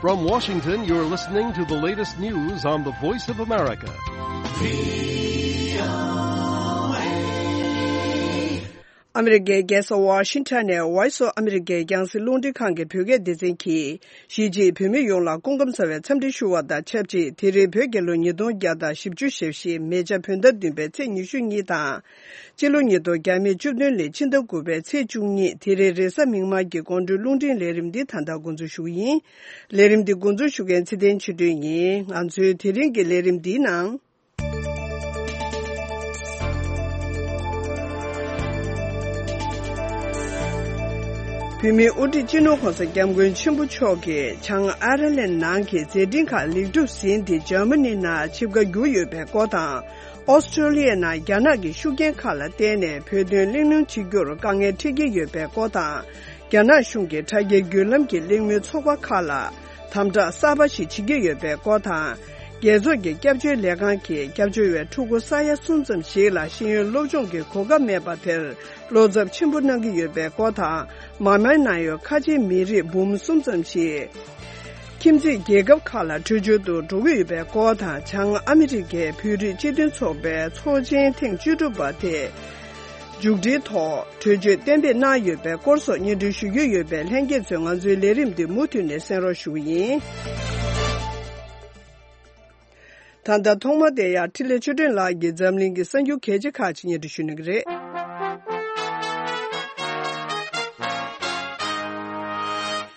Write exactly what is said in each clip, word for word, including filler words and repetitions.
From Washington, you're listening to the latest news on the Voice of America. ཨ་མི་རི་ཀའི་རྒྱལ་ས་ཝ་ཤིང་ཊོན་ནས་Voice of America་རྒྱང་སྲིང་རླུང་འཕྲིན་ཁང་གི་བོད་སྐད་སྡེ་ཚན་གྱིས། གཞིས་བྱེས་བོད་མི་ཡོངས་ལ་སྐུ་ཁམས་བཟང་བའི་འཚམས་འདྲི་ཞུ་བ་དང་ཆབས་ཅིག་དེ་རིང་བོད་རྒྱལ་ལོ་ཉིས་སྟོང་བརྒྱ་དང་བཞི་བཅུ་ཞེ་བཞི་མེ་བྱ་བོད་ཟླ་བདུན་པའི་ཚེས་ཉི་ཤུ་གཉིས་དང་། སྤྱི་ལོ་ཉིས་སྟོང་བརྒྱ་མེད་བཅུ་བདུན་ལོའི་ཕྱི་ཟླ་དགུ་པའི་ཚེས་བཅུ་གཉིས་དེ་རིང་རེས་གཟའ་མིག་དམར་གྱི་དགོང་དྲོའི་རླུང་འཕྲིན་ལས་རིམ་འདི་ད་ལྟ་འགོ་འཛུགས་ཞུ་གི་ཡིན། ལས་རིམ་འདི་འགོ་འཛུགས་ཞུ་མཁན་ཚེ་བརྟན་ཆོས་སྒྲོན་ཡིན། ང་ཚོའི་དེ་རིང་གི་ལས་རིམ་འདིའི་ནང་། བོད་མིའི་དབུ་ཁྲིད་སྤྱི་ནོར་༧གོང་ས་༧སྐྱབས་མགོན་ཆེན་པོ་མཆོག་གིས་བྱང་ཨའེ་ར་ལན་ནང་གི་མཛད་འཕྲིན་ཁག་ལེགས་གྲུབ་ཟིན་ཏེ་འཇར་མ་ནི་ནང་ཆིབས་ཁ་བསྒྱུར་ཡོད་པའི་སྐོར་དང་། ཨོ་སི་ཀྲོ་ལི་ཡའི་ནང་རྒྱ་ནག་གི་ཤུགས་རྐྱེན་ཁག་ལ་བརྟེན་ནས་བོད་དོན་གླེང་སློང་བྱེད་རྒྱུར་དཀའ་ངལ་འཕྲད་ཀྱི་ཡོད་པའི་སྐོར་དང་། རྒྱ་ནག་གཞུང་གི་དྲ་རྒྱའི་བརྒྱུད་ལམ་གྱི་གླེང་མོལ་ཚོགས་པ་ཁག་ལ་དམ་དྲག་གསར་པ་ཞིག་བྱེད་ཀྱི་ཡོད་པའི་སྐོར་དང་། རྒྱལ་ཚོགས་ཀྱི་སྐྱབས་བཅོལ་ལས་ཁང་གིས་སྐྱབས་བཅོལ་བའི་ཕྲུ་གུ་ས་ཡ་གསུམ་ཙམ་ཞིག་ལ་ཤེས་ཡོན་སློབ་སྦྱོང་གི་གོ་སྐབས་མེད་པ་དེར་བློ་འཚབ་ཆེན་པོ་གནང་གི་ཡོད་པའི་སྐོར་དང་། མཱ་མཱའི་ནང་ཡོད་ཁ་ཆེའི་མི་རིགས་འབུམ་གསུམ་ཙམ་ཞིག་ཁྱིམ་མཚེས་རྒྱལ་ཁབ་ཁག་ལ་བྲོས་བྱོལ་དུ་འགྲོ་གི་ཡོད་པའི་སྐོར་དང་། བྱང་ཨ་མི་རི་ཀའི་བོད་རིགས་སྤྱི་མཐུན་ཚོགས་པའི་ཚོགས་ཆེན་ཐེངས་བཅུ་དྲུག་པ་དེ་མཇུག་སྒྲིལ་ཐོག་གྲོས་ཆོད་གཏན་འབེབས་གནང་ཡོད་པའི་སྐོར་སོགས་སྙན་སྒྲོན་ཞུ་རྒྱུ་ཡོད་པས། ལྷན་རྒྱས་ཚོས་ང་ཚོའི་ལས་རིམ་འདི་མུ་མཐུད་ནས་གསན་རོགས་ཞུ་གི་ཡིན། ད་ལྟ་ཐོག་མ་དེ་ཡང་འཕྲིན་ལས་ཆོས་སྒྲོན་ལགས་ཀྱིས་འཛམ་གླིང་གི་གསར་འགྱུར་གལ་ཆེ་ཁག་ཅིག་སྙན་སྒྲོན་ཞུ་གནང་གི་རེད།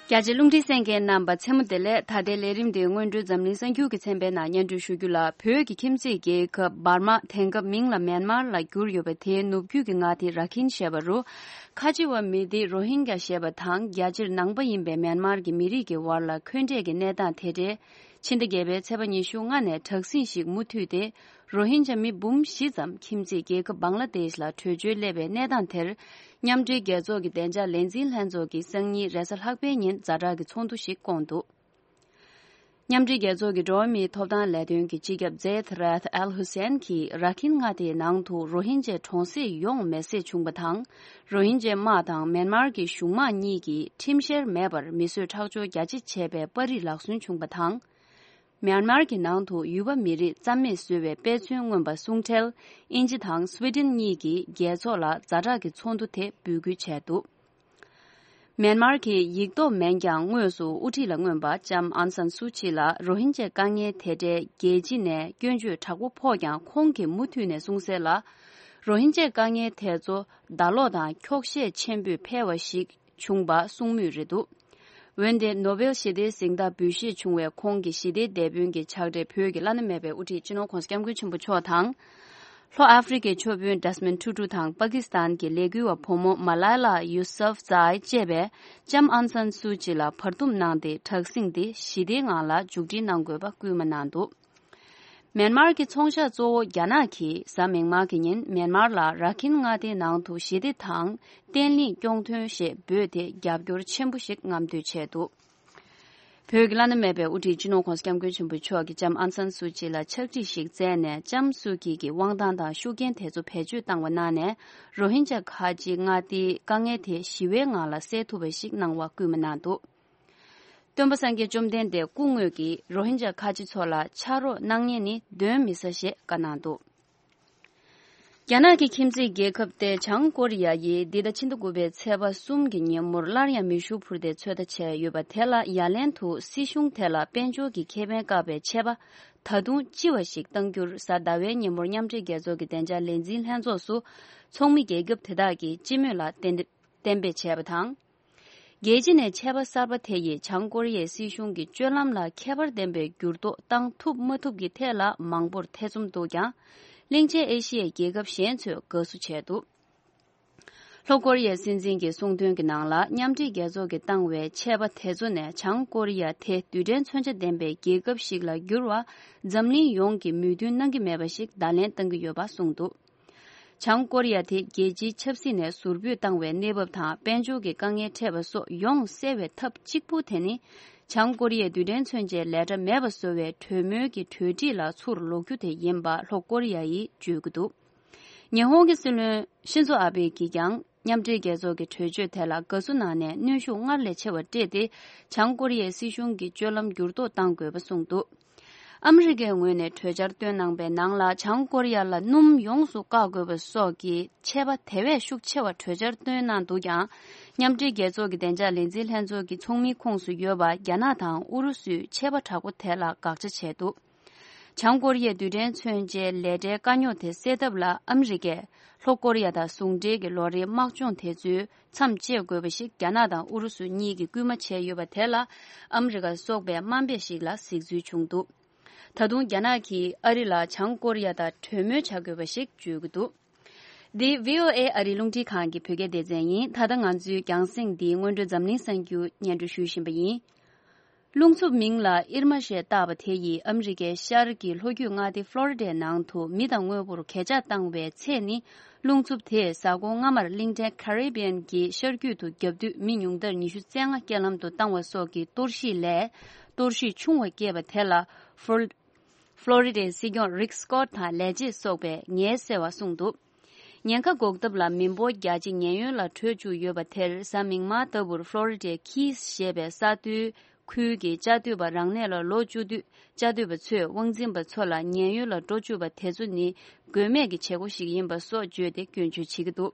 རྒྱ་ཆེ་རླུང་འཕྲིན་གསན་མཁན་རྣམ་པ་མཚན་མོ་བདེ་ལེགས། ད་ལྟའི་ལས་རིམ་འདིའི་སྔོན་འགྲོའི་འཛམ་གླིང་གསར་འགྱུར་གྱི་ཚན་པའི་ནང་སྙན་སྒྲོན་ཞུ་རྒྱུ་ལ། བོད་ཀྱི་ཁྱིམ་མཚེས་རྒྱལ་ཁབ་འབར་མ་དེང་སྐབས་མིང་ལ་མེན་མར་ལ་བསྒྱུར་ཡོད་པ་དེའི་ནུབ་རྒྱུད་ཀྱི་མངའ་སྡེ་ར་ཁིན་ཞེས་པ་རུ། ཁ་ཆེ་བ་མི་སྡེ་རོ་ཧིན་གྱ་ཞེས་པ་དང་རྒྱ་ཆེར་ནང་པ་ཡིན་པའི་མེན་མར་གྱི་མི་རིགས་ཀྱི་བར་ལ་འཁོན་འགྲས་ཀྱི་གནས་སྟངས་དེ་འབྲེལ། ཕྱི་ཟླ་བརྒྱད་པའི་ཚེས་པ་ཉི་ཤུ་ལྔ་ནས་དྲག་ཟིང་ཞིག་མུ་མཐུད་དེ། རོ་ཧིན་ཇཱ་མི་འབུམ་བཞི་ཙམ་ཁྱིམ་མཚེས་རྒྱལ་ཁབ་བང་ལ་དེཤ་ལ་བྲོས་བྱོལ་སླེབས་པའི་གནས་སྟངས་དེར། མཉམ་འབྲེལ་རྒྱལ་ཚོགས་ཀྱི་བདེ་འཇགས་ལས་འཛིན་ལྷན་ཚོགས་ཀྱིས་སང་ཉིན་རེས་གཟའ་ལྷག་པའི་ཉིན་ཛ་དྲག་གི་ཚོགས་འདུ་ཞིག་བསྐོངས་འདུག་མཉམ་འབྲེལ་རྒྱལ་ཚོགས་ཀྱི་འགྲོ་བ་མིའི་ཐོབ་ཐང་ལས་དོན་གྱི་སྤྱི་ཁྱབ་ཛེད་རད་ཨལ་ཧུ་སན་གྱིས་ར་ཁིན་མངའ་སྡེའི་ནང་དུ་རོ་ཧིན་ཇཱ་གྲོང་གསེབ་ཡོངས་མེ་བསྲེགས་བྱུང་བ་དང་། རོ་ཧིན་ཇཱ་དམག་དང་མེན་མར་གྱི་གཞུང་དམག་གཉིས་ཀྱིས་ཁྲིམས་བཤེར་མེད་པར་མི་གསོད་ཁྲག་སྦྱོར་རྒྱ་ཆེ་བྱས་པའི་པར་རིས་ལག་སོན་བྱུང་བ་དང་། མེན་མར་གྱི་ནང་དུ་ཡུལ་པ་མི་རིགས་རྩ་མེད་བཟོ་བའི་དཔེ་མཚོན་མངོན་པ་གསུང་འཕྲལ། དབྱིན་ཇི་དང་སུའེ་ཏེན་གཉིས་ཀྱིས་རྒྱལ་ཚོགས་ལ་ཛ་དྲག་གི་ཚོགས་འདུ་དེ་འབོད་སྐུལ་བྱས་འདུག་མེན་མར་གྱི་ཡིག་ཐོག་མིན་ཀྱང་དངོས་སུ་དབུ་ཁྲིད་ལ་མངོན་པ་ལྕམ་ཨང་སན་སུའུ་ཅི་ལ་རོ་ཧིན་ཇཱའི་དཀའ་ངལ་དེ་འབྲེལ་རྒྱལ་སྤྱི་ནས་སྐྱོན་བརྗོད་དྲག་པོ་ཕོག་ཀྱང་ཁོང་གིས་མུ་མཐུད་ནས་གསུངས་གསལ་ལ། རོ་ཧིན་ཇཱའི་དཀའ་ངལ་དེ་ཚོ་ཟླ་ལོག་དང་འཁྱོག་བཤད་ཆེན་པོས་འཕེལ་བ་ཞིག་བྱུང་བ་གསུང་མུས་རེད་འདུག་འོན་ཏེ་ནོ་བེལ་ཞི་བདེའི་གཟེངས་རྟགས་འབུལ་བཞེས་བྱུང་བའི་ཁོང་གི་ཞི་བདེའི་དེད་དཔོན་གྱི་ཕྱག་སྦྲེལ་བོད་ཀྱི་བླ་ན་མེད་པའི་དབུ་ཁྲིད་སྤྱི་ནོར་༧གོང་ས་༧སྐྱབས་མགོན་ཆེན་པོ་མཆོག་དང་། ལྷོ་ཨ་ཧྥེ་རི་ཁའི་ཆོས་དཔོན་ཌེ་སི་མོན་ཊུ་ཊུ་དང་པ་ཀི་སི་ཐན་གྱི་ལས་འགུལ་བ་བུ་མོ་མ་ལའི་ལ་ཡུ་སུབ་ཛའི་བཅས་པས་ལྕམ་ཨང་སན་སུའུ་ཅི་ལ་བར་འདུམ་གནང་སྟེ་དྲག་ཟིང་འདི་ཞི་བདེའི་ངང་ལ་མཇུག་སྒྲིལ་གནང་དགོས་པ་སྐུལ་མ་གནང་འདུག་མེན་མར་གྱི་ཚོང་ཤག་གཙོ་བོ་རྒྱ་ནག་གིས་གཟའ་མིག་དམར་གྱི་ཉིན་མེན་མར་ལ་ར་ཁིན་མངའ་སྡེའི་ནང་དུ་ཞི་བདེ་དང་བརྟན་ལྷིང་སྐྱོང་དོན་ཞེས་འབོད་དེ་རྒྱབ་སྐྱོར་ཆེན་པོ་ཞིག་རྔམ་སྟོན་བྱས་འདུག་བོད་ཀྱི་བླ་ན་མེད་པའི་དབུ་ཁྲིད་སྤྱི་ནོར་༧གོང་ས་༧སྐྱབས་མགོན་ཆེན་པོ་མཆོག་གིས་ལྕམ་ཨང་སན་སུའུ་ཅི་ལ་ཕྱག་བྲིས་ཤིག་བསྩལ་ནས་ལྕམ་སུའུ་ཅི་གི་དབང་ཐང་དང་ཤུགས་རྐྱེན་དེ་ཚོ་བེད་སྤྱོད་བཏང་བ་གནང་ནས་རོ་ཧིན་ཇཱ་ཁ་ཆེའི་མངའ་སྡེའི་དཀའ་ངལ་དེ་ཞི་བའི་ངང་ལ་སེལ་ཐུབ་པ་ཞིག་གནང་བ་སྐུལ་མ་གནང་འདུག་སྟོན་པ་སངས་རྒྱས་བཅོམ་ལྡན་འདས་སྐུ་དངོས་ཀྱིས་རོ་ཧིན་ཇཱ་ཁ་ཆེ་ཚོ་ལ་ཕྱག་རོགས་གནང་མཁན་ནི་གདོན་མི་ཟ་ཞེས་བཀའ་གནང་འདུག་རྒྱ་ནག་གི་ཁྱིམ་མཚེས་རྒྱལ་ཁབ་སྟེ་བྱང་ཀོ་རི་ཡ་ཡིས་འདི་ཟླ་ཕྱི་ཟླ་དགུ་པའི་ཚེས་པ་གསུམ་གྱི་ཉིན་མོར་སླར་ཡང་མེ་ཤུགས་འཕུར་མདེལ་ཚོད་ལྟ་བྱས་ཡོད་པ་དེ་ལ་ཡ་ལན་དུ་སྲིད་གཞུང་དེ་ལ་དཔལ་འབྱོར་གྱི་ཁེ་ཕན་བཀག་པའི་ཆད་པ་ད་དུང་ལྕི་བ་ཞིག་གཏང་རྒྱུར་གཟའ་ཟླ་བའི་ཉིན་མོར་མཉམ་འབྲེལ་རྒྱལ་ཚོགས་ཀྱི་བདེ་འཇགས་ལས་འཛིན་ལྷན་ཚོགས་སུ་ཚོགས་མི་རྒྱལ་ཁབ་དེ་དག་གིས་སྤྱི་མོས་ལ་གཏན་འབེབས་གཏན་འབེབས་བྱས་པ་དང་། རྒྱལ་སྤྱི་ནས་ཆད་པ་གསར་པ་དེ་ཡིས་བྱང་ཀོ་རི་ཡའི་སྲིད་གཞུང་གི་སྤྱོད་ལམ་ལ་ཁྱད་པར་ལྡན་པའི་འགྱུར་ལྡོག་བཏང་ཐུབ་མ་ཐུབ་ཀྱི་ཐད་ལ་མང་པོར་ཐེ་ཚོམ་འདུག་ཀྱང་། གླིང་ཆེན་ཨེ་ཤི་ཡའི་རྒྱལ་ཁབ་གཞན་ཚོས་དགའ་བསུ་བྱས་འདུག་ལྷོ་ཀོ་རི་ཡའི་སྲིད་འཛིན་གྱི་གསུང་དོན་གྱི་ནང་ལ་མཉམ་འབྲེལ་རྒྱལ་ཚོགས་ཀྱིས་བཏང་བའི་ཆད་པ་དེ་ཚོ་ནས་བྱང་ཀོ་རི་ཡ་དེ་རྡུལ་ཕྲན་མཚོན་ཆ་ལྡན་པའི་རྒྱལ་ཁབ་ཞིག་ལ་འགྱུར་བ་འཛམ་གླིང་ཡོངས་ཀྱིས་མོས་མཐུན་གནང་གི་མེད་པ་ཞིག་བརྡ་ལན་བཏང་གི་ཡོད་པ་གསུངས་འདུག་བྱང་ཀོ་རི་ཡ་དེ་རྒྱལ་སྤྱིའི་ཆབ་སྲིད་ནས་ཟུར་ཕུད་བཏང་བའི་གནས་བབ་དང་དཔལ་འབྱོར་གྱི་དཀའ་ངལ་འཕྲད་པ་སོགས་ཡོངས་སེལ་བའི་ཐབས་གཅིག་པུ་དེ་ནི། བྱང་ཀོ་རི་ཡའི་རྡུལ་ཕྲན་མཚོན་ཆའི་ལས་གྲྭ་མེད་པ་བཟོ་བའི་གྲོས་མོལ་གྱི་གྲོས་འགྲིག་ལ་ཚུར་ལོག་རྒྱུ་དེ་ཡིན་པ་ལྷོ་ཀོ་རི་ཡ་ཡིས་བརྗོད་ཀྱི་འདུག་ཉི་ཧོང་གི་སྲིད་བློན་ཤིན་ཛོ་ཨ་བྷེ་ཡིས་ཀྱང་ མཉམ་འབྲེལ་རྒྱལ་ཚོགས་ཀྱི་གྲོས་ཆོད་དེ་ལ་དགའ་བསུ་གནང་ནས་གནོན་ཤུགས་སྔར་ལས་ཆེ་བ་སྤྲད་དེ། བྱང་ཀོ་རི་ཡའི་སྲིད་གཞུང་གི་སྤྱོད་ལམ་འགྱུར་ལྡོག་གཏང་དགོས་པ་གསུངས་འདུག་ཨ་མི་རི་ཀའི་ངོས་ནས་གྲོས་འཆར་བཏོན་གནང་པའི་ནང་ལ། བྱང་ཀོ་རི་ཡ་ལ་སྣུམ་ཡོངས་སུ་བཀག་དགོས་པ་སོགས་ཀྱི་ཆད་པ་དེ་བས་ཤུགས་ཆེ་བ་གྲོས་འཆར་བཏོན་གནང་འདུག་ཀྱང་། མཉམ་འབྲེལ་རྒྱལ་ཚོགས་ཀྱི་བདེ་འཇགས་ལས་འཛིན་ལྷན་ཚོགས་ཀྱི་ཚོགས་མིའི་ཁོངས་སུ་ཡོད་པ་རྒྱ་ནག་དང་ཨུ་རུ་སུས་ཆད་པ་དྲག་པོ་དེ་ལ་དགག་བྱ་བྱས་འདུག་བྱང་ཀོ་རི་ཡའི་རྡུལ་ཕྲན་མཚོན་ཆའི་ལས་གྲྭའི་དཀའ་རྙོག་དེ་སེལ་ཐབས་ལ་ཨ་མི་རི་ཀས་ལྷོ་ཀོ་རི་ཡ་དང་ཟུང་འབྲེལ་གྱི་ལོ་རེའི་དམག་སྦྱོང་དེ་ཚོའི་མཚམས་བཅད་དགོས་པ་ཞིག་རྒྱ་ནག་དང་ཨུ་རུ་སུ་གཉིས་ཀྱིས་སྐུལ་མ་བྱས་ཡོད་པ་དེ་ལ། ཨ་མི་རི་ཀ་སོགས་པས་དམའ་འབེབས་ཤིག་ལ་གཟིགས་ཚུལ་བྱུང་འདུག་ད་དུང་རྒྱ་ནག་གིས་ཨ་རི་ལ་བྱང་ཀོ་རི་ཡ་དང་གྲོས་མོལ་བྱ་དགོས་པ་ཞིག་བརྗོད་ཀྱི་འདུག་འདི་བྷི་ཨོ་ཨེ་ཨ་རིའི་རླུང་འཕྲིན་ཁང་གི་བོད་སྐད་སྡེ་ཚན་ཡིན། ད་ལྟ་ང་ཚོའི་རྒྱང་སྲིང་འདིའི་སྔོན་འགྲོའི་འཛམ་གླིང་གསར་འགྱུར་སྙན་སྒྲོན་ཞུ་བཞིན་པ་ཡིན། རླུང་འཚུབ་མིང་ལ་ཨིར་མ་ཞེས་བཏགས་པ་དེ་ཡིས་ཨ་མི་རི་ཀའི་ཤར་གྱི་ལྷོ་རྒྱུད་མངའ་སྡེ་ཕློ་རི་ཌའི་ནང་དུ་མི་དང་དངོས་པོར་གས་ཆག་བཏང་བའི་ཚེ་ནི། རླུང་འཚུབ་དེས་གཟའ་འཁོར་སྔ་མར་གླིང་ཕྲན་ཁ་རི་བི་ཡན་གྱི་ཤར་རྒྱུད་དུ་བརྒྱབ་དུས་མི་ཉུང་མཐར་ཉི་ཤུ་རྩ་ལྔ་རྐྱེན་ལམ་དུ་བཏང་བ་སོགས་ཀྱི་གཏོར་བཤིག་ལས། གཏོར་བཤིག་ཆུང་བ་སྐྱེས་པ་དེ་ལ་ཕློ་ཕློ་རི་ཌའི་སྲིད་སྐྱོང་རིག་སྐོད་དང་ལས་བྱེད་སོགས་པས་ངལ་གསོ་བ་གསུངས་འདུག་ཉེན་ཁ་འགོག་ཐབས་ལ་མི་འབོར་བརྒྱ་ཆ་ཉེན་གཡོལ་ལ་བྲོས་བཅུག་ཡོད་པ་དེར། གཟའ་མིག་དམར་ལྟ་བུར་ཕློ་རི་ཌའི་ཁིས་ཞེས་པའི་ས་མཐོའི་ཁུལ་གྱི་བཅའ་སྡོད་པ་རང་གནས་ལ་ལོག་བཅུག་དུས། བཅའ་སྡོད་པ་ཚོས་དབང་འཛིན་པ་ཚོ་ལ་ཉེན་གཡོལ་ལ་འགྲོ་བཅུག་པ་དེ་ཚོ་ནི་དགོས་མེད་ཀྱི་བྱེད་སྒོ་ཞིག་ཡིན་པ་སོགས་བརྗོད་དེ་སྐྱོན་བརྗོད་བྱེད་ཀྱི་འདུག་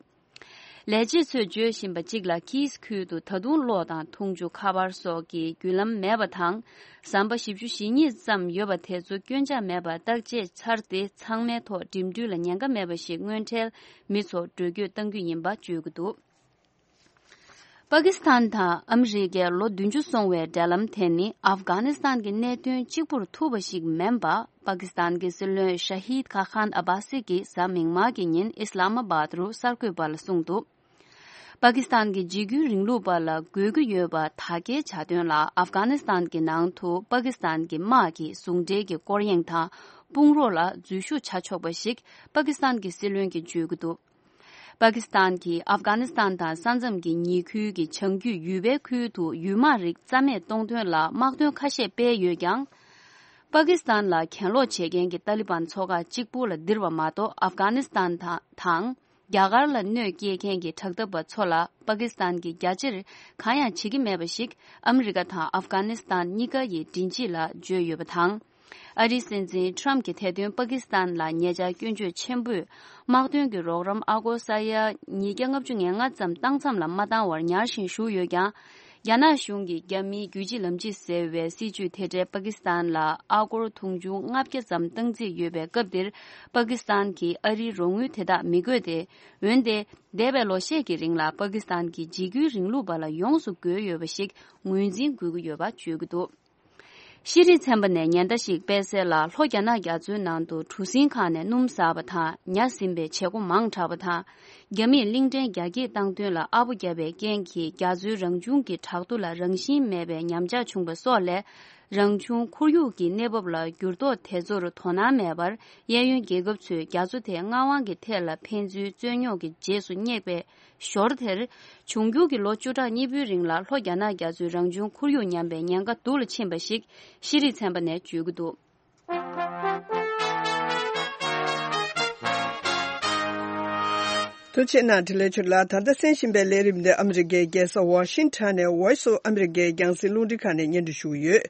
ལས་བྱེད་ཚོས་བརྗོད་བཞིན་པ་གཅིག་ལ། ཁིས་ཁུལ་དུ་ད་དུང་གློག་དང་འཐུང་ཆུ། ཁ་པར་སོགས་ཀྱི་བརྒྱུད་ལམ་མེད་པ་དང་། ཟམ་པ་བཞི་བཅུ་ཞེ་གཉིས་ཙམ་ཡོད་པ་དེ་ཚོ་སྐྱོན་ཆག་མེད་པར་བརྟག་དཔྱད་ཚར་ཏེ། ཚང་མའི་ཐོག་འགྲིམ་འགྲུལ་ལ་ཉེན་ཁ་མེད་པ་ཞིག་སྔོན་འཕྲལ་མི་ཚོར་འགྲོ་སྐྱོད་གཏང་རྒྱུ་ཡིན་པ་བརྗོད་ཀྱི་འདུག་པ་ཀི་སི་ཐན་དང་ཨ་མི་རི་ཀའི་ལོ་བདུན་ཅུ་སོང་བའི་འབྲེལ་ལམ་དེ་ནི་ཨབ་གྷ་ནི་སི་ཐན་གྱི་གནད་དོན་གཅིག་པུར་ཐུག་པ་ཞིག་མིན་པ། པ་ཀི་སི་ཐན་གྱི་སྲིད་བློན་ཤ་ཧིད་ཁ་ཁན་ཨ་བྷ་སི་གིས་གཟའ་མིག་དམར་གྱི་ཉིན་ཨི་སི་ལ་མ་བཱད་རུ་གསར་འགོད་པ་ལ་གསུངས་འདུག་པ་ཀི་སི་ཐན་གྱི་འཇིགས་སྐུལ་རིང་ལུགས་པ་ལ་དགོས་ཀྱི་ཡོད་པ་དག་སྐྱེལ་བྱ་དོན་ལ། ཨབ་གྷ་ནི་སི་ཐན་གྱི་ནང་དུ་པ་ཀི་སི་ཐན་གྱི་དམག་གི་ཟུང་འབྲེལ་གྱི་སྐོར་གཡེང་དང་དཔུང་རོགས་ལ་འཛུལ་ཞུགས་བྱ་ཆོག་པ་ཞིག་པ་ཀི་སི་ཐན་གྱི་སྲིད་བློན་གྱིས་བརྗོད་ཀྱི་འདུག་པ་ཀི་སི་ཐན་གྱིས་ཨབ་གྷ་ནི་སི་ཐན་དང་ས་མཚམས་ཀྱི་ཉེ་ཁུལ་གྱི་བྱང་རྒྱུད་ཡུལ་པའི་ཁུལ་དུ་ཡུལ་དམག་རིགས་རྩ་མེད་གཏོང་དོན་ལ་དམག་དོན་ཁ་ཤས་སྤེལ་ཡོད་ཀྱང་། པ་ཀི་སི་ཐན་ལ་གྱེན་ལོག་བྱེད་མཁན་གྱི་ཏཱ་ལི་བན་ཚོགས་ཁག་གཅིག་པུ་ལ་ལྡིར་བ་མ་གཏོགས། ཨབ་གྷ་ནི་སི་ཐན་དང་། རྒྱ་གར་ལ་གནོད་སྐྱེལ་མཁན་གྱི་དྲག་འཐབ་པ་ཚོ་ལ་པ་ཀི་སི་ཐན་གྱིས་རྒྱ་ཆེར་གང་ཡང་བྱེད་ཀྱི་མེད་པ་ཞིག་ཨ་མི་རི་ཀ་དང་ཨབ་གྷ་ནི་སི་ཐན་གཉིས་ཀ་ཡི་མགྲིན་དཔྱད་ལ་བརྗོད་ཡོད་པ་དང་། ཨ་རིའི་སྲིད་འཛིན་ཁྲམ་གྱིས་ཐེར་འདོན་པ་ཀི་སི་ཐན་ལ་ཉེ་ཆར་སྐྱོན་བརྗོད་ཆེན་པོས་དམག་དོན་གྱི་རོགས་རམ་ཨ་སྒོར་ས་ཡ་ཉིས་བརྒྱ་ལྔ་བཅུ་ང་ལྔ་ཙམ་བཏང་མཚམས་ལ་མ་བཏང་བར་ཉར་ཞིང་བཞུགས་ཡོད་ཀྱང་། རྒྱ་ནག་གཞུང་གིས་རྒྱ་མིའི་རྒྱུད་གཅིག་ལམ་གཅིག་ཟེར་བའི་སྲིད་ཇུས་དེ་འཕྲལ་པ་ཀི་སི་ཐན་ལ་ཨ་སྒོར་དུང་ཕྱུར་ལྔ་བརྒྱ་ཙམ་བཏང་རྩིས་ཡོད་པའི་སྐབས་འདིར། པ་ཀི་སི་ཐན་གྱིས་ཨ་རིའི་རོགས་དངུལ་དེ་དག་མི་དགོས་ཏེ། འོན་ཏེ། འདས་པའི་ལོ་ཤས་ཀྱི་རིང་ལ་པ་ཀི་སི་ཐན་གྱི་འཇིགས་སྐུལ་རིང་ལུགས་པ་ལ་ཡོངས་སུ་རྒོལ་ཡོད་པ་ཞིག་ངོས་འཛིན་དགོས་ཀྱི་ཡོད་པ་བརྗོད་ཀྱི་འདུག་ཤེས་རིག་ཚན་པ་ནས་ཉེན་བརྡ་ཞིག་སྤེལ་གསལ་ལ། ལྷོ་རྒྱ་ནག་རྒྱ་མཚོའི་ནང་དུ་གྲུ་གཟིངས་ཁང་ནས་སྣུམ་ཟགས་པ་དང་། ཉ་ཟིན་པའི་བྱེད་སྒོ་མང་དྲགས་པ་དང་། རྒྱ་མིས་གླིང་ཕྲན་རྒྱ་སྐྱེད་བཏང་དོན་ལ་ཨ་པོ་བརྒྱབ་པའི་རྐྱེན་གྱིས། རྒྱ་མཚོའི་རང་བྱུང་གི་བྲག་རྡོ་ལ་རང་བཞིན་མེད་པའི་ཉམས་ཆག་བྱུང་བ་སོགས་ལས། རང་བྱུང་ཁོར་ཡུག་གི་གནས་བབ་ལ་འགྱུར་ལྡོག་དེ་ཚོར་དོ་སྣང་མེད་པར། གཡས་གཡོན་རྒྱལ་ཁབ་ཚོས་རྒྱ་མཚོ་དེ་མངའ་དབང་གི་ཐད་ལ་ཕན་ཚུན་རྩོད་རྙོག་གི་རྗེས་སུ་སྙེག་པའི་ཞོར་དེར། འབྱུང་འགྱུར་གྱི་ལོ་བཅུ་ཕྲག་གཉིས་པོའི་རིང་ལ་ལྷོ་རྒྱ་ནག་རྒྱ་མཚོའི་རང་བྱུང་ཁོར་ཡུག་ཉམས་པའི་ཉེན་ཁ་སྡུག་ལ་ཕྱིན་པ་ཞིག་ཤེས་རིག་ཚན་པ་ནས་བརྗོད་ཀྱི་འདུག་ཐུགས་རྗེ་གནང་། འཕྲིན་ལས་ཆོས་ལགས། ད་ལྟ་གསན་བཞིན་པའི་ལས་རིམ་འདི་ཨ་མི་རི་ཀའི་རྒྱལ་ས་ཝ་ཤིང་ཊོན་ནས་Voice of America ཡི་རྒྱང་སྲིང་རླུང་འཕྲིན་ཁང་ནས་སྙན་སྒྲོན་ཞུ་གི་ཡོད།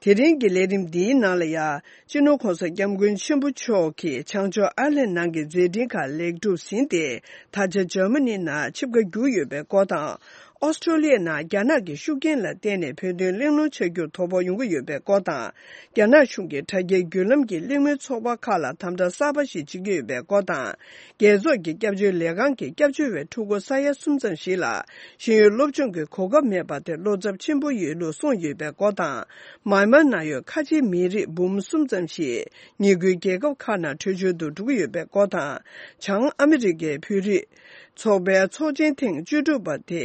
དེ་རིང་གི་ལས་རིམ་འདིའི་ནང་ལ་ཡང་། སྤྱི་ནོར་༸གོང་ས་༸སྐྱབས་མགོན་ཆེན་པོ་མཆོག་གིས་བྱང་ཕྱོགས་ཨར་ལན་ནང་གི་མཛད་འཕྲིན་ཁག་ལེགས་གྲུབ་ཟིན་ཏེ། ད་ཆ་འཇར་མ་ནི་ནང་ཆིབས་ཁ་བསྒྱུར་ཡོད་པའི་སྐོར་དང་། ཨོ་སི་ཀྲོ་ལི་ཡའི་ནང་རྒྱ་ནག་གི་ཤུགས་རྐྱེན་ལ་བརྟེན་ནས་བོད་དོན་གླེང་སློང་བྱ་རྒྱུར་དོ་ཕོག་ཡོང་གི་ཡོད་པའི་སྐོར་དང་། རྒྱ་ནག་གཞུང་གིས་དྲ་རྒྱའི་བརྒྱུད་ལམ་གྱི་གླེང་མོལ་ཚོགས་པ་ཁག་ལ་དམ་དྲག་གསར་པ་ཞིག་བྱེད་ཀྱི་ཡོད་པའི་སྐོར་དང་། རྒྱལ་ཚོགས་ཀྱི་སྐྱབས་བཅོལ་ལས་ཁང་གི་སྐྱབས་བཅོལ་བའི་ཕྲུ་གུ་ས་ཡ་གསུམ་ཙམ་ཞིག་ལ་ཤེས་ཡོན་སློབ་སྦྱོང་གི་གོ་སྐབས་མེད་པ་དེ་བློ་འཚབ་ཆེན་པོ་ཡོད་ལུགས་གསུངས་ཡོད་པའི་སྐོར་དང་། མཱན་མཱར་ནང་ཡོད་ཁ་ཆེའི་མི་རིགས་འབུམ་གསུམ་ཙམ་ཞིག་ཉེ་ཁུལ་རྒྱལ་ཁབ་ཁག་ནང་བྲོས་བྱོལ་དུ་འགྲོ་གི་ཡོད་པའི་སྐོར་དང་། བྱང་ཨ་མི་རི་ཀའི་བོད་རིགས་ཚོགས་པའི་ཚོགས་ཆེན་ཐེངས་བཅུ་དྲུག་པ་དེ་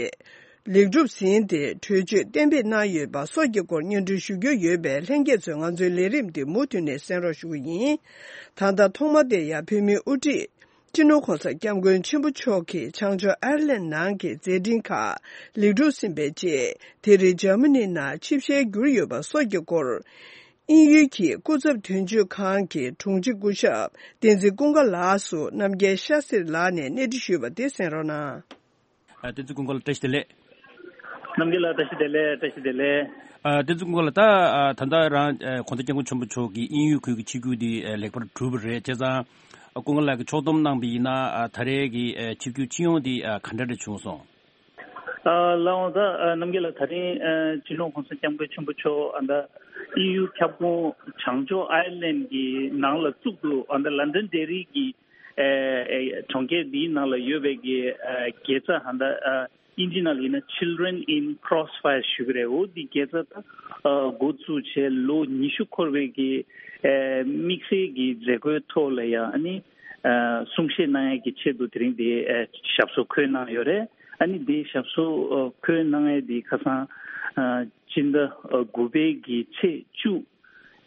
ལེགས་གྲུབ་ཟིན་ཏེ་གྲོས་ཆོད་གཏན་འབེབས་གནང་ཡོད་པ་སོགས་ཀྱི་སྐོར་སྙན་སྒྲོན་ཞུ་རྒྱུ་ཡོད་པས། ལྷན་རྒྱས་ཚོས་ང་ཚོའི་ལས་རིམ་འདི་མུ་མཐུད་ནས་གསན་རོགས་ཞུ་གི་ཡིན། ད་ལྟ་ཐོག་མ་དེ་ཡང་བོད་མིའི་དབུ་ཁྲིད་སྤྱི་ནོར་༸གོང་ས་༸སྐྱབས་མགོན་ཆེན་པོ་མཆོག་གིས་བྱང་ཕྱོགས་ཨར་ལན་ནང་གི་མཛད་འཕྲིན་ཁག་ལེགས་གྲུབ་ཟིན་པའི་རྗེས། དེ་རིང་འཇར་མ་ནི་ནང་ཆིབས་ཞལ་བསྒྱུར་ཡོད་པ་སོགས་ཀྱི་སྐོར། དབྱིན་ཡུལ་གྱི་སྐུ་ཚབ་དོན་གཅོད་ཁང་གི་དྲུང་ཆེ་སྐུ་ཞབས་བསྟན་འཛིན་ཀུན་དགའ་ལགས་སུ་རྣམ་རྒྱལ་ཤཱ་སྟྲི་ལགས་ནས་གནས་འདྲི་ཞུས་པ་དེ་གསན་རོགས་གནང་། ཨ། བསྟན་འཛིན་ཀུན་དགའ་ལགས་བཀྲ་ཤིས་བདེ་ལེགས། རྣམ་རྒྱལ་ལགས་བཀྲ་ཤིས་བདེ་ལེགས། བཀྲ་ཤིས་བདེ་ལེགས། ཨ། བསྟན་འཛིན་ཀུན་དགའ་ལགས། ད་ཨ་ད་ལྟ་རང་ཨ་༸གོང་ས་༸སྐྱབས་མགོན་ཆེན་པོ་མཆོག་གིས་དབྱིན་ཡུལ་ཁུལ་གྱི་ཆིབས་བསྒྱུར་འདི་ཨ་ལེགས་པར་གྲུབ་པ་རེད། བྱས་ཙང་ཨ་ཀུན་དགའ་ལགས་ཀྱིས་ཕྱོགས་བསྡོམས་གནང་བ་ཡིན་ན་ཨ་ད་རེས་ཀྱི་ཨ་ཆིབས་བསྒྱུར་སྤྱི་ཡོངས་འདི་ཨ་ག་འདྲ་རེ་བྱུང་སོང་། ཨ་ལགས་འོང་། ད་ཨ་རྣམ་རྒྱལ་ལགས། ད་རིང་ཨ་སྤྱི་ནོར་༸གོང་ས་༸སྐྱབས་མགོན་ཆེན་པོ་མཆོག་ཨ་ད་དབྱིན་ཡུལ་ཁྱབ་ཁོངས་བྱང་ཕྱོགས་ཨའི་ལན་གྱི་ནང་ལ་བཙུགས་འདུག་ཨ་ད་ལན་ཌན་ཌེ་རི་གི་ཨ་ཨ་གྲོང་ཁྱེར་འདིའི་ནང་ལ་ཡོད་པའི་གི་ཨ་དགེ་རྩ་ཨ་ད་ཨ་དབྱིན་ཇི་ནང་ལ་ཡིན་ན་Children in Crossfire ཞུ་གི་རེད། འོ་འདི་དགེ་རྩ་ད་ཨ་འགོ་བཙུགས་བྱས་ལོ་ཉི་ཤུ་འཁོར་བའི་གི་ཨ་དམིགས་བསལ་གྱི་མཛད་སྒོའི་ཐོག་ལ་ཡང་ཨ་ནི་ཨ་གསུང་བཤད་གནང་ཡས་ཀྱི་ཆེད་དུ་དེ་རིང་འདི་ཨ་ཞབས་སོར་འཁོད་གནང་ཡོད་རེད། ཨ་ནི་འདི་ཞབས་སོར་ཨ་འཁོད་གནང་ཡས་འདི་ཁ་སང་ཨ་སྤྱི་ཟླ་ཨ་དགུ་པའི་གི་ཚེས་བཅུ་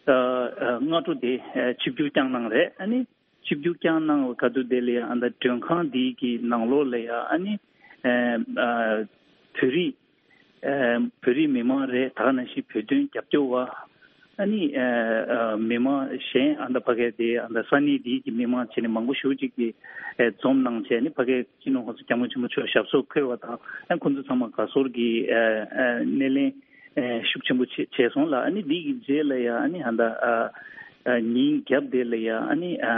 ཨ་ཨ་སྔ་དྲོ་དེ་ཨ་ཆིབས་བསྒྱུར་བསྐྱངས་གནང་རེད། ཨ་ནི་ཆིབས་བསྒྱུར་བསྐྱངས་གནང་བའི་ཁ་ཐུག་དེ་ལ་ཡང་ཨ་ད་མགྲོན་ཁང་འདི་གི་ནང་ལོགས་ལ་ཡང་ཨ་ནི་ཨ་ཨ་བོད་རིགས་ཨ་བོད་རིགས་མི་མང་རེད། ད་ག་ནང་བཞིན་བོད་དོན་རྒྱབ་སྐྱོར་བ། ཨ་ནི་ཨ་ཨ་མི་མང་གཞན་ཨ་ད་ཕ་གི་དེ་ཨ་ད་ས་གནས་འདི་གི་མི་མང་བྱས་ནས་མང་པོ་ཞེ་ཅིག་གིས་ཨ་འཛོམས་གནང་བྱས་ནས་ཕ་གི་སྤྱི་ནོར་༸གོང་ས་༸སྐྱབས་མགོན་ཆེན་པོ་མཆོག་ཞབས་སོར་འཁོད་པ་དང་། ཨ་ཁོང་ཚོ་ཚང་མ་དགའ་ཚོར་གྱི་ཨ་ཨ་སྣེ་ལེན་ཨ་ཤུགས་ཆེན་པོ་བྱས་བྱས་སོང་ལ། ཨ་ནི་འདི་གི་རྗེས་ལ་ཡང་ཨ་ནི་ཨ་ད་ཨ་ཨ་ཉིན་རྒྱབ་དེ་ལ་ཡང་ཨ་ནི་ཨ་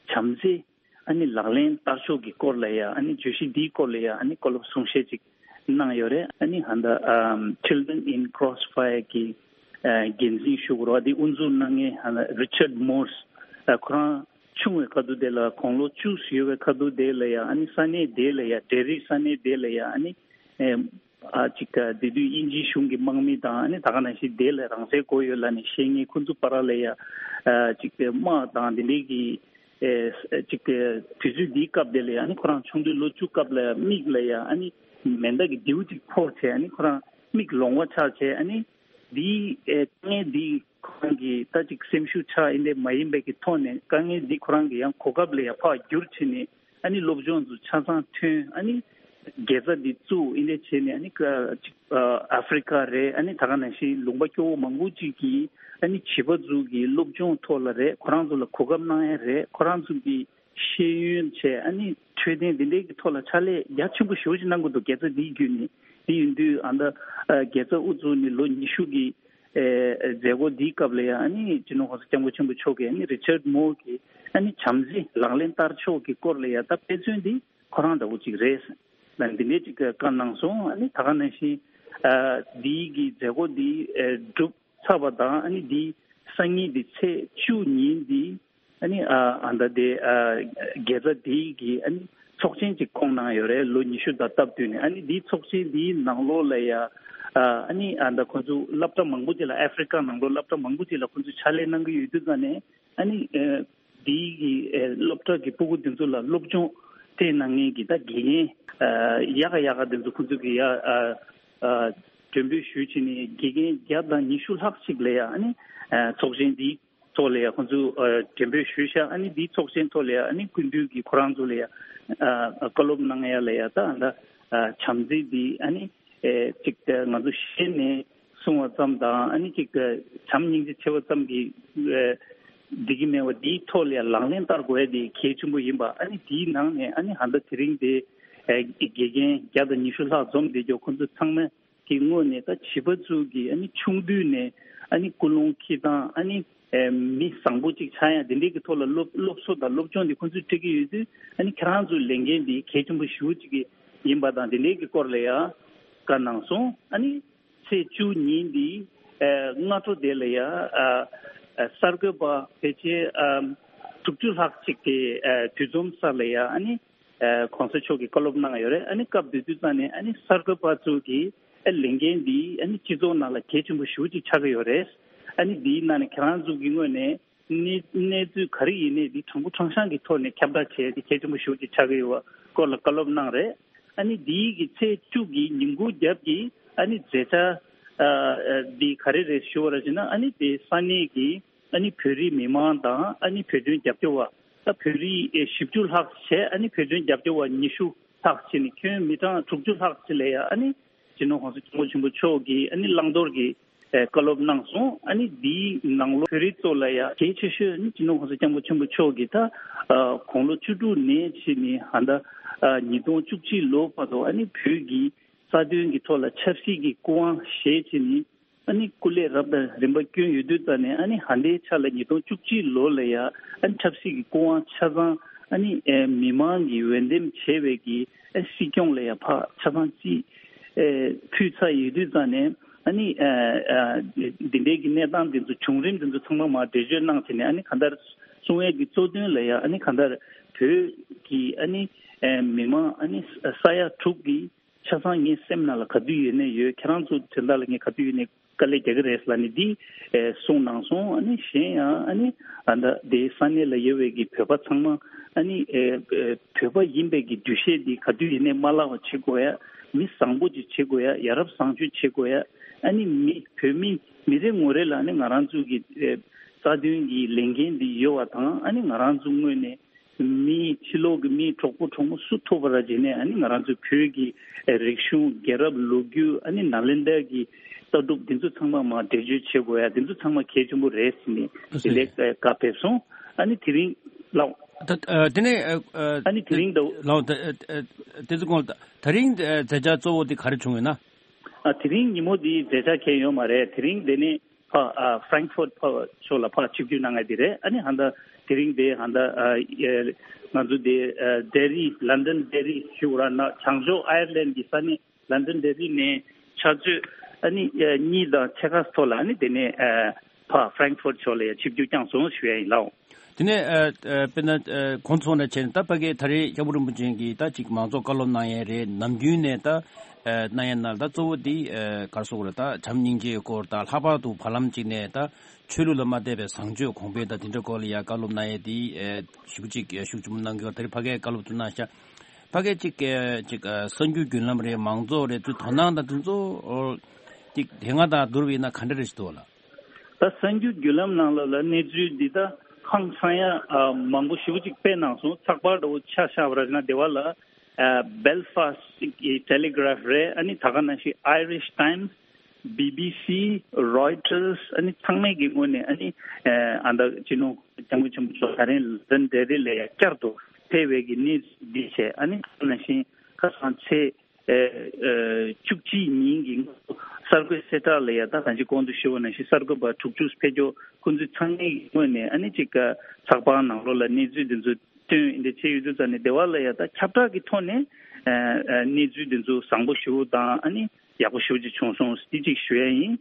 བྱམས་བརྩེ་ཨ་ནི་ལག་ལེན་བསྟར་ཕྱོགས་ཀྱི་སྐོར་ལ་ཡང་ཨ་ནི་བརྗོད་གཞི་འདིའི་སྐོར་ལ་ཡང་ཨ་ནི་བཀའ་སློབ་གསུང་བཤད་ཅིག་གནང་ཡོད་རེད། ཨ་ནི་ཨ་ད་ཨམ་Children in Crossfire གི་ཨ་འགན་འཛིན་ཞུ་དགོས་རེད་པ། འདི་དབུ་འཛུགས་གནང་མཁན་ཨ་ད་Richard Morse ཨ་ཁོ་རང་ཆུང་བའི་ཁ་ཐུག་དེ་ལ་དགུང་ལོ་བཅུ་ཡོད་པའི་ཁ་ཐུག་དེ་ལ་ཡང་ཨ་ནི་ས་གནས་དེ་ལ་ཡང་ཌེ་རི་ས་གནས་དེ་ལ་ཡང་ཨ་ནི་ཨེ་ཨ་ཅིག་ཨ་དེ་དུས་དབྱིན་ཇིའི་གཞུང་གི་དམག་མི་དང་ཨ་ནི་ད་ག་ནང་བཞིན་དེ་ལ་རང་བཙན་དགོས་ཡོད་ལབ་ནས་བཤད་མཁན་ཁོ་ཚོ་བར་ལ་ཡང་ཨ་ཅིག་དམག་དང་དེ་འདྲའི་གི་ཨེ་ཅིག་དུས་ཚོད་འདིའི་སྐབས་དེ་ལ་ཡང་ཨ་ནི་ཁོ་རང་ཆུང་དུས་ལོ་བཅུ་སྐབས་ལ་ཡང་མིག་ལ་ཡང་ཨ་ནི་མེ་མདའ་གི་མདེའུ་ཅིག་ཕོག་བྱས། ཨ་ནི་ཁོ་རང་མིག་ལོང་བ་ཆགས་བྱས། ཨ་ནི་འདིའི་ཨེ་དཀའ་ངལ་འདི་ཁོ་རང་གི་ད་ཅིག་སེམས་ཤུགས་ཆག་ཡིན་དེ་མ་ཡིན་པའི་གི་ཐོག་ནས་དཀའ་ངལ་འདི་ཁོ་རང་གི་ཡང་གོ་སྐབས་ལ་ཡང་ཕར་བསྒྱུར་བྱས་ནས་ཨ་ནི་སློབ་སྦྱོང་ཚོ་ཆ་ཚང་ཐོན། ཨ་ནི་དགེ་རྩ་འདི་བཙུགས་ཡིན་དེ་བྱས་ནས་ཨ་ནི་ཀ་ཅིག་ཨ་ཨ་ཧྥི་རི་ཀ་རེད། ཨ་ནི་ད་ག་ནང་བཞིན་ལུང་པ་སྐྱོ་བོ་མང་པོ་ཅིག་གི་ཨ་ནི་བྱིས་པ་ཚོ་གི་སློབ་སྦྱོང་ཐོག་ལ་རེད། ཁོ་རང་ཚོ་ལ་གོ་སྐབས་གནང་ཡ་རེད། ཁོ་རང་ཚོ་གི་ཤེས་ཡོན་བྱས་ཨ་ནི་འཕྲོད་བསྟེན་འདི་འདྲའི་གི་ཐོག་ལ་ཕྱག་ལས་རྒྱ་ཆེན་པོ་ཞེ་པོ་ཅིག་གནང་གི་འདུག་དགེ་རྩ་འདིའི་བརྒྱུད་ནས། འདི་ཡིན་དུས་ཨ་ད་ཨ་དགེ་རྩ་དབུ་བཙུགས་ནས་ལོ་ཉི་ཤུ་གི་ཨེ་མཛད་སྒོ་འདིའི་སྐབས་ལ་ཡང་ཨ་ནི་སྤྱི་ནོར་༸གོང་ས་༸སྐྱབས་མགོན་ཆེན་པོ་མཆོག་གིས་ཨ་ནི་Richard Moore གིས་ཨ་ནི་བྱམས་བརྩེ་ལག་ལེན་བསྟར་ཕྱོགས་ཀྱི་སྐོར་ལ་ཡང་ད་དཔེ་མཚོན་འདི་ཁོ་རང་འདྲ་བོ་ཅིག་རེད་ལ་འདི་འདྲའི་ཅིག་བཀའ་གནང་སོང་། ཨ་ནི་ད་ག་ནང་བཞིན་ཨ་འདིའི་གི་མཛད་སྒོ་འདི་ཨེ་གྲུབ་ཚར་བ་དང་། ཨ་ནི་འདི་སང་ཉིན་འདི་ཚེས་བཅུ་ཉིན་འདི་ཨ་ནི་ཨ་ཨ་ད་དེ་ཨ་དགེ་རྩ་འདིའི་གི་ཨ་ནི་ཚོགས་ཆེན་ཅིག་བསྐོང་གནང་ཡོད་རེད། ལོ་ཉི་ཤུ་དང་སྟབས་བསྟུན་ནས། ཨ་ནི་འདིའི་ཚོགས་ཆེན་འདིའི་ནང་ལོགས་ལ་ཡ་ཨ་ཨ་ནི་ཨ་ད་ཁོ་ཚོ་སློབ་གྲྭ་མང་པོ་ཅིག་ལ་ཨ་ཧྥི་རི་ཀ་ནང་ལོགས་སློབ་གྲྭ་མང་པོ་ཅིག་ལ་ཁོ་ཚོ་ཕྱག་ལས་གནང་གི་ཡོད་དུས་ཙང་ནས། ཨ་ནི་ཨ་འདིའི་གི་ཨ་སློབ་གྲྭ་གི་སྤུ་གུ་འདི་ཚོ་ལ་སློབ་སྦྱོང་སྤྲད་གནང་མཁན་གི་ད་དགེ་རྒན་ཨ་ཡག་ག་ཡག་ག་འདི་ཚོ་ཁོ་ཚོ་གི་ཡ་ཨ་ཨ་མགྲོན་འབོད་ཞུས་བྱས་ནས་དགེ་རྒན་བརྒྱ་དང་ཉི་ཤུ་ལྷག་ཅིག་ལ་ཡ་ཨ་ནི་ཨ་ཚོགས་ཆེན་འདིའི་ཐོག་ལ་ཡ་ཁོང་ཚོས་ཨ་མགྲོན་འབོད་ཞུས་ཤག་ཨ་ནི་འདིའི་ཚོགས་ཆེན་ཐོག་ལ་ཡ་ཨ་ནི་སྐུ་མདུན་གྱིས་ཁོ་རང་ཚོ་ལ་ཡ་ཨ་བཀའ་སློབ་གནང་ཡ་ལ་ཡ་ད་ཨ་ད་ཨ་བྱམས་བརྩེ་འདི་ཨ་ནི་ཨེ་ཅིག་ད་ང་ཚོ་ཤེས་ནས་གསུང་བ་ཙམ་དང་། ཨ་ནི་ཅིག་ད་བྱམས་སྙིང་རྗེ་ཆེ་བ་ཙམ་གྱིས་ཨེ་འགྲིག་གི་མེད་པ་འདིའི་ཐོག་ལ་ཡ་ལག་ལེན་བསྟར་དགོས་ཡ་འདི་གལ་ཆེན་པོ་ཡིན་པ། ཨ་ནི་འདིའི་ནང་ནས་ཨ་ནི་ཨ་ད་དེ་རིང་དེ་ཨེ་དགེ་རྒན་བརྒྱ་དང་ཉི་ཤུ་ལྷག་འཛོམས་བསྡད་རྒྱུ་ཁོང་ཚོ་ཚང་མ་གི་ངོས་ནས་ད་བྱིས་པ་ཚོ་གི་ཨ་ནི་ཆུང་དུས་ནས་ཨ་ནི་ཀུན་སློང་འཁྱེར་སྟངས། ཨ་ནི་ཨེ་མི་བཟང་པོ་ཅིག་ཆགས་ཡ་འདི་འདྲའི་གི་ཐོག་ལ་སློབ་སློབ་གསོ་དང་སློབ་སྦྱོང་འདི་ཁོང་ཚོས་སྤྲད་ཀྱི་ཡོད་དུས། ཨ་ནི་ཁྱེད་རང་ཚོའི་ལས་འགན་འདི་གལ་ཆེན་པོ་ཞེ་པོ་ཅིག་གི་ཡིན་པ་དང་འདི་འདྲའི་གི་སྐོར་ལ་ཡ་བཀའ་གནང་སོང་། ཨ་ནི་ཚེས་བཅུ་ཉིན་འདི་ཨེ་སྔ་དྲོ་དེ་ལ་ཡ་ཨ་ཨ་གསར་འགོད་པ་ཕལ་ཆེར་ཨ་དྲུག་ཅུ་ལྷག་ཅིག་གི་ཨ་འདུ་འཛོམས་ས་ལ་ཡ་ཨ་ནི། ཨ་གོང་ས་མཆོག་གིས་བཀའ་སློབ་གནང་ཡོད་རེད། ཨ་ནི་སྐབས་དེ་དུས་ཙང་ནས་ཨ་ནི་གསར་འགོད་པ་ཚོ་གིས་ཨ་ལས་འགན་འདི་ཨ་ནི་སྤྱི་ཚོགས་ནང་ལ་གལ་ཆེན་པོ་ཞེ་པོ་ཅིག་ཆགས་ཀྱི་ཡོད་རེད། ཨ་ནི་འདིའི་ནང་ནས་ཁྱེད་རང་ཚོ་གི་ངོས་ནས་གནས་གནས་ཚུལ་ག་རེ་ཡིན་ནའི་འདི་དྲང་པོ་དྲང་གཞག་གི་ཐོག་ནས་ཁྱབ་བསྒྲགས་བྱས་ཏེ་གལ་ཆེན་པོ་ཞེ་པོ་ཅིག་ཆགས་ཀྱི་ཡོད་པ་སྐོར་ལ་བཀའ་སློབ་གནང་རེད། ཨ་ནི་འདིའི་གི་ཚེས་བཅུ་གི་ཉིན་གུང་རྒྱབ་ཀྱི་ཨ་ནི་མཛད་འཆར་ཨ་ཨ་འདི་ག་རེ་རེད་ཞུ་བ་ར་བྱས་ན། ཨ་ནི་དེ་ས་གནས་ཀྱི་ཨ་ནི་བོད་རིགས་མི་མང་དང་། ཨ་ནི་བོད་དོན་རྒྱབ་སྐྱོར་བ་ད་བོད་རིགས་ཨེ་བཞི་བཅུ་ལྷག་བྱས། ཨ་ནི་བོད་དོན་རྒྱབ་སྐྱོར་བ་ཉི་ཤུ་ལྷག་བྱས་ནས་ཁྱོན་མི་གྲངས་དྲུག་ཅུ་ལྷག་ཅིག་ལ་ཡ་ཨ་ནི་སྤྱི་ནོར་༸གོང་ས་༸སྐྱབས་མགོན་ཆེན་པོ་མཆོག་གིས་ཨ་ནི་བླང་དོར་གྱི་ཨེ་བཀའ་སློབ་གནང་སོང་། ཨ་ནི་འདིའི་ནང་ལོགས་བོད་རིགས་ཚོ་ལ་ཡ་གལ་ཆེ་ཤོས་ནི་སྤྱི་ནོར་༸གོང་ས་༸སྐྱབས་མགོན་ཆེན་པོ་མཆོག་གིས་ད་ཨ་དགུང་ལོ་བཅུ་དྲུག་ནས་བྱས་ནས་ཨ་ད་ ཨ་ཉིས་སྟོང་བཅུ་གཅིག་ལོ་བར་དུ་ཨ་ནི་བོད་ཀྱི་རྩ་དོན་གྱི་ཐོག་ལ་ཆབ་སྲིད་ཀྱི་སྐུ་དབང་བཞེས་བྱས་ནས་ཨ་ནི་སྐུ་ལས་རབ་དང་རིམ་པ་བསྐྱོན་ཡོད་དུས་ཙང་ནས་ཨ་ནི་ཧ་ལས་ཆ་ལ་ཉིས་སྟོང་བཅུ་གཅིག་ལོ་ལ་ཡ་ཨ་ནི་ཆབ་སྲིད་ཀྱི་སྐུ་དབང་ཆ་ཚང་ཨ་ནི་ཨེ་མི་མང་གིས་འོས་འདེམས་བྱས་པའི་གི་ཨ་སྲིད་སྐྱོང་ལ་ཡ་ཕར་ཆ་ཚང་རྩིས་ཨེ་ཕུལ་ཚར་ཡོད་དུས་ཙང་ནས་ཨ་ནི་ཨ་ཨ་འདི་འདྲའི་གི་གནས་སྟངས་འདི་ཚོ་བྱུང་རིམ་འདི་ཚོ་ཚང་མ་མར་འགྲེལ་བརྗོད་གནང་བྱས་ནས་ཨ་ནི་གང་ལྟར་གསུང་ཡས་ཀྱི་གཙོ་དོན་ལ་ཡ་ཨ་ནི་གང་ལྟར་བོད་ཀྱི་ཨ་ནི་ཨེ་མི་མང་ཨ་ནི་ས་ཡ་དྲུག་གི་ཆ་ཚང་ངའི་སེམས་ནང་ལ་ག་དུས་ཡོད་ནས་ཡོད། ཁྱེད་རང་ཚོ་དོན་དག་ལ་ངས་ག་དུས་ཡོད་ནས་དཀའ་ལས་རྒྱག་གི་རེད་ལབ་ནས་འདི་ཨེ་གསུངས་གནང་སོང་། ཨ་ནི་གཞན་ཡང་ཨ་ནི་ཨ་ད་དེའི་ས་གནས་ལ་ཡོད་པའི་གི་བོད་པ་ཚང་མ་ཨ་ནི་ཨེ་ཨེ་བོད་པ་ཡིན་པའི་གི་འདུ་ཤེས་འདི་ག་དུས་ཡིན་ནས་མ་བརླག་པ་བྱེད་དགོས་ཡ། མི་བཟང་པོ་ཅིག་བྱེད་དགོས་ཡ། ཡ་རབས་བཟང་སྤྱོད་བྱེད་དགོས་ཡ། ཨ་ནི་མི་བོད་མི་མི་རེ་ངོ་རེ་ལ་ཨ་ནི་ང་རང་ཚོ་གི་ཨེ་རྩ་དོན་གྱི་ལས་འགན་འདི་ཡོད་པ་དང་ཨ་ནི་ང་རང་ཚོ་ངོས་ནས་མི་ཕྱི་ལོགས་ཀྱི་མི་གྲོགས་པོ་གྲོགས་མོ་སུ་ཐུག་པ་ར་བྱས་ནས་ཨ་ནི་ང་རང་ཚོའི་བོད་ཀྱི་རིག་གཞུང་རྒྱལ་རབས་ལོ་རྒྱུས་ཨ་ནི་ནཱ་ལེནྡྲ་གི་ལྟ་གྲུབ་འདི་ཚོ་ཚང་མ་མར་འགྲེལ་བརྗོད་བྱེད་དགོས་ཡ། འདི་ཚོ་ཚང་མ་གལ་ཆེན་པོ་རེད་ཟེར་ནས་དེ་ལས་བཀའ་ཕེབས་སོང་། ཨ་ནི་དེ་རིང་ལགས། ད་ཨ་དེ་ནས་ཨ་ཨ་ཨ་ནི་དེ་རིང་ད་ལགས་ད་ཨ་ཨ་དེ་ཚོ་གོང་ད་རིང་ཨ་མཛད་འཆར་གཙོ་བོ་དེ་ག་རེ་བྱུང་ཡོད་ན། ཨ་དེ་རིང་ཉིན་མོ་འདིའི་མཛད་འཆར་གང་ཡོད་མ་རེད། དེ་རིང་འདི་ནི་ཕ་ཨ་Frankfurt་ཕ་ཕྱོགས་ལ་ཕར་ཆིབས་བསྒྱུར་གནང་ཡ་འདི་རེད། ཨ་ནི་ཧ་ད་དེ་རིང་འདི་ཧ་ད་ཨ་ཨེ་ང་ཚོ་འདི་ཨ་ལྡི་རི་ལན་ཌན་ལྡི་རི་ཞུ་ར་ན་བྱང་ཕྱོགས་ཨའི་ལན་གྱི་ས་གནས་ལན་ཌན་ལྡི་རི་ནས་ཕྱག་ཚོད་ཨ་ནི་ཨ་གཉིས་དང་ཕྱེད་ཀ་ཐོག་ལ་ཨ་ནི་འདི་ནས་ཨ་ཕ་Frankfurt་ཕྱོགས་ལ་ཡ་ཆིབས་བསྒྱུར་བསྐྱངས་སོང་ཞུ་ཡ་ཡིན་ལགས། དེ་ནས་ཨ་ཨ་དཔེར་ན་ཨ་གོང་ཚོགས་ནས་བྱས་ནས་ད་ཕ་གིའི་ད་རེས་སྐྱབས་མགོན་རིན་པོ་ཆེ་གིས་ད་ཅིག་མང་ཚོགས་བཀའ་སློབ་གནང་ཡས་རེད། ནམ་རྒྱུན་ནས་ད་ཨ་གནང་ཡས་ནང་ད་གཙོ་བོ་འདི་ཨ་ག་རེ་ཟེར་དགོས་རེད། ད་བྱམས་སྙིང་རྗེའི་སྐོར་དང་ལྷག་པར་དུ་བར་ལམ་ཅིག་ནས་ད་ཆོས་ལུགས་ལ་མ་བལྟས་པའི་བཟང་སྤྱོད་གོང་འཕེལ་དང་དེ་འདྲའི་སྐོར་ལ་ཡ་བཀའ་སློབ་གནང་ཡས་འདི་ཨ་ཞེ་པོ་ཅིག་ཤུགས་ཆེན་པོ་གནང་གི་ཡོད། ད་རེས་ཕ་གིའི་བཀའ་སློབ་ཚོ་གནང་ཤག་ཕ་གིའི་ཅིག་ཨ་ཅིག་ཨ་གསར་འགྱུར་བརྒྱུད་ལམ་རེད། མང་ཚོགས་རེད། ཚོའི་དོ་སྣང་དང་དེ་ཚོ་ཨོ་ཅིག་དེ་སྔ་དང་བསྡུར་བ་ཡིན་ན་ག་འདྲ་རེད་ཞིག་འདུག་ལ། ད་གསར་འགྱུར་བརྒྱུད་ལམ་ནང་ལོགས་ལ་གནས་ཚུལ་འདི་ད་ཧང་སང་ཡ་ཨ་མང་པོ་ཞེ་པོ་ཅིག་སྤེལ་གནང་སོང་། ཚགས་པར་འདྲ་བོ་ཆ་བཞག་པ་ར་ན་དེ་བ་ལ་ཨ་Belfast་གི་Telegraph་རེད། ཨ་ནི་ད་ག་ནང་བཞིན་Irish Times། B B C། Reuters། ཨ་ནི་ཚང་མས་ཀྱི་ངོས་ནས་ཨ་ནི་ཨ་ད་སྤྱི་ནོར་སྐྱབས་མགོན་ཆེན་པོ་མཆོག་ད་རིང་ལན་ཌན་ལྡི་རི་ལ་ཡ་བསྐྱར་དུ་ཕེབས་པའི་གི་གནས་ཚུལ་འདི་བྱས། ཨ་ནི་ད་ག་ནང་བཞིན་ཁ་སང་ཚེས་ཨེ་ཨེ་བཅུ་གཅིག་ཉིན་གྱི་གསར་འགོད་གསལ་བསྒྲགས་ལ་ཡ་ད་གང་ཅི་གོང་དུ་ཞུས་པ་ནང་བཞིན་གསར་འགོད་པ་དྲུག་ཅུ་ཕེབས་ཀྱོག་ཁོང་ཚོས་ཚང་མའི་ངོས་ནས་ཨ་ནི་ཅིག་ཚགས་པར་ནང་ལོགས་ལ་གནས་ཚུལ་འདི་ཚོ་བཏོན་འདི་བྱས་ཡོད་དུས་ཙང་ནས་སྡེ་བ་ལ་ཡ་ད་ཁྱབ་བསྒྲགས་ཀྱི་ཐོག་ནས་ཨེ་ཨེ་གནས་ཚུལ་འདི་ཚོ་བཟང་པོ་ཞེ་པོ་དང་ཨ་ནི་ཡག་པོ་ཞེ་པོ་ཅིག་བྱུང་སོང་འདི་ཅིག་ཞུ་ཡ་ཡིན།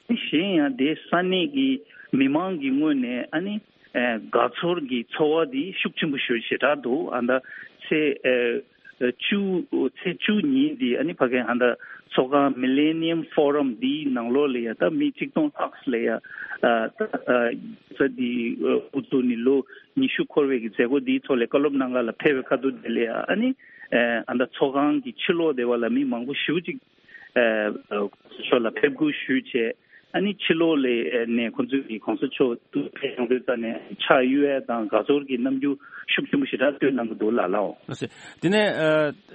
གཞན་ཡང་དེ་ས་གནས་ཀྱི་མི་མང་གི་ངོས་ནས་ཨ་ནི་ཨེ་དགའ་ཚོར་གྱི་ཚོར་བ་དེ་ཤུགས་ཆེན་པོ་ཞེ་དྲག་འདུག་ཨ་ད་ཚེས་ཨེ་བཅུ་ཚེས་བཅུ་ཉིན་དེ་ཨ་ནི་ཕ་གི་ཨ་ད་ཚོགས་ཁང་Millennium Forum་དེའི་ནང་ལོགས་ལ་ཡ་ད་མི་ཆིག་སྟོང་ལྷག་ལ་ཡ་ཨ་ད་ཨ་ས་དེ་དབུ་བཙུགས་ནས་ལོ་ཉི་ཤུ་འཁོར་བའི་གི་མཛད་སྒོ་དེའི་ཐོག་ལ་བཀའ་སློབ་གནང་ག་ལ་ཕེབས་པའི་ཁ་ཐུག་དེ་ལ་ཡ་ཨ་ནི་ཨ་ད་ཚོགས་ཁང་གི་ཕྱི་ལོགས་དེ་བ་ལ་མི་མང་པོ་ཞེ་པོ་ཅིག་ཨ་ཨ་ཕྱོགས་ལ་ཕེབས་སྒུག་ཞུས་བྱས། ཨ་ནི་ཕྱི་ལོགས་ལ་ནས་ཁོང་ཚོས་ཀྱི་གོང་ས་མཆོག་ཏུ་ཕེབས་ཡོང་དུས་ཙ་ནས་ཕྱག་གཡུག་ཡས་དང་དགའ་ཚོར་གྱི་རྣམ་འགྱུར་ཤུགས་ཆེན་པོ་ཞེ་དྲག་སྟོན་གནང་གི་འདུག་ལགས་ལགས། ལགས་སོ། དེ་ནས་ཨ་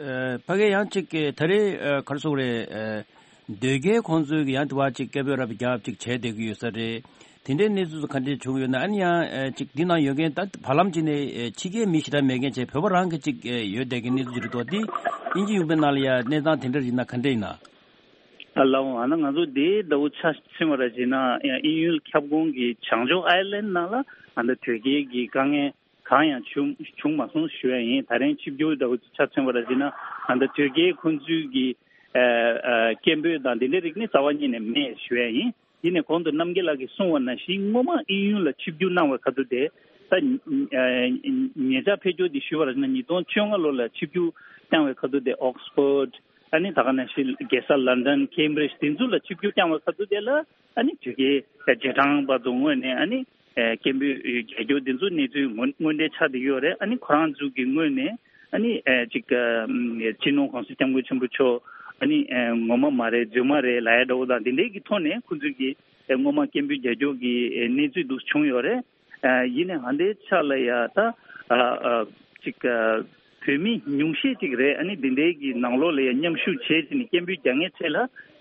ཨ་ཕ་གི་ཡང་གཅིག་གི་ད་རེས་ཨ་ག་རེ་ཟེར་དགོས་རེད། ཨ་དོལ་རྒྱལ་ཁོང་ཚོས་ཀྱི་ཡང་དེ་བ་གཅིག་སྐད་འབོད་རབ་རྒྱབ་གཅིག་བྱས་བསྡད་ཀྱི་ཡོད་ས་རེད། དེ་འདྲའི་གནས་ཚུལ་ག་འདྲས་བྱུང་ཡོད་ན། ཨ་ནི་ཡང་ཨ་ཅིག་འདི་ནང་ཡོད་མཁན་ད་བར་ལམ་ཅིག་ནས་ཨ་ཕྱི་རྒྱལ་མི་ཞེ་དྲག་མེད་མཁན་བྱས་བོད་པ་རང་གི་ཅིག་ཨ་ཡོད་བསྡད་མཁན་གནས་ཚུལ་ཅིག་རེད་འདུག་འདི་དབྱིན་ཇི་གཞུང་པའི་ནང་ལ་ཡ་གནས་སྟངས་དེ་འདྲ་ཡིན་ན་ག་འདྲ་ཡིན་ན། ཨ་ལའོ་ཨ་ན་ང་ཚོ་དེའི་ཟླ་བོ་ཆ་མཚོན་པ་ར་བྱས་ན་ཡང་དབྱིན་ཡུལ་ཁྱབ་ཁོངས་ཀྱི་བྱང་ཕྱོགས་ཨའི་ལན་ནང་ལ་ཨ་ད་དོལ་རྒྱལ་གྱི་དཀའ་ངལ་གང་ཡང་བྱུང་བྱུང་མ་སོང་ཞུ་ཡ་ཡིན། ད་རིང་ཆིབས་བསྒྱུར་ཟླ་བོ་ཆ་མཚོན་པ་ར་བྱས་ན་ཨ་ད་དོལ་རྒྱལ་ཁོང་ཚོའི་གི་ཨ་ཨ་སྐད་འབོད་དང་དེ་འདྲའི་རིགས་ནི་རྩ་བ་ཉིད་ནས་མེད་ཞུ་ཡ་ཡིན། ཡིན་ནའི་གོང་དུ་རྣམ་རྒྱལ་ལགས་ཀྱིས་གསུངས་པ་ནང་བཞིན་སྔོན་མ་དབྱིན་ཡུལ་ལ་ཆིབས་བསྒྱུར་གནང་བའི་ཁ་ཐུག་དེ་ད་ཉེ་ཆར་ཕེབས་འབྱོར་འདི་ཞུས་པར་ན་ཉིས་སྟོང་བཅོ་ལྔ་ལོ་ལ་ཆིབས་བསྒྱུར་བསྐྱངས་པའི་ཁ་ཐུག་དེ་ཨོག་སི་ཕོར་ཌི་ཨ་ནི་ད་ག་ནང་བཞིན་རྒྱལ་ས་ལན་ཌན་ཁེམ་བྷྲིཇ་དེ་ཚོ་ལ་ཆིབས་བསྒྱུར་བསྐྱངས་པའི་ཁ་ཐུག་དེ་ལ་ཨ་ནི་དོལ་རྒྱལ་རྗེས་འབྲང་བར་དུ་ངོས་ནས་ཨ་ནི་སྐད་འབོད་རྒྱག་རྒྱུ་དེ་ཚོ་གནས་ཚུལ་དངོས་དངོས་འབྲེལ་ཆགས་བསྡད་ཡོད་རེད། ཨ་ནི་ཁོ་རང་ཚོ་གི་ངོས་ནས་ཨ་ནི་ཨེ་ཅིག་ཨ་སྤྱི་ནོར་གོང་ས་སྐྱབས་མགོན་ཆེན་པོ་མཆོག་ཨ་ནི་ཨེ་ངོ་མ་མ་རེད་རྫུན་མ་རེད་ལབ་ཡ་འདྲ་བོ་དང་དེ་འདྲའི་གི་ཐོག་ནས་ཁོ་ཚོས་ཀྱི་ཨེ་སྔོན་མ་སྐད་འབོད་རྒྱག་རྒྱུ་གི་ཨེ་གནས་ཚུལ་འདུག་བྱུང་ཡོད་རེད། ཨ་ཡིན་ནའི་ཧ་འདའི་ཆ་ལ་ཡ་ད་ཨ་ཨ་ཅིག་ཨ་བོད་མི་ཉུང་ཤས་ཅིག་རེད། ཨ་ནི་འདི་འདྲའི་གི་ནང་ལོགས་ལ་ཡ་མཉམ་ཞུགས་བྱས་ཅིག་ནི་སྐད་འབོད་རྒྱག་མཁན་ཆེད་ལ་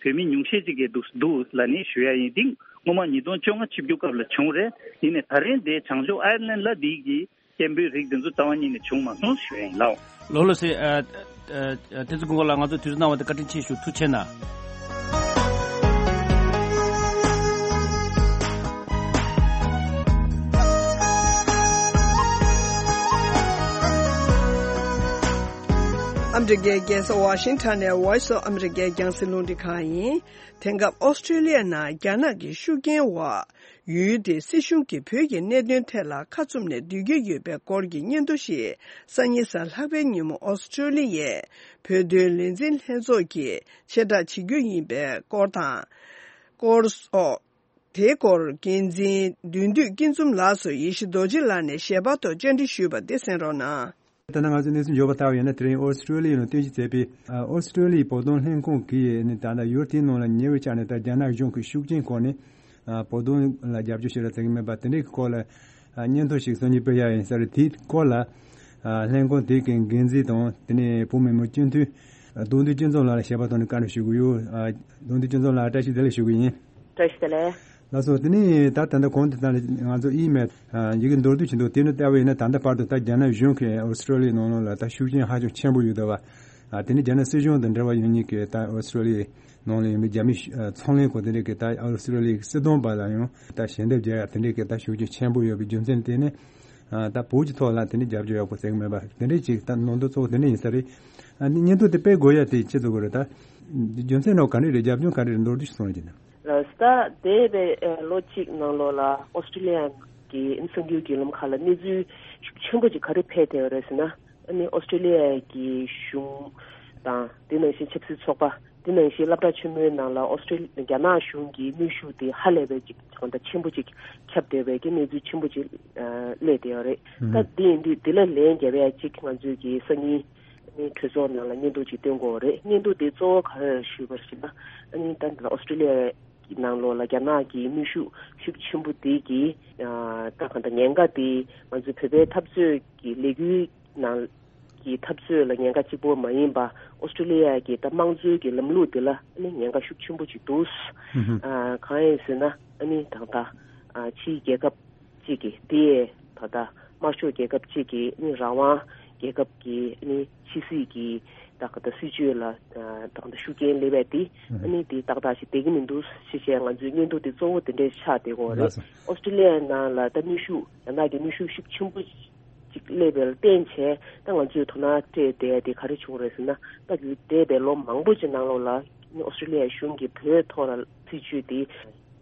བོད་མི་ཉུང་ཤས་ཅིག་གི་འདུག་འདུག་ལབ་ནས་ཞུ་ཡ་ཡིན། འདི་སྔོན་མ་ཉིས་སྟོང་བཅོ་ལྔ་ཆིབས་བསྒྱུར་སྐབས་ལ་བྱུང་རེད། ཡིན་ནའི་ད་རེས་འདི་བྱང་ཕྱོགས་ཨའི་ལན་ལ་འདི་གི་སྐད་འབོད་རིགས་འདི་ཚོ་རྩ་བ་ཉིད་ནས་བྱུང་མ་སོང་ཞུ་ཡ་ཡིན་ལགས། ལགས་ལགས་སེ། ཨ་ཨ་ཨ་དེ་ཚོ་དགོངས་ལ་ང་ཚོ་དུས་ཚོད་གནང་བ་དེ་བཀའ་དྲིན་ཆེ་ཞུ། ཐུགས་རྗེ་གནང་། ཨ་མི་རི་ཀའི་རྒྱལ་ས་ཝ་ཤིང་ཊོན་ནས་Voice of America རྒྱང་སྲིང་རླུང་འཕྲིན་ཁང་ཡིན། དེང་སྐབས་ཨོ་སི་ཀྲོ་ལི་ཡ་ནང་རྒྱ་ནག་གི་ཤུགས་རྐྱེན་འོག་ཡུལ་དེའི་སྲིད་གཞུང་གིས་བོད་ཀྱི་གནད་དོན་ཐད་ལ་ཁ་བཙུམ་ནས་སྡོད་ཀྱི་ཡོད་པའི་སྐོར་གྱི་སྙན་ཐོ་ཞིག་སང་ཉིན་གཟའ་ལྷག་པའི་ཉིན་མོ་ཨོ་སི་ཀྲོ་ལི་ཡའི་བོད་དོན་ལས་འཛིན་ལྷན་ཚོགས་ཀྱིས་ཕྱིར་བསྒྲགས་བྱེད་རྒྱུ་ཡིན་པའི་སྐོར་དང་། སྐོར་སོགས། དེའི་སྐོར་འགན་འཛིན་བདུད་འདུལ་སྐྱིད་འཛོམས་ལགས་སུ་ཡེ་ཤེས་རྡོ་རྗེ་ལགས་ནས་ཞལ་པར་ཐོག་བཅར་འདྲི་ཞུས་པ་འདི་གསན་རོགས་གནང་། ད་ནང་ང་ཚོས་གནས་ཚུལ་འབྱོར་བ་ལྟ་བ་ཡིན་ན། དེ་རིང་ཨོ་སི་ཀྲོ་ལི་ཡ་ནང་རྟེན་གཞི་བྱས་པའི་ཨ་ཨོ་སི་ཀྲོ་ལི་ཡའི་བོད་དོན་ལྷན་ཁང་གིས་ནི་ད་ལྟ་ཡུལ་དེའི་ནང་ལ་ཉེ་བའི་ཆར་ནས་ད་རྒྱ་ནག་གཞུང་གི་ཤུགས་རྐྱེན་སྐོར་ནས་ཨ་བོད་དོན་ལ་རྒྱབ་སྐྱོར་ཞིག་ལ་བྱེད་ཀྱི་མེད་པ་དེ་འདྲའི་སྐོར་ལ་ཨ་སྙན་ཐོ་ཞིག་སང་ཉིན་སྤེལ་ཡ་ཡིན་ས་རེད། དེའི་སྐོར་ལ་ཨ་ལྷན་ཁང་དེ་གི་འགན་འཛིན་དང་དེ་ནས་བོད་མི་མང་སྤྱི་འཐུས་ཨ་བདུད་འདུལ་སྐྱིད་འཛོམས་ལགས་ལ་ཞལ་པར་ཐོག་ནས་བཀའ་འདྲི་ཞུ་གི་ཡོད། ཨ་བདུད་འདུལ་སྐྱིད་འཛོམས་ལགས་བཀྲ་ཤིས་བདེ་ལེགས་ཞུ་གི་ཡིན། བཀྲ་ཤིས་བདེ་ལེགས། ལགས་སོ། དེ་ནས་ད་ད་ལྟ་གོང་དུ་ད་ང་ཚོ་ཨི་མེལ་ཡི་གེ་མདོར་བསྡུས་ཤིག་འདུག་དེ་ནི་ལྟ་བུ་ཡིན་ན་ད་ལྟ་བར་དུ་ད་རྒྱ་ནག་གཞུང་གིས་ཨོ་སི་ཀྲོ་ལི་ཡའི་ནང་ལོགས་ལ་ད་ཤུགས་རྐྱེན་ཧ་ཅང་ཆེན་པོ་ཡོད་འདུག་བ། དེ་ནི་རྒྱ་ནག་སྲིད་གཞུང་དང་འབྲེལ་བ་ཡོད་མཁན་གྱི་ད་ཨོ་སི་ཀྲོ་ལི་ཡའི་ནང་ལ་ཡོད་པའི་རྒྱ་མི་ཚོང་ལས་ཁང་དེ་འདྲས་ཀྱིས་ད་ཨོ་སི་ཀྲོ་ལི་ཡའི་སྲིད་དོན་པ་ལ་ཡང་ད་ཞལ་འདེབས་བརྒྱབ་ཡ་དེ་འདྲས་ཀྱི་ད་ཤུགས་རྐྱེན་ཆེན་པོ་ཡོད་པའི་རྒྱུ་མཚན་དེ་ནི་ད་བོད་ཀྱི་ཐོག་ལ་དེ་འདྲས་རྒྱབ་སྐྱོར་ཡག་པོ་བྱེད་ཀྱི་མེད་པ་དེ་འདྲས་ཅིག་ད་ནང་དོན་གཙོ་བོ་དེ་འདྲས་ཡིན་ས་རེད། ཨ་ནི་སྙན་ཐོ་དེ་སྤེལ་དགོས་ཡ་དེ་ཅི་ཙམ་གོ་རེད། ད་རྒྱུ་མཚན་ནང་ག་འདྲས་རེད། རྒྱབ་ལྗོངས་ག་འདྲས་རེད། མདོར་བསྡུས་ཤིག་གསུང་རོགས་གྱིས་ན། ལགས་སོ། ད་འདས་པའི་ལོ་གཅིག་ནང་ལོགས་ལ་ཨོ་སི་ཀྲི་ལི་ཡ་གི་གསར་འགྱུར་བརྒྱུད་ལམ་ཁག་ལ་གནས་ཚུལ་ཤུགས་ཆེན་པོ་ཅིག་ག་རེ་འཕེལ་བསྡད་ཡོད་རེད་ཟེར་ན། ཨ་ནི་ཨོ་སི་ཀྲི་ལི་ཡ་གི་གཞུང་དང་དེ་ནང་བཞིན་ཆབ་སྲིད་ཚོགས་པ་དེ་ནང་བཞིན་སློབ་གྲྭ་ཆེན་མོའི་ནང་ལ་ཨོ་སི་ཀྲི་རྒྱ་ནག་གཞུང་གི་གནོན་ཤུགས་དེ་ཧ་ལས་པའི་ཅིག་གང་ལྟར་ཆེན་པོ་ཅིག་ཁྱབ་བསྡད་པའི་གི་གནས་ཚུལ་ཆེན་པོ་ཅིག་ཨ་སླེབས་བསྡད་ཡོད་རེད། ད་དེ་ཡིན་དུས་དེ་ལ་ལན་རྒྱབ་ཡ་ཅིག་ང་ཚོས་ཀྱི་སང་ཉིན་ཨ་ནི་གྲོས་ཚོགས་ནང་ལ་སྙན་ཐོ་ཅིག་བཏོན་དགོས་རེད། སྙན་ཐོ་དེ་གཙོ་བོ་ག་རེ་ཞུས་པར་ཞུས་ན། ཨ་ནི་ད་ལྟ་ཨོ་སི་ཀྲི་ལི་ཡ་གི་ནང་ལོགས་ལ་རྒྱ་ནག་གི་གནོན་ཤུགས་ཤུགས་ཆེན་པོ་དེ་གིས་ཨ་ད་གང་ལྟར་ཉེན་ཁ་དེ་ང་ཚོའི་བོད་པའི་འཐབ་རྩོད་ཀྱི་ལས་འགུལ་ནང་གི་འཐབ་རྩོད་ལ་ཉེན་ཁ་གཅིག་པོ་མ་ཡིན་པ། ཨོ་སི་ཀྲི་ལི་ཡ་གི་ད་དམངས་གཙོའི་གི་ལམ་ལུགས་དེ་ལ་ཨ་ནི་ཉེན་ཁ་ཤུགས་ཆེན་པོ་ཅིག་འདུག་ཨ་གང་ཡིན་ཟེར་ན་ཨ་ནི་ད་ལྟ་ཨ་ཕྱིའི་རྒྱལ་ཁབ་གཅིག་གིས་དེ་ད་ལྟ་དམར་ཤོག་རྒྱལ་ཁབ་གཅིག་གིས་ཨ་ནི་རང་དབང་རྒྱལ་ཁབ་ཀྱི་ཨ་ནི་ཕྱི་སྲིད་ཀྱི་ད་ག་ད་སྲིད་ཇུས་ལ་ད་ག་ད་ཤུགས་རྐྱེན་སླེབས་པ་དེ་ཨ་ནི་དེ་ཏག་ཏག་ཞིག་བསྡད་ཀྱི་མི་འདུག་ཞེས་བྱས། ང་ཚོའི་སྙན་ཐོ་དེ་གཙོ་བོ་དེ་འདྲས་ཆགས་བསྡད་ཀྱི་ཡོད་རེད། ལགས་སོ། ཨོ་སི་ཀྲི་ལི་ཡའི་ནང་ལ་ད་གནོན་ཤུགས་རྒྱ་ནག་གི་གནོན་ཤུགས་ཤུགས་ཆེན་པོ་ཅིག་སླེབས་པ་ལ་བརྟེན་བྱས་ད་ང་ཚོས་དོ་སྣང་སྤྲད་བསྡད་དེ་ག་རེ་བྱུང་རེད་ཟེར་ན། ད་འདས་པའི་ལོ་མང་པོ་ཅིག་ནང་ལོགས་ལ་ཨོ་སི་ཀྲི་ལི་ཡའི་གཞུང་གིས་བོད་ཐོག་ལ་སྲིད་ཇུས་དེ་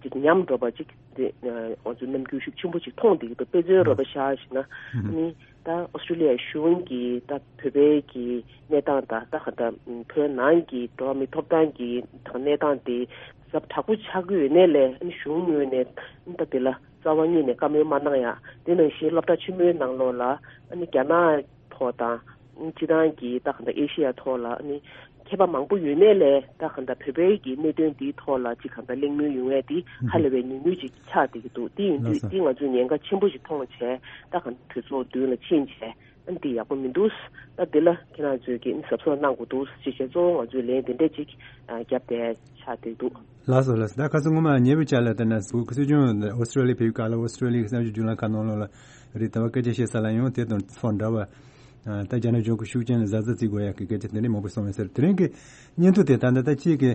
ཅིག་ཉམས་འགྲོ་བ་ཅིག་དེ་ང་ཚོ་རྣམ་འགྱུར་ཤུགས་ཆེན་པོ་ཅིག་མཐོང་བསྡད་ཀྱི་འདུག་དཔེ་མཚོན་རོབ་པ་བཞག་ཞིག་ན་ཨ་ནི་ད་ཨོ་སི་ཀྲི་ལི་ཡའི་གཞུང་གིས་ད་བོད་པའི་གི་གནས་སྟངས་དང་ད་ག་ད་བོད་ནང་གི་འགྲོ་བ་མིའི་ཐོབ་ཐང་གི་ད་གནས་སྟངས་དེ་ཟབ་དྲག་པོ་ཆགས་ཀྱི་ཡོད་ནའི་ལས་ཨ་ནི་གཞུང་ངོས་ནས་ད་དེ་ལ་རྩ་བ་ཉིད་ནས་བཀའ་མོལ་མ་གནང་ཡ། དེ་ནང་བཞིན་སློབ་གྲྭ་ཆེན་མོའི་ནང་ལོགས་ལ་ཨ་ནི་རྒྱ་ནག་ཐོག་དང་སྤྱི་བཏང་གི་ད་ག་ད་ཨེ་ཤི་ཡ་ཐོག་ལ་ཨ་ནི་མཁས་པ་མང་པོ་ཡོད་ནའི་ལས་ད་ག་ད་བོད་པའི་གི་གནད་དོན་འདིའི་ཐོག་ལ་ཅིག་ག་ད་གླེང་མོལ་ཡོང་ཡས་འདི་ཧ་ལས་པའི་ཉུང་ཉུང་ཅིག་ཆགས་བསྡད་ཀྱི་འདུག་དེ་ཡིན་དུས་ལགས་སོ། འདི་ང་ཚོས་ཉེན་ཁ་ཆེན་པོ་ཞིག་མཐོང་བྱས་ད་ག་ད་གྲོས་ཚོགས་མདུན་ལ་ཕྱིན་བྱས་ཨ་ནི་འདི་ཡག་པོ་མི་འདུག་ད་འདི་ལ་ཁྱེད་རང་ཚོས་ཀྱི་ཨ་ནི་གཟབ་གཟབ་གནང་དགོས་འདུག་ཅེས་བྱས་གཙོ་བོ་ང་ཚོས་ལན་འདི་འདྲས་ཅིག་ཨ་བརྒྱབ་བསྡད་ཆགས་བསྡད་འདུག་ལགས་སོ་ལགས་སོ། ད་ཁ་སང་སྔོན་མ་ཉེ་བའི་ཆར་ལ་ལྟ་ན་བོད་ཀྱི་སྲིད་སྐྱོང་ཨོ་སི་ཀྲོ་ལི་ཡ་ཕེབས་སྐབས་ལ་ཨོ་སི་ཀྲོ་ལི་ཡའི་གསར་འགྱུར་བརྒྱུད་ལམ་ཁག་ནང་ལོགས་ལ་རེད། ད་བར་སྐད་ཆ་བཤད་ས་ལ་ཡང་དེ་དང་ཚོགས་འདྲ་བ་ད་རྒྱ་ནག་གཞུང་གི་ཤུགས་རྐྱེན་ལ་གཟབ་གཟབ་བྱེད་དགོས་ཡ་གི་སྐད་ཆ་དེ་འདྲ་མང་པོ་གསུངས་ཡོད་ཟེར། དེ་རིང་གི་སྙན་ཐོ་དེ་ད་ལྟ་ད་ཁྱེད་ཀྱི་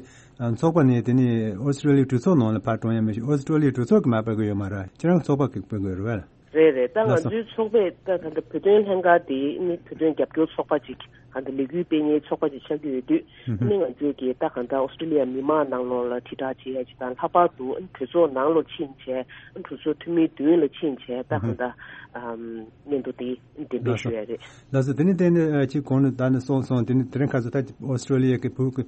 ཚོགས་པ་ནས་དེ་ནས་ཨོ་སི་ཀྲོ་ལི་ཡའི་གྲོས་ཚོགས་ནང་ལ་ཕར་གཏོང་ཡ་མི་ཤེས། ཨོ་སི་ཀྲོ་ལི་ཡའི་གྲོས་ཚོགས་ཀྱིས་མར་སྤེལ་གི་ཡོད་མ་རེད། ཁྱེད་རང་ཚོགས་པ་གིས་སྤེལ་གི་ཡོད་རེད་བས། རེད་རེད། ད་ལགས་སོ། ང་ཚོའི་ཚོགས་པས་ད་ད་ལྟ་བོད་དོན་ལྷན་ཁང་དེ་ནི་བོད་དོན་རྒྱབ་སྐྱོར་ཚོགས་པ་ཅིག་གང་ལྟར་ལས་འགུལ་སྤེལ་མཁན་ཚོགས་པ་ཅིག་ཆགས་ཀྱི་ཡོད་དུས་ཨ་ནི་ང་ཚོས་ཀྱི་ད་གང་ལྟར་ཨོ་སི་ཀྲི་ལི་ཡ་མི་མང་ནང་ལོགས་ལ་དྲིལ་བསྒྲགས་བྱེད་ཡ་ཅིག་དང་། ལྷག་པར་དུ་ཨ་ནི་གྲོས་ཚོགས་ནང་ལོགས་ཕྱིན་བྱས་ཨ་ནི་གྲོས་ཚོགས་འཐུས་མི་མདུན་ལ་ཕྱིན་བྱས་ད་གང་ལྟར་ཨམ་སྙན་ཐོ་དེ་འགྲེམས་སྤེལ་ཞུ་ཡ་རེད། ལགས་སོ། དེ་ནི་དེ་ནི་ཨ་ཅིག་གོང་ནས་ད་ནི་གསུངས་སོང་། དེ་ནི་དེ་རིང་ཁ་སང་ད་ཨོ་སི་ཀྲི་ལི་ཡ་གི་བོད་ཀྱི་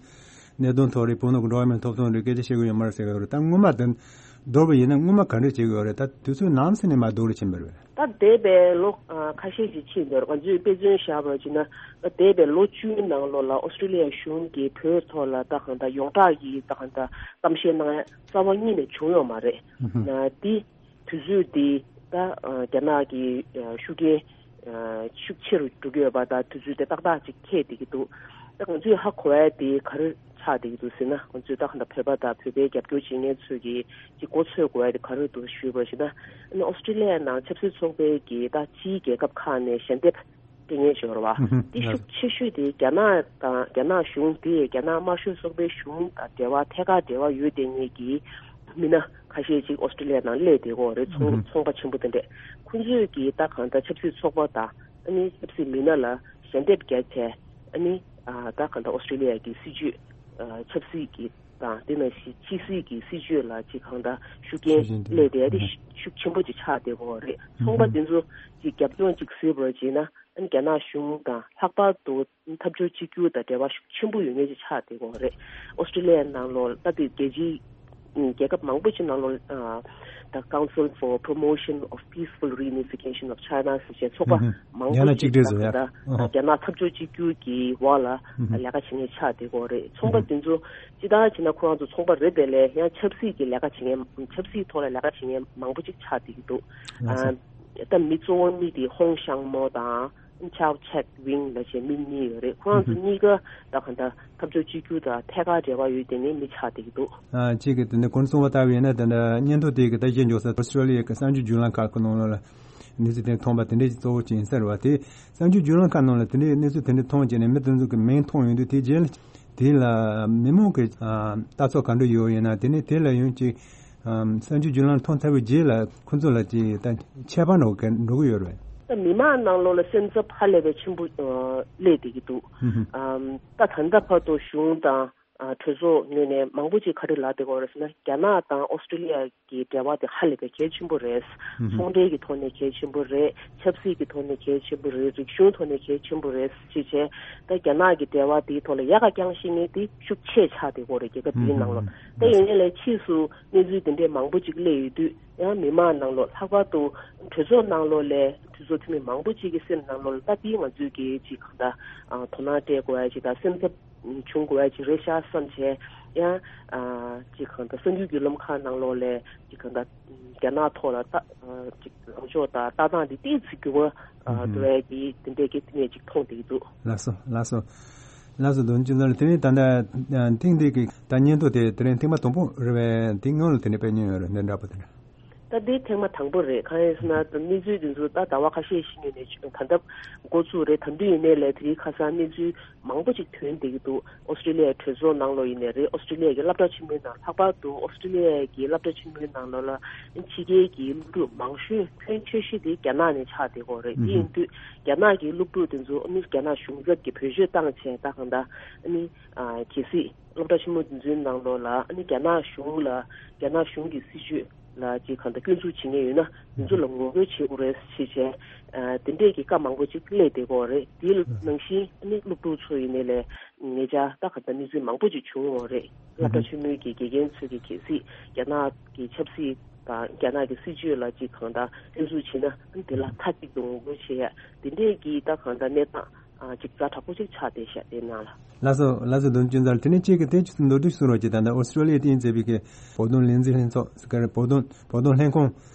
གནད་དོན་ཐོག་རེད། བོད་ནང་གི་འགྲོ་བ་མིའི་ཐོབ་ཐང་རེད། སྐད་ཆ་བཤད་གི་ཡོད་མ་རེད་ཟེར་གི་ཡོད་རེད། ད་སྔོན་མ་དེ་མདོར་བ་ཡིན་ན་སྔོན་མ་ག་འདྲ་བྱེད་གི་ཡོད་རེད། ད་དུས་ཚོད་ནམ་ཟིན་ནས་མར་སྡུག་རུ་ཕྱིན་པ་རེད། ད་འདས་པའི་ལོ་ཨ་ཁ་ཤས་ཤིག་ཕྱིན་འདུག་ང་ཚོས་དཔེ་མཚོན་བཞག་པ་ཅིག་ན་འདས་པའི་ལོ་བཅུའི་ནང་ལོགས་ལ་ཨོ་སི་ཀྲི་ལི་ཡ་གཞུང་གིས་བོད་ཐོག་ལ་ད་གང་ལྟར་ཡོངས་གྲགས་ཀྱི་ད་གང་ལྟར་གཏམ་བཤད་གནང་ཡ་རྩ་བ་ཉིད་ནས་བྱུང་ཡོད་མ་རེད། ན་འདི་དུས་ཚོད་འདི་ད་ཨ་རྒྱ་ནག་གི་ཨ་ཤུགས་རྐྱེན་ཨ་ཤུགས་ཆེ་རུ་འགྲོ་གི་ཡོད་པ་དང་དུས་ཚོད་དེ་ཏག་ཏག་ཅིག་འཁེལ་བསྡད་ཀྱི་འདུག་ད་ང་ཚོས་ཧ་གོ་ཡ་དེ་ག་རེ་ཆགས་བསྡད་ཀྱི་འདུག་ཟེར་ན། ང་ཚོས་ད་གང་ལྟར་བོད་པ་དང་བོད་པའི་རྒྱབ་སྐྱོར་བྱེད་མཁན་ཚོས་ཀྱིས་ཅིག་གོ་ཚོད་དགོས་ཡ་དེ་ག་རེ་འདུག་ཞུས་པ་ཞིག་ན། ཨ་ནི་ཨོ་སི་ཀྲི་ལི་ཡའི་ནང་ཆབ་སྲིད་ཚོགས་པའི་གི་ད་ཕྱིའི་རྒྱལ་ཁབ་ཁག་ནས་ཞལ་འདེབས་ སྐད་ངན་ཤོར་བ། ཧུམ་ཧུམ། དེ་ཤུགས་ཆེ་ཤོས་དེ་རྒྱ་ནག་དང་རྒྱ་ནག་གཞུང་དེ་རྒྱ་ནག་དམར་ཤོག་ཚོགས་པའི་གཞུང་དང་འབྲེལ་བ་ཐད་ཀར་འབྲེལ་བ་ཡོད་བསྡད་མཁན་གྱི་མི་སྣ་ཁ་ཤས་ཅིག་ཨོ་སི་ཀྲི་ལི་ཡ་ནང་སླེབས་བསྡད་ཡོད་རེད། ཚོང་ཚོང་པ་ཆེན་པོ་དེ་འདྲས་ཁོང་ཚོས་ཀྱིས་ད་གང་ལྟར་ཆབ་སྲིད་ཚོགས་པ་དང་ཨ་ནི་ཆབ་སྲིད་མི་སྣ་ལ་ཞལ་འདེབས་བརྒྱབ་བྱས་ཨ་ནི་ད་གང་ལྟར་ཨོ་སི་ཀྲི་ལི་ཡ་གི་སྲིད་ཇུས་ཆབ་སྲིད་ཀྱི་དང་དེ་ནང་བཞིན་ཕྱི་སྲིད་ཀྱི་སྲིད་ཇུས་ལ་ཅིག་གང་ལྟར་ཤུགས་རྐྱེན་སླེབས་བསྡད་ཡ་དེ་ཤུགས་ཆེན་པོ་ཅིག་ཆགས་བསྡད་ཡོད་རེད། ཚོང་པ་དེ་ཚོ་ཅིག་རྒྱབ་ལྗོངས་ཅིག་བཟོས་པར་བྱས་ན། རྒྱ་ནག་གཞུང་དང་ལྷག་པར་དུ་འཐབ་ཕྱོགས་གཅིག་གྱུར་དང་འབྲེལ་བ་ཤུགས་ཆེན་པོ་ཡོད་མཁན་ཅིག་ཆགས་བསྡད་ཡོད་རེད། ཨོ་སི་ཀྲི་ལི་ཡའི་ནང་ལོགས་ད་ལྟའི་རྒྱལ་སྤྱིའི་རྒྱལ་ཁབ་མང་པོ་ཅིག་ནང་ལོགས་The Council for Promotion of Peaceful Reunification of China ཟེར་བྱས་ཚོགས་པ་མང་པོ་ཅིག་ད་ལྟ་རྒྱ་ནག་འཐབ་ཕྱོགས་གཅིག་གྱུར་གྱི་འོག་ལ་ལས་ཀ་བྱེད་མཁན་ཆགས་བསྡད་ཡོད་རེད། ཚོང་པ་དེ་ཚོ་སྤྱིར་བཏང་བྱས་ན་ཁོ་རང་ཚོ་ཚོང་པ་རེད་པས་ལས་ཡང་ཆབ་སྲིད་ཀྱི་ལས་ཀ་བྱེད་མཁན་ཆབ་སྲིད་ཐོག་ལ་ལས་ཀ་བྱེད་མཁན་མང་པོ་ཅིག་ཆགས་བསྡད་ཀྱི་འདུག་ད་མི་གཙོ་བོ་གཉིས་དེ་ཧོང་ཤང་མོ་དང་ཆའོ་ཆེད་ཝིང་ལབ་བྱས་མི་གཉིས་ཡོད་རེད། ཁོ་རང་ཚོ་གཉིས་ཀ་ད་ག་འདྲ་འཐབ་ཕྱོགས་གཅིག་གྱུར་དང་ཐད་ཀར་འབྲེལ་བ་ཡོད་དེ་ནས་མི་ཆགས་བསྡད་ཀྱི་འདུག་ཨ་གཅིག་གིས་དེ་ནས་གོང་གསུངས་པ་ལྟ་བུ་ཡིན་ན་དེ་འདྲ་སྙན་ཐོ་དེ་གི་ད་གཞན་འཇོག་ས་ཨོ་སི་ཀྲོ་ལི་ཡ་གི་གསར་འགྱུར་བརྒྱུད་ལམ་ཁག་གི་ནང་ལོགས་ལ་གནས་ཚུལ་དེ་མཐོང་པ་དེ་འདྲས་ཀྱི་གཙོ་བོ་ཅིག་ཡིན་ས་རེད་བ། དེ་གསར་འགྱུར་བརྒྱུད་ལམ་ཁག་ནང་ལ་དེ་འདྲའི་གནས་ཚུལ་དེ་འདྲས་མཐོང་བྱས་ནས་མི་དེ་ཚོ་གི་མིང་མཐོང་ཡོང་དུས་དེ་རྗེས་ལ་དེ་ལ་མི་མང་གི་ཨ་ལྟ་ཚུལ་ག་འདྲ་ཡོད་ཡིན་ན། དེ་ནས་དེ་ལ་ཡང་ཅིག་ཨམ་གསར་འགྱུར་བརྒྱུད་ལམ་མཐོང་ཚར་བའི་རྗེས་ལ་ཁོ་ཚོ་ལ་ཅིག་ད་ཁྱད་པར་འགྲོ་གི་འགྲོ་གི་ཡོད་རེད། ད་མི་མང་ནང་ལོགས་ལ་སེམས་འཚབ་ཧ་ལས་པའི་ཆེན་པོ་ཨ་སླེབས་བསྡད་ཀྱི་འདུག་ཧུམ་ཧུམ། ཨམ་ད་ད་ལྟ་བར་དུ་གཞུང་དང་ཨ་གྲོས་ཚོགས་ངོས་ནས་མང་པོ་ཅིག་ག་རེ་ལབ་བསྡད་ཀྱི་ཡོད་རེད་ཟེར་ན། རྒྱ་ནག་དང་ཨོ་སི་ཀྲི་ལི་ཡ་གི་འབྲེལ་བ་དེ་ཧ་ལས་པའི་གལ་ཆེན་པོ་རེད། ཧུམ་ཧུམ། ཚོང་འབྲེལ་གྱི་ཐོག་ནས་གལ་ཆེན་པོ་རེད། ཆབ་སྲིད་ཀྱི་ཐོག་ནས་གལ་ཆེན་པོ་རེད། རིག་གཞུང་ཐོག་ནས་གལ་ཆེན་པོ་རེད་ཅེས་བྱས། ད་རྒྱ་ནག་གི་འབྲེལ་བ་དེའི་ཐོག་ལ་ཡག་ག་རྐྱང་ཤེས་མཁན་དེ་ཤུགས་ཆེ་ཆགས་བསྡད་ཀྱི་ཡོད་རེད། རྒྱལ་ཁབ་དེའི་ནང་ལོགས། ད་ཡིན་ནའི་ལས་ཕྱིས་སུ་གནས་ཚུལ་དེ་འདྲས་མང་པོ་ཅིག་སླེབས་ཡོང་དུས་ཡང་མི་མང་ནང་ལོགས་ལྷག་པར་དུ་གྲོས་ཚོགས་ནང་ལོགས་ལས་གྲོས་ཚོགས་འཐུས་མི་མང་པོ་ཅིག་གི་སེམས་ནང་ལོགས་ལ་ད་དེའི་ང་ཚོས་ཀྱི་ཅིག་གང་ལྟར་ཨ་དོ་སྣང་སྤྲད་དགོས་ཡ་ཅིག་དང་སེམས་འཚབ་བྱུང་དགོས་ཡ་ཅིག་རེད་ཤག་བསམ་བྱས། ཡང་ཨ་ཅིག་གང་ལྟར་གསར་འགྱུར་བརྒྱུད་ལམ་ཁག་ནང་ལོགས་ལས་ཅིག་གང་ལྟར་རྒྱ་ནག་ཐོག་ལ་ལྟ་ཨ་ཅིག་ལངས་ཕྱོགས་དང་ལྟ་སྟངས་དེ་ཏོག་ཙམ་འགྱུར་བ་ཨ་ཨུ་ཧུམ། འགྲོ་ཡ་གི་དེ་འདྲས་ཀྱི་དེ་ནས་ཅིག་མཐོང་བསྡད་ཀྱི་འདུག་ལགས་སོ། ལགས་སོ། ལགས་སོ། དོན་ཅི་ཙམ་ལ་དེ་ནས་ད་ལྟ་ཐེངས་འདི་གི་ད་སྙན་ཐོ་དེ་དེ་རིང་ཐེངས་མ་དང་པོ་རེད་པས། དེ་སྔོན་ལ་དེ་འདྲ་སྤེལ་མྱོང་ཡོད་རེད། འདི་འདྲ་པོ་དེ་འདྲ། ད་འདི་ཐེངས་མ་དང་པོ་རེད། གང་ཡིན་ཟེར་ན་ད་གནས་ཚུལ་འདི་ཚོ་ད་ཟླ་བ་ཁ་ཤས་ཤིག་སྔོན་ནས་ད་ལྟ་འགོ་ཚུགས་རེད། ད་དུང་ཡིན་ནའི་ལས་དེ་རིང་ཁ་སང་གནས་ཚུལ་མང་པོ་ཅིག་ཐོན་བསྡད་ཀྱི་འདུག་ཨོ་སི་ཀྲི་ལི་ཡའི་གྲོས་ཚོགས་ནང་ལོགས་ཡིན་ནའི་རེད། ཨོ་སི་ཀྲི་ལི་ཡ་གི་སློབ་གྲྭ་ཆེན་མོའི་ནང་། ལྷག་པར་དུ་ཨོ་སི་ཀྲི་ལི་ཡ་གི་སློབ་གྲྭ་ཆེན་མོའི་ནང་ལོགས་ལ་ཕྱི་རྒྱལ་གྱི་སློབ་ཕྲུག་མང་ཤོས་ཕོན་ཆེ་ཤོས་དེ་རྒྱ་ནག་ནས་ཆགས་བསྡད་ཀྱི་ཡོད་རེད། དེ་ཡིན་དུས་རྒྱ་ནག་གི་སློབ་ཕྲུག་དེ་ཚོ་ཨ་ནི་རྒྱ་ནག་གཞུང་ཚབ་ཀྱིས་བེད་སྤྱོད་བཏང་བྱས་ད་གང་ལྟར་ཨ་ནི་ཨ་གལ་སྲིད་སློབ་གྲྭ་ཆེན་མོ་དེ་ཚོའི་ནང་ལོགས་ལ་ཨ་ནི་རྒྱ་ནག་གཞུང་ལ་རྒྱ་ནག་གཞུང་གི་སྲིད་བྱུས་ལ་ཅིག་གང་ལྟར་སྐྱོན་འཛུགས་བྱེད་མཁན་ཡོད་ན་དེ་ཚོ་ལ་ངོ་རྒོལ་བྱེད་དགོས་རེད་ཅེས་བྱས། ཨ་དེ་འདྲས་ཀྱི་བཀའ་མང་པོ་ཅིག་སླེབས་བསྡད་ཀྱི་ཡོད་རེད། དེའི་ནང་བཞིན་ཨ་ནི་སློབ་ཕྲུག་ཚོ་ཡིན་ནའི་ལས་ཉེ་ཆར་ད་གང་ལྟར་གནས་ཚུལ་མང་པོ་ཅིག་བྱུང་ཡོད་རེད། སློབ་གྲྭ་ཆེན་མོའི་གི་དགེ་རྒན་ཚོས་ཀྱི་གལ་སྲིད་རྒྱ་ནག་གི་ཆབ་སྲིད་དང་རྒྱ་ནག་གི་སྲིད་བྱུས་ལ་ཅིག་གང་ལྟར་སྐྱོན་འཛུགས་བྱས་ན་དེ་ལ་མཐའ་གཅིག་ཏུ་ངོ་རྒོལ་བྱེད་ཡ་དེ་འདྲས་ཀྱི་ད་གང་ལྟར་གནས་སྟངས་ཨ་ཅིག་ཛ་དྲག་པོ་ཅིག་ཆགས་བསྡད་ཤག་དེ་ནང་ལ། ལགས་སོ། ལགས་སོ། དོན་ཅུང་ཙམ་དེ་ནས་གཅིག་གི་དེ་ཅིག་མདོར་བསྡུས་གསུང་རོགས་གྱིས། ད་ལྟ་ཨོ་སི་ཀྲོ་ལི་ཡའི་སྟེང་མཛད་པའི་གི་བོད་དོན་ལས་འཛིན་ལྷན་ཚོགས་ཟེར་གི་རེད། བོད་དོན་བོད་དོན་ལྷན་ཁང་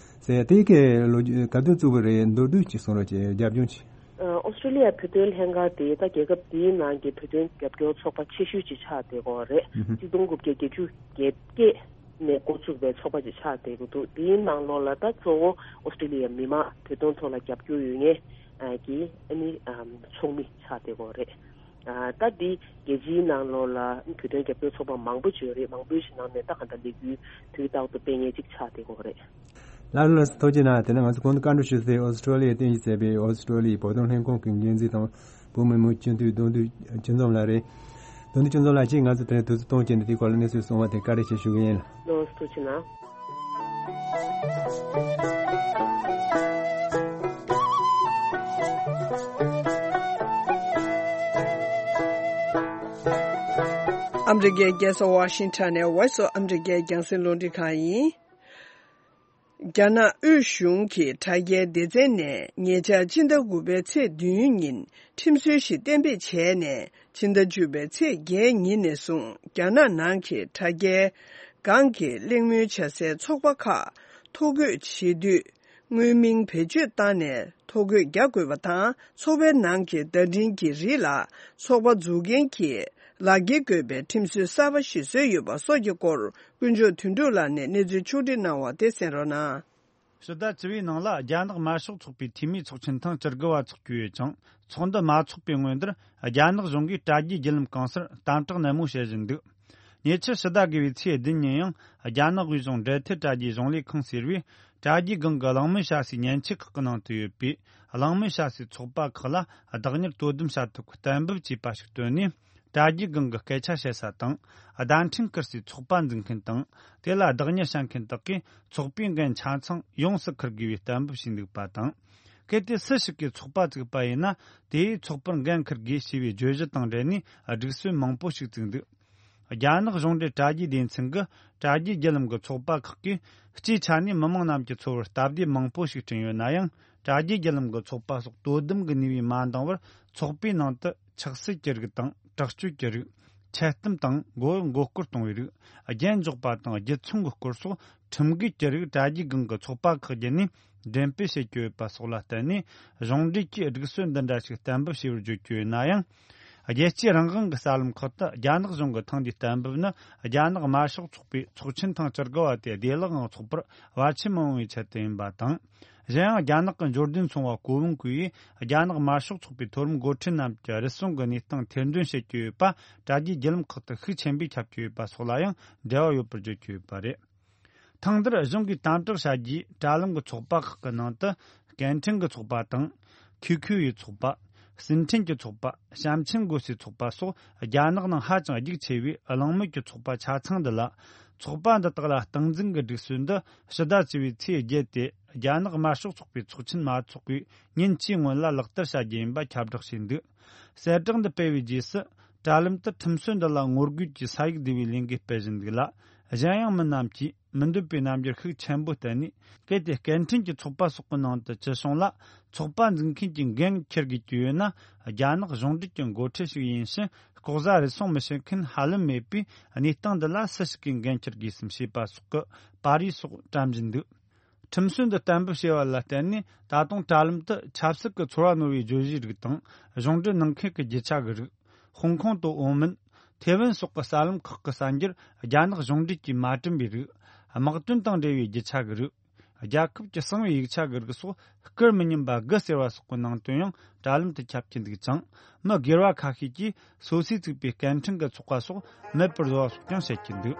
ཟེར་ཡ་དེ་གི་ལོ་རྒྱུས་ག་དུས་བཙུགས་པ་རེད། མདོར་བསྡུས་ཅིག་གསུང་རོགས་གྱིས། རྒྱབ་ལྗོངས་ཅིག་ཨོ་སི་ཀྲོ་ལི་ཡ་བོད་དོན་ལྷན་ཁང་དེ་ད་རྒྱལ་ཁབ་དེའི་ནང་གི་བོད་དོན་རྒྱབ་སྐྱོར་ཚོགས་པ་ཆེ་ཤོས་ཅིག་ཆགས་བསྡད་ཀྱི་ཡོད་རེད། ཨུ་ཧུ། གཅིག་སྟོང་དགུ་བརྒྱ་བརྒྱད་ཅུ་གྱ་བརྒྱད་ནས་འགོ་བཙུགས་པའི་ཚོགས་པ་ཅིག་ཆགས་བསྡད་ཀྱི་འདུག་དེའི་ནང་ལོགས་ལ་ད་གཙོ་བོ་ཨོ་སི་ཀྲོ་ལི་ཡའི་མི་མང་བོད་དོན་ཐོག་ལ་རྒྱབ་སྐྱོར་ཡོད་མཁན་གྱི་ཨ་ནི་ཚོགས་མི་ཆགས་བསྡད་ཀྱི་ཡོད་རེད། ཨ་ད་འདི་རྒྱལ་སྤྱིའི་ནང་ལོགས་ལ་བོད་དོན་རྒྱབ་སྐྱོར་ཚོགས་པ་མང་པོ་ཅིག་ཡོད་རེད། མང་པོའི་ནང་ནས་ད་ག་འདྲ་ལས་འགུལ་དུས་རྟག་ཏུ་སྤེལ་མཁན་ཅིག་ཆགས་བསྡད་ཀྱི་ཡོད་རེད། ལགས་ལགས་སོ། ཐུགས་རྗེ་གནང་། དེ་ནས་ང་ཚོ་གོང་དུ་བཀའ་འདྲི་ཞུས་ཏེ་ཨོ་སི་ཀྲོ་ལི་ཡའི་རྟེན་གཞི་མཛད་པའི་ཨོ་སི་ཀྲོ་ལི་ཡའི་བོད་དོན་ལྷན་ཁང་གི་འགན་འཛིན་དང་བོད་མི་མང་སྤྱི་འཐུས་གདོང་འདུས་ཅུང་འཛོམས་ལགས་རེད། གདོང་འདུས་ཅུང་འཛོམས་ལགས་ཀྱིས་ང་ཚོ་དེ་རིང་དུས་ཚོད་གཏོང་བྱས་ནས་དེའི་སྐོར་ལ་གནས་ཚུལ་གསུངས་པ་དེ་བཀའ་དྲིན་ཆེ་ཞུ་གི་ཡིན། ལགས་སོ། ཐུགས་རྗེ་གནང་། ཨ་མི་རི་ཀའི་རྒྱལ་ས་ཝ་ཤིང་ཊོན་ནས་Voice of America རྒྱང་སྲིང་རླུང་འཕྲིན་ཁང་ཡིན། རྒྱ་ནག་དབུས་གཞུང་གི་དྲ་རྒྱའི་སྡེ་ཚན་ནས་ཉེ་ཆར་ཕྱི་ཟླ་དགུ་པའི་ཚེས་བདུན་ཉིན་ཁྲིམས་སྲོལ་ཞིག་གཏན་འབེབས་བྱས་ནས། ཕྱི་ཟླ་བཅུ་པའི་ཚེས་བརྒྱད་ཉིན་ནས་བཟུང་རྒྱ་ནག་ནང་གི་དྲ་རྒྱའི་སྒང་གི་གླེང་མོལ་བྱ་སའི་ཚོགས་པ་ཁག་ཐོ་འགོད་བྱེད་དུས། དངོས་མིང་བེད་སྤྱོད་བཏང་ནས་ཐོ་འགོད་རྒྱག་དགོས་པ་དང་། ཚོགས་པའི་ནང་གི་བརྡ་འཕྲིན་གྱི་རིགས་ལ་ཚོགས་པ་འཛུགས་མཁན་གྱིས་ལག་འཁྱེར་དགོས་པའི་ཁྲིམས་སྲོལ་གསར་པ་ཞིག་བཟོས་ཡོད་པ་སོགས་ཀྱི་སྐོར། དཀོན་མཆོག་དོན་གྲུབ་ལགས་ནས་གནས་ཚུལ་ཕྱོགས་སྒྲིག་གནང་བ་དེ་གསན་རོགས་གནང་། ཕྱི་ཟླ་བཅུ་པའི་ནང་ལ་རྒྱ་ནག་དམར་ཤོག་ཚོགས་པའི་འཐུས་མིའི་ཚོགས་ཆེན་ཐེངས་བཅུ་དགུ་བ་འཚོགས་རྒྱུ་ཡོད་ཅིང་། ཚོགས་འདུ་མ་འཚོགས་པའི་སྔོན་དུར་རྒྱ་ནག་གཞུང་གིས་དྲ་རྒྱའི་བརྒྱུད་ལམ་གང་སར་དམ་དྲག་ནན་མོ་བྱེད་བཞིན་འདུག་ཉེ་ཆར་ཕྱི་ཟླ་དགུ་བའི་ཚེས་བདུན་ཉིན་ཡང་རྒྱ་ནག་དབུས་གཞུང་འབྲེལ་མཐུད་དྲ་རྒྱའི་གཞུང་ལས་ཁང་ཟེར་བས། དྲ་རྒྱའི་སྒང་གི་གླེང་མོལ་བྱ་སའི་མཉེན་ཆས་ཁག་གི་ནང་དུ་ཡོད་པའི་གླེང་མོལ་བྱ་སའི་ཚོགས་པ་ཁག་ལ་བདག་གཉེར་དོ་དམ་བྱ་ཐབས་ཀྱི་གཏན་འབེབས་བྱས་པ་ཞིག་བཏོན་ནས། དྲ་རྒྱའི་སྒང་གི་སྐད་ཆ་བཤད་ས་དང་། བརྡ་འཕྲིན་བསྐུར་སའི་ཚོགས་པ་འཛུགས་མཁན་དང་། དེ་ལ་བདག་གཉེར་བྱ་མཁན་དག་གིས་ཚོགས་པའི་འགན་ཆ་ཚང་ཡོངས་སུ་འཁུར་དགོས་པའི་གཏན་འབེབས་བྱས་འདུག་པ་དང་། གལ་ཏེ་སུ་ཞིག་གིས་ཚོགས་པ་བཙུགས་པ་ཡིན་ན། དེས་ཚོགས་པར་འགན་འཁུར་དགོས་ཞེས་པའི་བརྗོད་གཞི་དང་འབྲེལ་ནས་སྒྲིག་སྲོལ་མང་པོ་ཞིག་བཙུགས་འདུག་རྒྱ་ནག་གཞུང་འབྲེལ་དྲ་རྒྱའི་སྡེ་ཚན་གྱིས་དྲ་རྒྱའི་བརྒྱུད་ལམ་གྱི་ཚོགས་པ་ཁག་གིས་སྤྱིའི་ཆ་ནས་མི་མང་རྣམས་ཀྱི་འཚོ་བར་སྟབས་བདེ་མང་པོ་ཞིག་བསྐྲུན་ཡོད་ན་ཡང་། དྲ་རྒྱའི་བརྒྱུད་ལམ་གྱི་ཚོགས་པ་སོགས་དོ་དམ་གྱི་ནུས་པས་མ་འདང་བར། ཚོགས་པའི་ནང་དུ་ཆགས་སྲེད་ཀྱི་རིགས་དང་། དྲག་སྤྱོད་ཀྱི་རིགས། འཆལ་གཏམ་དང་། མགོ་མགོ་སྐོར་གཏོང་བའི་རིགས། རྒྱན་འཇོག་པ་དང་། རྒྱུ་མཚན་གྱི་སྐོར་སོགས་ཁྲིམས་འགལ་གྱི་རིགས་དྲ་རྒྱའི་སྒང་གི་ཚོགས་པ་ཁག་བརྒྱུད་ནས་འགྲེམས་སྤེལ་བྱེད་ཀྱི་ཡོད་པ་སོགས་ལ་བརྟེན་ནས། གཞུང་འབྲེལ་གྱིས་སྒྲིག་སྲོལ་འདི་འདྲ་ཞིག་གཏན་འབེབས་བྱས་པར་བརྗོད་ཀྱི་ཡོད་ན་ཡང་། རྒྱལ་སྤྱིའི་རང་དབང་གི་གསར་ལམ་ཁག་ཏུ་རྒྱ་ནག་གཞུང་གི་ཐེངས་འདིའི་གཏན་འབེབས་ནི། རྒྱ་ནག་དམར་ཤོག་ཚོགས་པའི་ཚོགས་ཆེན་ཐེངས་བཅུ་དགུ་བ་དེ་བདེ་བླག་ངང་འཚོགས་པར་བར་ཆད་མི་ཡོང་བའི་ཆེད་དུ་ཡིན་པ་དང་། གཞན་ཡང་། རྒྱ་ནག་གི་འབྱོར་ལྡན་ཚོང་པ་ཀོ་ཝུན་ཀུའེ་ཡིས་རྒྱ་ནག་དམར་ཤོག་ཚོགས་པའི་མཐོ་རིམ་འགོ་ཁྲིད་རྣམས་ཀྱི་རུལ་སུངས་ཀྱི་གནས་སྟངས་ཐེར་འདོན་བྱེད་ཀྱི་ཡོད་པ། དྲ་རྒྱའི་བརྒྱུད་ལམ་ཁག་ཏུ་ཤུགས་ཆེན་པོས་ཁྱབ་ཀྱི་ཡོད་པ་སོགས་ལ་ཡང་འབྲེལ་བ་ཡོད་པར་བརྗོད་ཀྱི་ཡོད་པ་རེད། ཐེངས་འདིར་གཞུང་གིས་དམ་དྲག་བྱ་རྒྱུའི་དྲ་ལམ་གྱི་ཚོགས་པ་ཁག་གི་ནང་དུ། སྐད་འཕྲིན་གྱི་ཚོགས་པ་དང་། ཁུའུ་ཁུའུ་ཡི་ཚོགས་པ། ཟིན་བྲིས་ཀྱི་ཚོགས་པ། བྱམས་ཆེན་སྒོ་སའི་ཚོགས་པ་སོགས། རྒྱ་ནག་ནང་ཧ་ཅང་རྒྱུགས་ཆེ་བའི་གླེང་མོལ་གྱི་ཚོགས་པ་ཆ་ཚང་འདི་ལ། ཚོགས་པ་འདི་དག་ལ་སྟངས་འཛིན་གྱི་སྒྲིག་སྲོལ་འདི་ཕྱི་ཟླ་བཅུ་པའི་ཚེས་བརྒྱད་དེ། རྒྱ་ནག་དམར་ཤོག་ཚོགས་པའི་ཚོགས་ཆེན་མ་འཚོགས་པའི་ཉིན་གཅིག་སྔོན་ལ་ལག་བསྟར་བྱ་རྒྱུ་ཡིན་པ་ཁྱབ་བསྒྲགས་བྱས་འདུག་གསལ་བསྒྲགས་འདི་སྤེལ་བའི་རྗེས་སུ། དྲ་ལམ་དུ་ཁྲིམས་སྲོལ་འདི་ལ་ངོ་རྒོལ་གྱི་ས་ཡིག་འདུས་པའི་ལས་འགུལ་སྤེལ་བཞིན་འདུག་ལ། གཞན་ཡང་མི་རྣམས་ཀྱིས་མི་འདོད་པའི་རྣམ་འགྱུར་ཤུགས་ཆེན་པོ་བསྟན་ནས། གལ་ཏེ་སྐད་འཕྲིན་གྱི་ཚོགས་པ་སོགས་ཀྱི་ནང་དུ་སྤྱི་གཞུང་ལ་ཚོགས་པ་འཛུགས་མཁན་གྱི་འགན་འཁྱེར་དགོས་ཀྱི་ཡོད་ན། རྒྱ་ནག་གཞུང་འབྲེལ་གྱི་འགོ་ཁྲིད་ཞིག་ཡིན་ཕྱིན། ལྐོག་ཟ་རུལ་སུངས་མི་བྱེད་མཁན་ཧ་ལམ་མེད་པའི་གནས་སྟངས་འདི་ལ་སུ་ཞིག་གིས་འགན་འཁྱེར་དགོས་སམ་ཞེས་པ་སོགས་ཀྱི་པར་རིས་སོགས་བཀྲམ་བཞིན་འདུག་ཁྲིམས་སྲོལ་འདི་གཏན་འབེབས་བྱས་པ་ལ་བརྟེན་ནས། ད་དུང་དྲ་ལམ་དུ་ཆབ་སྲིད་ཀྱི་ཚོར་བ་རྣོ་བའི་བརྗོད་གཞིའི་རིགས་དང་། གཞུང་འབྲེལ་གནང་མཁན་གྱི་རྒྱུ་ཆ་གི་རིགས། ཧོང་ཀོང་དང་ཨོ་མོན། ཐེ་ཝན་སོགས་ཀྱི་གསར་ལམ་ཁག་གི་གསར་འགྱུར་རྒྱ་ནག་གཞུང་འབྲེལ་གྱིས་མ་བསྐྲུན་པའི་རིགས། དམག་དོན་དང་འབྲེལ་བའི་རྒྱུ་ཆ་གི་རིགས། རྒྱལ་ཁབ་ཀྱི་གསང་བའི་ཡིག་ཆ་གི་རིགས་སོགས། བསྐུར་མི་ཉན་པ་དགུ་ཟེར་བ་སོགས་ཀྱི་ནང་དོན་ཡང་དྲ་ལམ་དུ་ཁྱབ་ཀྱིན་འདུག་ཅིང་། མི་སྒེར་བ་ཁ་ཤས་ཀྱིས་སོ་སོས་བཙུགས་པའི་སྐད་འཕྲིན་གྱི་ཚོགས་པ་སོགས་མེད་པར་བཟོ་བ་སོགས་ཀྱང་བཤད་ཀྱིན་འདུག་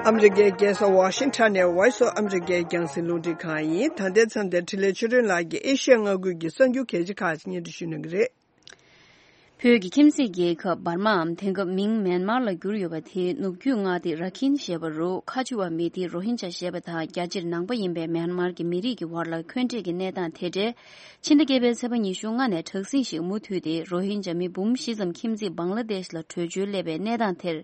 ཨ་མི་རི་ཀའི་རྒྱལ་ས་ཝ་ཤིང་ཊོན་ནས་Voice of America རྒྱང་སྲིང་རླུང་འཕྲིན་ཁང་ཡིན། ད་ལྟའི་མཚམས་འདིར་འཕྲིན་ལས་ཆོས་སྒྲོན་ལགས་ཀྱིས་ཨེ་ཤི་ཡ་མངའ་ཁུལ་གྱི་གསར་འགྱུར་གལ་ཆེ་ཁག་ཅིག་སྙན་སྒྲོན་ཞུ་གནང་གི་རེད། བོད་ཀྱི་ཁྱིམ་མཚེས་རྒྱལ་ཁབ་འབར་མའམ་དེང་སྐབས་མིང་མེན་མར་ལ་བསྒྱུར་ཡོད་པ་དེའི་ནུབ་རྒྱུད་མངའ་སྡེ་ར་ཁིན་ཞེས་པ་རུ་ཁ་ཆེ་བ་མི་སྡེ་རོ་ཧིན་ཇཱ་ཞེས་པ་དང་རྒྱ་ཆེར་ནང་པ་ཡིན་པའི་མེན་མར་གྱི་མི་རིགས་ཀྱི་བར་ལ་འཁོན་འགྲས་ཀྱི་གནས་སྟངས་དེ་འབྲེལ། ཕྱི་ཟླ་བརྒྱད་པའི་ཚེས་པ་ཉི་ཤུ་ལྔ་ནས་དྲག་ཟིང་ཞིག་མུ་མཐུད་དེ་རོ་ཧིན་ཇཱ་མི་འབུམ་བཞི་ཙམ་ཁྱིམ་མཚེས་བང་ལ་དེཤ་ལ་བྲོས་བྱོལ་སླེབས་པའི་གནས་སྟངས་དེར་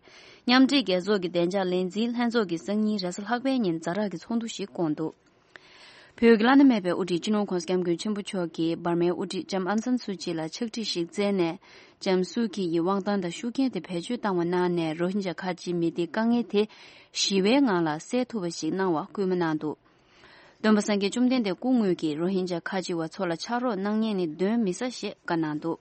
མཉམ་འབྲེལ་རྒྱལ་ཚོགས་ཀྱི་བདེ་འཇགས་ལས་འཛིན་ལྷན་ཚོགས་ཀྱིས་སང་ཉིན་རེས་གཟའ་ལྷག་པའི་ཉིན་ཛ་དྲག་གི་ཚོགས་འདུ་ཞིག་བསྐོངས་འདུག་བོད་ཀྱི་བླ་ན་མེད་པའི་དབུ་ཁྲིད་སྤྱི་ནོར་༧གོང་ས་༧སྐྱབས་མགོན་ཆེན་པོ་མཆོག་གིས་འབར་མའི་དབུ་ཁྲིད་ལྕམ་ཨང་སན་སུའུ་ཅི་ལ་ཕྱག་བྲིས་ཤིག་བསྩལ་ནས། ལྕམ་སུའུ་ཁི་ཡི་དབང་ཐང་དང་ཤུགས་རྐྱེན་དེ་བེད་སྤྱོད་བཏང་བ་གནང་ནས་རོ་ཧིན་ཇཱ་ཁ་ཆེའི་མི་སྡེའི་དཀའ་ངལ་དེ་ཞི་བའི་ངང་ལ་སེལ་ཐུབ་པ་ཞིག་གནང་བར་སྐུལ་མ་གནང་འདུག་སྟོན་པ་སངས་རྒྱས་བཅོམ་ལྡན་འདས་སྐུ་དངོས་ཀྱིས་རོ་ཧིན་ཇཱ་ཁ་ཆེ་བ་ཚོ་ལ་ཕྱག་རོགས་གནང་མཁན་ནི་གདོན་མི་ཟ་ཞེས་བཀའ་གནང་འདུག་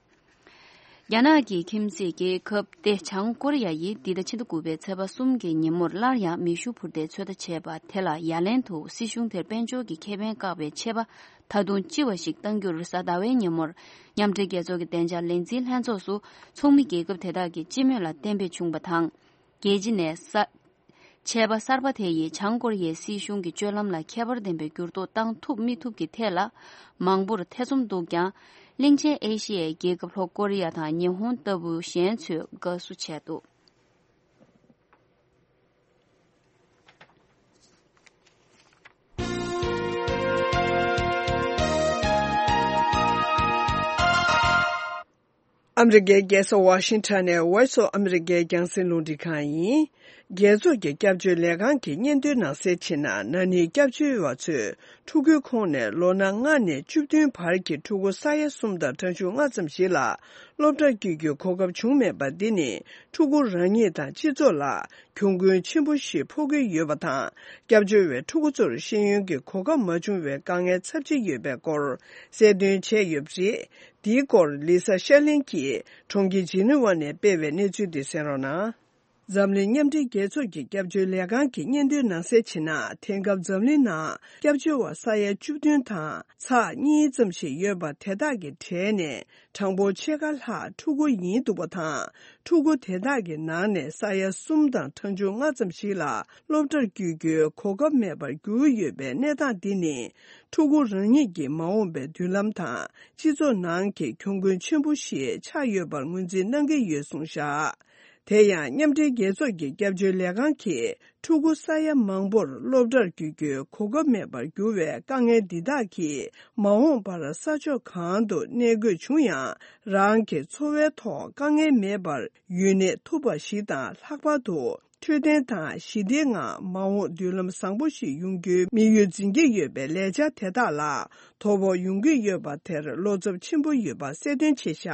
རྒྱ་ནག་གི་ཁྱིམ་མཚེས་རྒྱལ་ཁབ་སྟེ་བྱང་ཀོ་རི་ཡ་ཡིས་འདི་ཟླ་ཕྱི་ཟླ་དགུ་པའི་ཚེས་པ་གསུམ་གྱི་ཉིན་མོར་སླར་ཡང་མེ་ཤུགས་འཕུར་མདེལ་ཚོད་ལྟ་བྱས་པ་དེ་ལ་ཡ་ལན་དུ་སྲིད་གཞུང་དེར་དཔལ་འབྱོར་གྱི་ཁེ་ཕན་བཀག་པའི་ཆད་པ་ད་དུང་ལྕི་བ་ཞིག་གཏང་རྒྱུར་གཟའ་ཟླ་བའི་ཉིན་མོར་མཉམ་འབྲེལ་རྒྱལ་ཚོགས་ཀྱི་བདེ་འཇགས་ལས་འཛིན་ལྷན་ཚོགས་སུ་ཚོགས་མི་རྒྱལ་ཁབ་དེ་དག་གི་སྤྱི་མོས་ལ་གཏན་འབེབས་བྱུང་བ་དང་། རྒྱལ་སྤྱི་ནས་ས། ཆད་པ་གསར་པ་དེ་ཡིས་བྱང་ཀོ་རི་ཡའི་སྲིད་གཞུང་གི་སྤྱོད་ལམ་ལ་ཁྱད་པར་ལྡན་པའི་འགྱུར་ལྡོག་བཏང་ཐུབ་མི་ཐུབ་ཀྱི་ཐད་ལ་མང་པོར་ཐེ་ཚོམ་འདུག་ཀྱང་། གླིང་ཆེན་ཨེ་ཤི་ཡའི་རྒྱལ་ཁབ་ལྷོ་ཀོ་རི་ཡ་དང་ཉི་ཧོང་ལྟ་བུ་གཞན་ཚོས་དགའ་བསུ་བྱས་འདུག་ཨ་མི་རི་ཀའི་རྒྱལ་ས་ཝ་ཤིང་ཊོན་ནས་Voice of America རྒྱང་སྲིང་རླུང་འཕྲིན་ཁང་ཡིན། རྒྱལ་ཚོགས་ཀྱི་སྐྱབས་བཅོལ་ལས་ཁང་གི་སྙན་ཐོའི་ནང་གསལ་བྱས་ན། ན་ནིང་སྐྱབས་བཅོལ་བ་ཚོས་ཕྲུ་གུའི་ཁོངས་ནས་ལོ་ན་ལྔ་ནས་བཅུ་བདུན་བར་གྱི་ཕྲུ་གུ་ས་ཡ་གསུམ་དང་ཕྲག་ཕྱུགས་ལྔ་ཙམ་ཞིག་ལ་སློབ་གྲྭར་བསྐྱོད་རྒྱུའི་གོ་སྐབས་བྱུང་མེད་པ་འདི་ནི། ཕྲུ་གུ་རང་ཉིད་དང་སྤྱི་ཚོགས་ལ་གྱོང་གུན་ཆེན་པོ་ཞིག་ཕོག་གི་ཡོད་པ་དང་། སྐྱབས་བཅོལ་བའི་ཕྲུ་གུ་ཚོར་ཤེས་ཡོན་གྱི་གོ་སྐབས་མ་བྱུང་བའི་དཀའ་ངལ་ཚབས་ཆེ་ཡོད་པའི་སྐོར་གསལ་སྟོན་བྱས་ཡོད་པ་རེད། འདིའི་སྐོར་ལི་ས་ཤར་གླིང་གིས་གྲོང་ཁྱེར་ཇི་ནི་ཝ་ནས་སྤེལ་བའི་གནས་ཚུལ་འདི་གསན་རོགས་གནང་། འཛམ་གླིང་མཉམ་འབྲེལ་རྒྱལ་ཚོགས་ཀྱི་སྐྱབས་བཅོལ་ལས་ཁང་གི་སྙན་ཐོའི་ནང་གསལ་བྱས་ན། དེང་སྐབས་འཛམ་གླིང་ནང་སྐྱབས་བཅོལ་བ་ས་ཡ་བཅུ་བདུན་དང་ཚེག་གཉིས་ཙམ་ཞིག་ཡོད་པ་དེ་དག་གི་གྲས་ནས་གྲངས་འབོར་ཕྱེད་ཀ་ལྷག་ཕྲུ་གུ་ཡིན་འདུག་པ་དང་། ཕྲུ་གུ་དེ་དག་གི་ནང་ནས་ས་ཡ་གསུམ་དང་ཕྲག་ཕྱོགས་ལྔ་ཙམ་ཞིག་ལ་སློབ་གྲྭར་བསྐྱོད་རྒྱུའི་གོ་སྐབས་མེད་པར་གྱུར་ཡོད་པའི་གནས་སྟངས་འདི་ནི། ཕྲུ་གུ་རང་ཉིད་ཀྱི་མ་འོངས་པའི་མདུན་ལམ་དང་སྤྱི་ཚོགས་ནང་གི་གྱོང་གུན་ཆེན་པོ་ཞིག་ཆགས་ཡོད་པར་ངོས་འཛིན་གནང་གི་ཡོད་གསུངས་བཞག་དེ་ཡང་མཉམ་འབྲེལ་རྒྱལ་ཚོགས་ཀྱི་སྐྱབས་བཅོལ་ལས་ཁང་གིས། ཕྲུ་གུ་ས་ཡ་མང་པོར་སློབ་གྲྭར་བསྐྱོད་རྒྱུའི་གོ་སྐབས་མེད་པར་གྱུར་བའི་དཀའ་ངལ་འདི་དག་གིས། མ་འོངས་པར་ས་ཕྱོགས་གང་དུ་གནས་དགོས་བྱུང་ཡང་། རང་གི་འཚོ་བའི་ཐོག་དཀའ་ངལ་མེད་པར་ཡུན་གནས་ཐུབ་པ་ཞིག་དང་། ལྷག་པར་དུ་འཕྲོད་བསྟེན་དང་ཞི་བདེའི་ངང་མ་འོངས་མདུན་ལམ་བཟང་པོ་ཞིག་ཡོང་རྒྱུའི་དམིགས་ཡུལ་འཛིན་གྱི་ཡོད་པའི་ལས་འཆར་དེ་དག་ལ་དོ་ཕོག་ཡོང་གི་ཡོད་པ་དེར་བློ་འཚབ་ཆེན་པོ་ཡོད་པ་གསལ་སྟོན་བྱས་བཞག་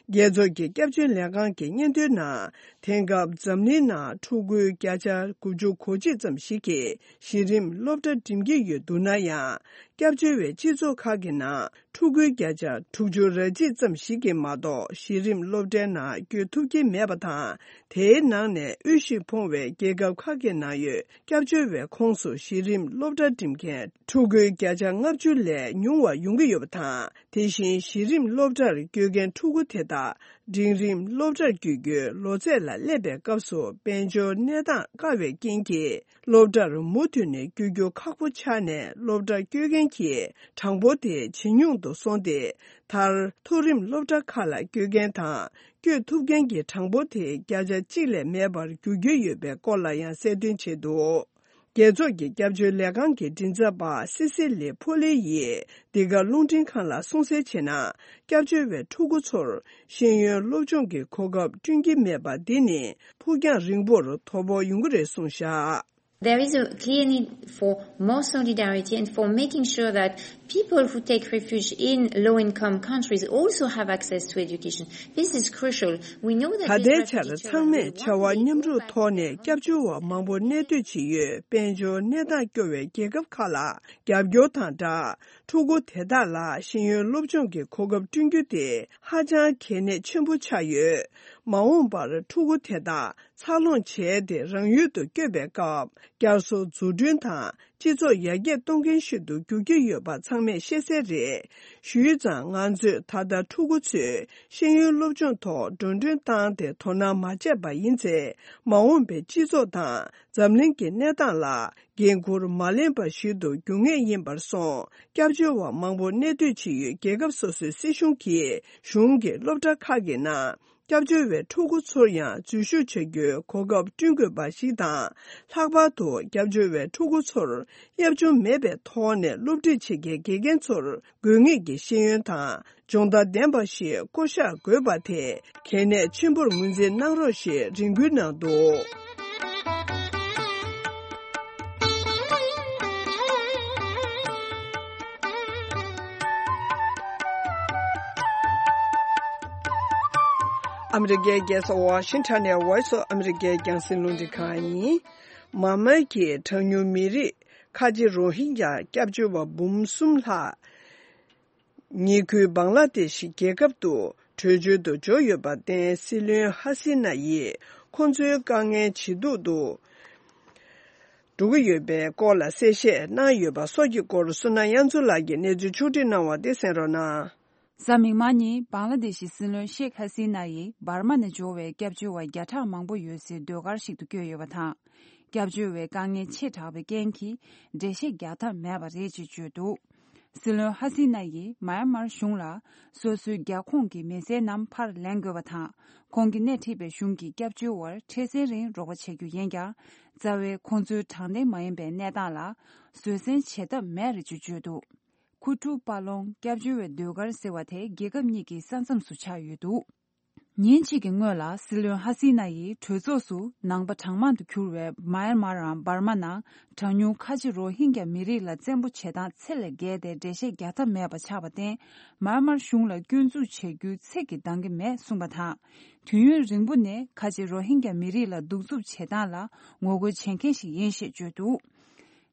རྒྱལ་ཚོགས་ཀྱི་སྐྱབས་བཅོལ་ལས་ཁང་གི་སྙན་ཐོའི་ནང་། དེང་སྐབས་འཛམ་གླིང་ནང་ཕྲུ་གུའི་བརྒྱ་ཆ་དགུ་བཅུ་གོ་གཅིག་ཙམ་ཞིག་གིས་གཞི་རིམ་སློབ་གྲྭ་འགྲིམ་གྱི་ཡོད་འདུག་ན་ཡང་། སྐྱབས་བཅོལ་བའི་སྤྱི་ཚོགས་ཁག་གི་ནང་ཕྲུ་གུའི་བརྒྱ་ཆ་དྲུག་ཅུ་རེ་གཅིག་ཙམ་ཞིག་གིས་མ་གཏོགས་གཞི་རིམ་སློབ་གྲྭའི་ནང་བསྐྱོད་ཐུབ་ཀྱི་མེད་པ་དང་། དེའི་ནང་ནས་དབུལ་ཞིང་ཕོངས་པའི་རྒྱལ་ཁབ་ཁག་གི་ནང་ཡོད་སྐྱབས་བཅོལ་བའི་ཁོངས་སུ་གཞི་རིམ་སློབ་གྲྭ་འགྲིམ་མཁན་ཕྲུ་གུའི་བརྒྱ་ཆ་ལྔ་བཅུ་ལས་ཉུང་བ་ཡོང་གི་ཡོད་པ་དང་། དེ་བཞིན་གཞི་རིམ་སློབ་གྲྭར་བསྐྱོད་མཁན་ཕྲུ་གུ་དེ་དག་འབྲིང་རིམ་སློབ་གྲྭར་བསྐྱོད་རྒྱུའི་ལོ་ཚད་ལ་སླེབས་པའི་སྐབས་སུ་དཔལ་འབྱོར་གནས་སྟངས་དཀའ་བའི་རྐྱེན་གྱིས། སློབ་གྲྭར་མུ་མཐུད་ནས་བསྐྱོད་རྒྱུ་ཁག་པོ་ཆགས་ནས། སློབ་གྲྭར་བསྐྱོད་མཁན་གྱི་གྲངས་འབོར་དེ་ཇེ་ཉུང་དུ་སོང་སྟེ། མཐར་མཐོ་རིམ་སློབ་གྲྭ་ཁག་ལ་བསྐྱོད་མཁན་དང་། བསྐྱོད་ཐུབ་མཁན་གྱི་གྲངས་འབོར་དེ་བརྒྱ་ཆ་གཅིག་ལས་མེད་པར་འགྱུར་གྱི་ཡོད་པའི་སྐོར་ལ་ཡང་གསལ་སྟོན་བྱས་འདུག་རྒྱལ་ཚོགས་ཀྱི་སྐྱབས་བཅོལ་ལས་ཁང་གི་མགྲིན་ཚབ་པ་སི་སི་ལི་ཕོ་ལི་ཡིས་འདི་ག་རླུང་འཕྲིན་ཁང་ལ་གསུངས་གསལ་བྱས་ན། སྐྱབས་བཅོལ་བའི་ཕྲུ་གུ་ཚོར་ཤེས་ཡོན་སློབ་སྦྱོང་གི་གོ་སྐབས་བསྐྲུན་གྱི་མེད་པ་འདི་ནི་ཕུགས་རྒྱང་རིང་པོར་དོ་ཕོག་ཡོང་གི་རེད་གསུངས་བཞག There is a clear need for more solidarity and for making sure that people who take refuge in low-income countries also have access to education. This is crucial. We know that ད་ལྟའི་ཆར་ཚང་མས་བྱ་བ་མཉམ་རུབ་ཐོག་ནས་སྐྱབས་བཅོལ་བ་མང་པོ་གནས་སྡོད་བྱེད་ཡུལ་དཔལ་འབྱོར་གནས་སྟངས་སྐྱོ་བའི་རྒྱལ་ཁབ་ཁག་ལ་རྒྱབ་སྐྱོར་དང་སྦྲགས། ཕྲུ་གུ་དེ་དག་ལ་ཤེས་ཡོན་སློབ་སྦྱོང་གི་གོ་སྐབས་བསྐྲུན་རྒྱུ་དེ་ཧ་ཅང་གལ་གནད་ཆེན་པོ་ཆགས་ཡོད། མ་འོངས་པར་ཕྲུ་གུ་དེ་དག་འཚར་ལོངས་བྱས་ཏེ་རང་ཡུལ་དུ་བསྐྱོད་པའི་སྐབས། བསྐྱར་གསོ་འཛུགས་སྐྲུན་དང་སྤྱི་ཚོགས་ཡར་རྒྱས་གཏོང་མཁན་ཞིག་ཏུ་འགྱུར་གྱི་ཡོད་པ་ཚང་མས་ཤེས་གསལ་རེད། ཞུས་ཙང་། ང་ཚོས་ད་ལྟ་ཕྲུ་གུ་ཚོས་ཤེས་ཡོན་སློབ་སྦྱོང་ཐོག་འགྲོ་གྲོན་བཏང་སྟེ་དོ་སྣང་མ་བྱས་པ་ཡིན་ཚེ། མ་འོངས་པའི་སྤྱི་ཚོགས་དང་འཛམ་གླིང་གི་གནས་སྟངས་ལ་འགན་འཁུར་མ་ལེན་པ་ཞིག་ཏུ་འགྱུར་ངེས་ཡིན་པར་སོང་། སྐྱབས་བཅོལ་བ་མང་པོ་གནས་སྡོད་བྱེད་ཡུལ་རྒྱལ་ཁབ་སོ་སོའི་སྲིད་གཞུང་གིས་གཞུང་གི་སློབ་གྲྭ་ཁག་གི་ནང་། སྐྱབས་བཅོལ་བའི་ཕྲུ་གུ་ཚོར་ཡང་འཛུལ་ཞུགས་བྱ་རྒྱུའི་གོ་སྐབས་བསྐྲུན་དགོས་པ་ཞིག་དང་། ལྷག་པར་དུ་སྐྱབས་བཅོལ་བའི་ཕྲུ་གུ་ཚོར་གཡབ་ཆུང་མེད་པའི་ཐོག་ནས་སློབ་ཁྲིད་བྱེད་མཁན་དགེ་རྒན་ཚོར་དགོས་ངེས་ཀྱི་ཤེས་ཡོན་དང་སྦྱོང་བརྡར་ལྡན་པ་ཞིག་བསྐོ་གཞག་དགོས་པ་དེ་གལ་གནད་ཆེན་པོར་ངོས་འཛིན་གནང་རོགས་ཞེས་རེ་སྐུལ་གནང་འདུག་ཨ་མི་རི་ཀའི་རྒྱལ་ས་ཝ་ཤིང་ཊོན་ནས་Voice of America རྒྱང་སྲིང་རླུང་འཕྲིན་ཁང་ཡིན། མཱ་མཱ་གིས་གྲངས་ཉུང་མི་རིགས་ཁ་ཆེ་རོ་ཧིན་ཇཱ་སྐྱབས་བཅོལ་བ་འབུམ་གསུམ་ལྷག་ཉེ་ཁུལ་བང་ལ་དེ་ཤི་རྒྱལ་ཁབ་ཏུ་བྲོས་བྱོལ་དུ་འབྱོར་ཡོད་པར་བརྟེན། སྲིད་བློན་ཧ་སི་ན་ཡིས་ཁོང་ཚོའི་དཀའ་ངལ་ཇེ་སྡུག་ཏུ་འགྲོ་གི་ཡོད་པའི་སྐོར་ལ་གསལ་བཤད་གནང་ཡོད་པ་སོགས་ཀྱི་སྐོར་བསོད་ནམས་དབྱངས་མཚོ་ལགས་ཀྱིས་གནས་ཚུལ་ཕྱོགས་སྒྲིག་གནང་བ་དེ་གསན་རོགས་གནང་། གཟའ་མིག་དམར་ཉིན་བང་ལ་དེ་ཤི་སྲིད་བློན་ཤེག་ཧ་སི་ན་ཡིས་འབར་མ་ནས་འབྱོར་བའི་སྐྱབས་བཅོལ་བ་བརྒྱ་ཕྲག་མང་པོ་ཡོད་སའི་ཟློས་གར་ཞིག་ཏུ་བསྐྱོད་ཡོད་པ་དང་། སྐྱབས་བཅོལ་བའི་དཀའ་ངལ་ཆེ་དྲགས་པའི་རྐྱེན་གྱིས་འགྲེལ་བཤད་རྒྱག་ཐབས་མེད་པ་རེད་ཅེས་བརྗོད་འདུག་སྲིད་བློན་ཧ་སི་ན་ཡིས་མཱ་ཡན་མར་གཞུང་ལ་སོ་སོའི་རྒྱ་ཁོངས་ཀྱི་མི་སེར་རྣམས་ཕར་ལེན་དགོས་པ་དང་། ཁོང་གིས་སྣེ་ཁྲིད་པའི་གཞུང་གིས་སྐྱབས་བཅོལ་བར་འཕྲལ་སེལ་རིང་རོགས་པ་བྱ་རྒྱུ་ཡིན་ཀྱང་། རྩ་བའི་ཁོང་ཚོའི་དྲང་བདེན་མ་ཡིན་པའི་གནས་སྟངས་ལ་བཟོད་བསྲན་བྱེད་ཐབས་མེད་རེད་ཅེས་བརྗོད་འདུག་ཁུ་ཁྲུ་པ་ལོང་སྐྱབས་བཅོལ་བའི་ཟློས་གར་ཟེར་བ་དེ་རྒྱལ་ཁབ་གཉིས་ཀྱི་ས་མཚམས་སུ་ཆགས་ཡོད་འདུག་ཉིན་གཅིག་གི་སྔོན་ལ་སྲིད་བློན་ཧ་སི་ན་ཡིས་གྲོས་ཚོགས་སུ་ནང་པ་གྲངས་མང་དུ་གྱུར་བའི་མཱ་ཡན་མར་རམ་འབར་མ་ནང་གྲངས་ཉུང་ཁ་ཆེ་རོ་ཧིན་གྱ་མི་རིགས་ལ་བཙན་པོ་བྱེད་སྟངས་ཚད་ལས་བརྒལ་ཏེ་འགྲེལ་བཤད་རྒྱག་ཐབས་མེད་པ་ཆགས་པར་བརྟེན། མཱ་ཡན་མར་གཞུང་ལ་སྐྱོན་འཛུགས་བྱེད་རྒྱུའི་ཚིག་གིས་འདང་གི་མེད་གསུངས་པ་དང་། དུས་ཡུན་རིང་པོ་ནས་ཁ་ཆེ་རོ་ཧིན་གྱ་མི་རིགས་ལ་གདུག་རྩུབ་བྱེད་སྟངས་ལ་ངོ་རྒོལ་བྱེད་མཁན་ཞིག་ཡིན་ཞེས་བརྗོད་འདུག་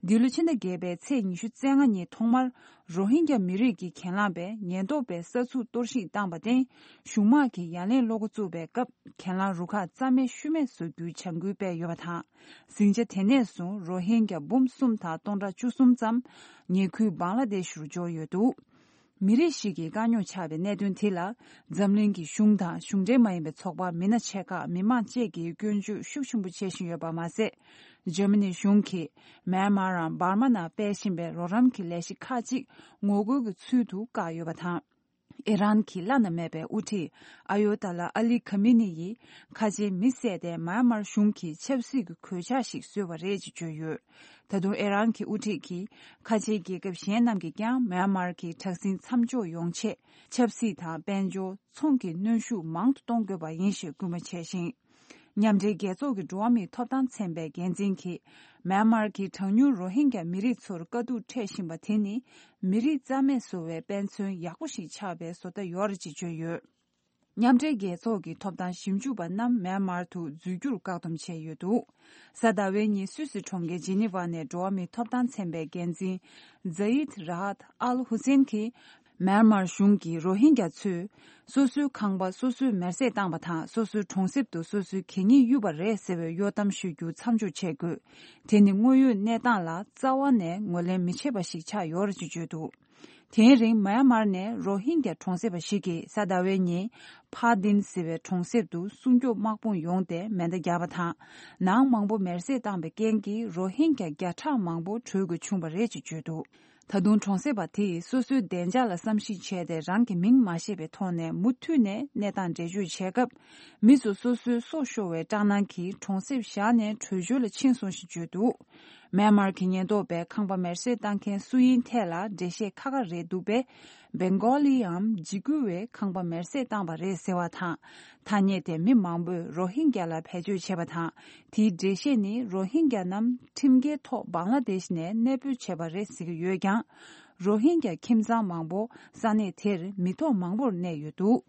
འདི་ལོ་ཕྱི་ཟླ་བརྒྱད་པའི་ཚེས་ཉི་ཤུ་རྩ་ལྔ་ཉིན་ཐོག་མར་རོ་ཧིན་གྱ་མི་རིགས་ཀྱི་གྱེན་ལངས་པས་ཉེན་རྟོག་པས་ས་ཚུགས་གཏོར་བཤིག་བཏང་པར་བརྟེན། གཞུང་དམག་གིས་ཡ་ལན་སློག་འགོ་བཙུགས་པའི་སྐབས། གྱེན་ལངས་རུ་ཁག་རྩ་མེད་ཤུལ་མེད་བཟོ་རྒྱུའི་བྱ་འགུལ་སྤེལ་ཡོད་པ་དང་། ཟིང་ཆ་དེ་ནས་བཟུང་རོ་ཧིན་གྱ་འབུམ་གསུམ་དང་སྟོང་ཕྲག་བཅུ་གསུམ་ཙམ་ཉེ་ཁུལ་བང་ལ་དེ་ཤི་རུ་འབྱོར་ཡོད་འདུག་མི་རིགས་ཤིག་གི་དཀའ་རྙོག་ཆགས་པའི་གནད་དོན་དེ་ལ། འཛམ་གླིང་གི་གཞུང་དང་གཞུང་འབྲེལ་མ་ཡིན་པའི་ཚོགས་པ་མི་སྣ་ཆེ་ཁག་མི་མང་བཅས་ཀྱིས་སྐྱོན་བརྗོད་ཤུགས་ཆེན་པོ་བྱེད་བཞིན་ཡོད་པ་མ་ཟད། འཇར་མ་ནི་གཞུང་གིས་མཱན་མཱ་རམ་འབར་མ་ནང་སྤེལ་བཞིན་པའི་རོགས་རམ་གྱི་ལས་གཞི་ཁག་ཅིག་ངོ་རྒོལ་གྱི་ཚུལ་དུ་བཀག་ཡོད་པ་དང་། ཨི་རན་གྱི་བླ་ན་མེད་པའི་དབུ་ཁྲིད་ཨ་ཡོ་ཏཱ་ལ་ཨ་ལི་ཁ་མི་ནི་ཡིས་ཁ་ཆེའི་མི་བསད་དེ་མཱན་མཱར་གཞུང་གིས་ཆབ་སྲིད་ཀྱི་གོད་ཆག་ཞིག་བཟོས་པ་རེད་ཅེས་བརྗོད་ཡོད། ད་དུང་ཨི་རན་གྱི་དབུ་ཁྲིད་ཀྱིས་ཁ་ཆེའི་རྒྱལ་ཁབ་གཞན་རྣམས་ཀྱིས་ཀྱང་མཱན་མཱར་གྱི་དྲག་ཟིང་མཚམས་འཇོག་ཡོང་ཆེད་ཆབ་སྲིད་དང་དཔལ་འབྱོར། ཚོང་གི་གནོན་ཤུགས་མང་དུ་གཏོང་དགོས་པ་ཡིན་ཞེས་སྐུལ་མ་བྱས་ཤིང་། མཉམ་འབྲེལ་རྒྱལ་ཚོགས་ཀྱི་འགྲོ་བ་མིའི་ཐོབ་ཐང་ཚན་པའི་འགན་འཛིན་གྱིས། མཱན་མཱར་གྱི་གྲངས་ཉུང་རོ་ཧིན་གྱ་མི་རིགས་ཚོར་དཀའ་སྡུག་འཕྲད་བཞིན་པ་དེ་ནི། མི་རིགས་རྩ་མེད་བཟོ་བའི་དཔེ་མཚོན་ཡག་པོ་ཞིག་ཆགས་པའི་བཟོ་ལྟ་ཡོད་རེད་ཅེས་བརྗོད་ཡོད། མཉམ་འབྲེལ་རྒྱལ་ཚོགས་ཀྱི་ཐོབ་ཐང་ཞིབ་འཇུག་པ་རྣམས་མཱན་མཱར་དུ་འཛུལ་རྒྱུར་བཀག་སྡོམ་བྱས་ཡོད་འདུག་གཟའ་ཟླ་བའི་ཉིན་སུད་སི་གྲོང་ཁྱེར་ཇི་ནི་ཝ་ནས་འགྲོ་བ་མིའི་ཐོབ་ཐང་ཚན་པའི་འགན་འཛིན་ཛ་ཡིད་ར་ཧད་ཨལ་ཧུ་སེན་གྱིས། མཱན་མཱར་གཞུང་གིས་རོ་ཧིན་གྱ་ཚོས་སོ་སོའི་ཁང་པ་སོ་སོས་མེར་སྲེག་བཏང་པ་དང་། སོ་སོའི་གྲོང་གསེབ་ཏུ་སོ་སོའི་གད་སྙིགས་གཡུགས་པ་རེད་ཟེར་བའི་གཡོ་གཏམ་ཤོད་རྒྱུ་མཚམས་འཇོག་བྱེད་དགོས། དེ་ནི་དངོས་ཡོད་གནས་སྟངས་ལ་རྩ་བ་ནས་ངོས་ལེན་མི་བྱེད་པ་ཞིག་ཆགས་ཡོད་རེད་ཅེས་བརྗོད་འདུག་དེའི་རིང་མཱན་མཱར་ནས་རོ་ཧིན་གྱ་གྲོང་གསེབ་པ་ཞིག་གིས་གཟའ་ཟླ་བའི་ཉིན་ཕ་དིན་ཟེར་བའི་གྲོང་གསེབ་ཏུ་སྲུང་སྐྱོབ་དམག་དཔུང་ཡོང་སྟེ་མེ་མདའ་བརྒྱབ་པ་དང་། ནང་མང་པོ་མེར་སྲེག་བཏང་པའི་རྐྱེན་གྱིས་རོ་ཧིན་གྱ་བརྒྱ་ཕྲག་མང་པོ་བྲོས་དགོས་བྱུང་བ་རེད་ཅེས་བརྗོད་འདུག་ད་དུང་གྲོང་གསེབ་པ་དེས་སོ་སོའི་བདེ་འཇགས་ལ་བསམ་གཞིག་བྱས་ཏེ། རང་གི་མིང་མ་བཤད་པའི་ཐོག་ནས་མུ་མཐུད་ནས་གནས་སྟངས་འགྲེལ་བརྗོད་བྱས་སྐབས། མི་ཚོ་སོ་སོའི་སྲོག་ཤོར་བའི་སྐྲག་སྣང་གིས་གྲོང་གསེབ་བཞག་ནས་བྲོས་བྱོལ་ལ་ཕྱིན་སོང་ཞེས་བརྗོད་འདུག་མཱན་མཱར་གྱི་ཉེན་རྟོག་པས་ཁང་པ་མེར་སྲེག་བཏང་མཁན་སུ་ཡིན་ཐད་ལ་འགྲེལ་བཤད་ཁ་ཁ་རེད་འདུག་པས། སྦེང་གོ་ལི་འམ་འཇིགས་སྐུལ་བས་ཁང་པ་མེར་སྲེག་བཏང་པ་རེད་ཟེར་བ་དང་། ཐ་སྙད་དེ་མི་མང་པོས་རོ་ཧིན་གྱ་ལ་བེད་སྤྱོད་བྱས་པ་དང་། དེའི་འགྲེལ་བཤད་ནི་རོ་ཧིན་གྱ་རྣམས་ཁྲིམས་འགལ་ཐོག་བང་ལ་དེཤ་ནས་གནས་སྤོས་བྱས་པ་རེད་ཟེར་གྱི་ཡོད་ཀྱང་། རོ་ཧིན་གྱ་ཁྱིམ་ཚང་མང་པོ་ས་གནས་དེར་མི་ཐོག་མང་པོར་གནས་ཡོད་འདུག་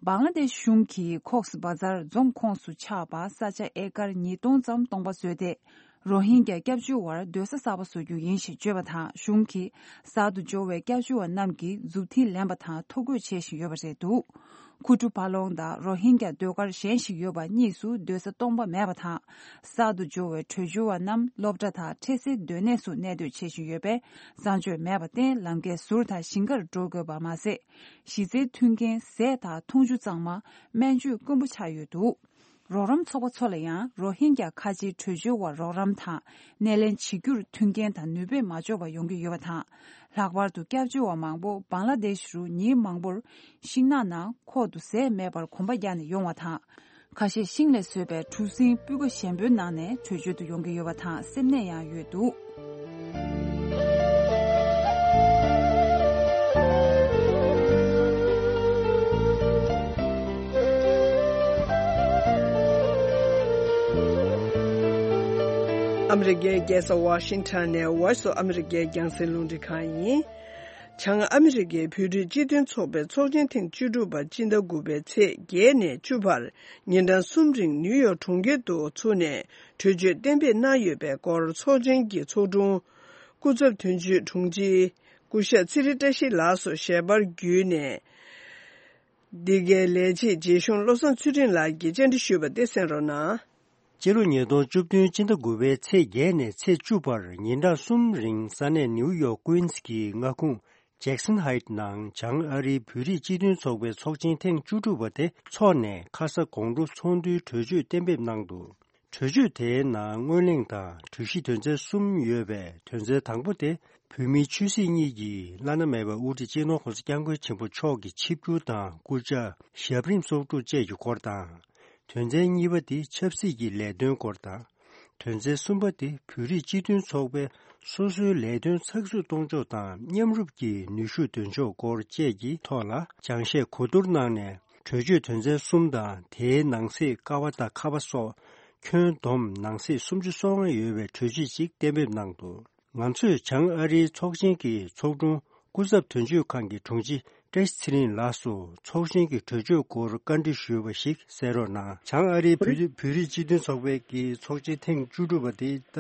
བང་ལ་དེཤ་གཞུང་གིས་ཁོག་སི་བ་ཛར་རྫོང་ཁོངས་སུ་ཆགས་པ་ས་ཆ་ཨེ་ཀར་ཉིས་སྟོང་ཙམ་སྟོང་པ་བཟོས་ཏེ། རོ་ཧིན་གྱ་སྐྱབས་བཅོལ་བར་སྡོད་ས་གསར་པ་བཟོ་རྒྱུ་ཡིན་ཞེས་བརྗོད་པ་དང་། གཞུང་གིས་གསར་དུ་འབྱོར་བའི་སྐྱབས་བཅོལ་བ་རྣམས་ཀྱིས་མཛུབ་ཐེལ་ལེན་པ་དང་ཐོ་འགོད་བྱེད་བཞིན་ཡོད་པ་རེད་འདུག་ཁུ་ཀྲུ་ཕ་ལོང་དང་རོ་ཧིན་གྱ་ཟློས་གར་གཞན་ཞིག་ཡོད་པ་གཉིས་སུ་སྡོད་ས་སྟོང་པ་མེད་པ་དང་། གསར་དུ་འབྱོར་བའི་བྲོས་བྱོལ་བ་རྣམས་སློབ་གྲྭ་དང་འཕྲལ་སེལ་སྡོད་གནས་སུ་གནས་སྡོད་བྱེད་བཞིན་ཡོད་པས། གསང་སྤྱོད་མེད་པར་བརྟེན་ལམ་ཁའི་ཟུར་དང་ཞིང་ཁར་འགྲོ་དགོས་པ་མ་ཟད། གཞི་རྩའི་མཐུན་རྐྱེན་ཟས་དང་འཐུང་ཆུ་གཙང་མ། སྨན་བཅོས་དཀོན་པོ་ཆགས་ཡོད་འདུག་རོགས་རམ་ཚོགས་པ་ཚོ་ལ་ཡང་རོ་ཧིན་གྱ་ཁ་ཆེའི་བྲོས་བྱོལ་བ་རོགས་རམ་དང་སྣེ་ལེན་བྱེད་རྒྱུར་མཐུན་རྐྱེན་དང་ནུས་པས་མ་ལྕོགས་པ་ཡོང་གི་ཡོད་པ་དང་། ལྷག་པར་དུ་སྐྱབས་བཅོལ་བ་མང་པོ་བང་ལ་དེཤ་རུ་ཉིན་མང་པོར་ཤིང་ནགས་ནང་ཁོག་ཏུ་ཟས་མེད་པར་གོམ་པ་རྒྱག་ནས་ཡོང་བ་དང་། ཁ་ཤས་ཤིང་ལས་བཟོས་པའི་གྲུ་གཟིངས་སྤུས་ཀ་ཞན་པོའི་ནང་ནས་བྲོས་བྱོལ་དུ་ཡོང་གི་ཡོད་པ་དང་སེམས་ནད་ཡང་ཡོད་འདུག་ཨ་མི་རི་ཀའི་རྒྱལ་ས་ཝ་ཤིང་ཊོན་ནས་Voice of America་རྒྱང་སྲིང་རླུང་འཕྲིན་ཁང་ཡིན། བྱང་ཨ་མི་རི་ཀའི་བོད་རིགས་སྤྱི་མཐུན་ཚོགས་པའི་ཚོགས་ཆེན་ཐེངས་བཅུ་དྲུག་པ་སྤྱི་ཟླ་དགུ་པའི་ཚེས་བརྒྱད་ནས་བཅུ་བར་ཉིན་གྲངས་གསུམ་རིང་ནིའུ་ཡོག་གྲོང་ཁྱེར་དུ་ཚུགས་ནས་གྲོས་ཆོད་གཏན་འབེབས་གནང་ཡོད་པའི་སྐོར་ཚོགས་ཆེན་གྱི་ཚོགས་དྲུང་སྐུ་ཚབ་དོན་གཅོད་དྲུང་ཆེ་སྐུ་ཞབས་ཚེ་རིང་བཀྲ་ཤིས་ལགས་སུ་ཞལ་པར་བརྒྱུད་ནས། འདི་གའི་ལས་བྱེད་རྗེ་གཞུང་བློ་བཟང་ཚུལ་ཁྲིམས་ལགས་ཀྱིས་བཅར་འདྲི་ཞུས་པ་དེ་གསན་རོགས་གནང་། སྤྱི་ལོ་ཉིས་སྟོང་བཅུ་བདུན་སྤྱི་ཟླ་དགུ་པའི་ཚེས་བརྒྱད་ནས་ཚེས་བཅུ་བར་ཉིན་གྲངས་གསུམ་རིང་ས་གནས་ནིའུ་ཡོག་ཀུན་སི་གི་མངའ་ཁོངས་ཇེག་སན་ཧའིད་ནང་བྱང་ཨ་རིའི་བོད་རིགས་སྤྱི་མཐུན་ཚོགས་པའི་ཚོགས་ཆེན་ཐེངས་བཅུ་དྲུག་པ་དེ་འཚོགས་ནས་ཁ་ས་དགོང་དྲོ་ཚོགས་འདུའི་གྲོས་ཆོད་གཏན་འབེབས་གནང་འདུག་གྲོས་ཆོད་དེའི་ནང་སྔོན་གླེང་དང་གྲོས་གཞི་དོན་ཚན་གསུམ་ཡོད་པའི་དོན་ཚན་དང་པོ་དེ་བོད་མིའི་ཆོས་སྲིད་གཉིས་ཀྱི་བླ་ན་མེད་པའི་དབུ་ཁྲིད་སྤྱི་ནོར་༸གོང་ས་༸སྐྱབས་མགོན་ཆེན་པོ་མཆོག་གི་ཆིབས་བསྒྱུར་དང་སྐུ་ཕྱྭ་ཞབས་རིམ་སོ་དྲུག་བཅས་ཀྱི་སྐོར་དང་། དོན་ཚན་གཉིས་པ་དེ་ཆབ་སྲིད་ཀྱི་ལས་དོན་སྐོར་དང་། དོན་ཚན་གསུམ་པ་དེ་བོད་རིགས་སྤྱི་མཐུན་ཚོགས་པའི་སོ་སོའི་ལས་དོན་ཚགས་ཚུད་གཏོང་ཕྱོགས་དང་མཉམ་རུབ་ཀྱི་ནུས་ཤུགས་འདོན་ཕྱོགས་སྐོར་བཅས་ཀྱི་ཐོག་ལ་སྦྱང་བཤད་གོ་བསྡུར་གནང་ནས། གྲོས་ཆོད་དོན་ཚན་གསུམ་དང་དེའི་ནང་གསེས་ཀ་བ་དང་ཁ་བ་སོགས་ཁྱོན་བསྡོམས་ནང་གསེས་སུམ་ཅུ་སོ་ལྔ་ཡོད་པའི་གྲོས་ཆོད་ཅིག་གཏན་འབེབས་གནང་འདུག། ང་ཚོས་བྱང་ཨ་རིའི་ཚོགས་ཆེན་གྱི་ཚོགས་དྲུང་སྐུ་ཚབ་དོན་གཅོད་ཁང་གི་དྲུང་ཆེ་བཀྲ་ཤིས་ཚེ་རིང་ལགས་སུ་ཚོགས་ཆེན་གྱི་གྲོས་ཆོད་སྐོར་བཀའ་འདྲི་ཞུས་པ་ཞིག་གསན་རོགས་གནང་། བྱང་ཨ་རིའི་བོད་བོད་རིགས་སྤྱི་མཐུན་ཚོགས་པའི་གི་ཚོགས་ཆེན་ཐེངས་བཅུ་དྲུག་པ་དེ་ད་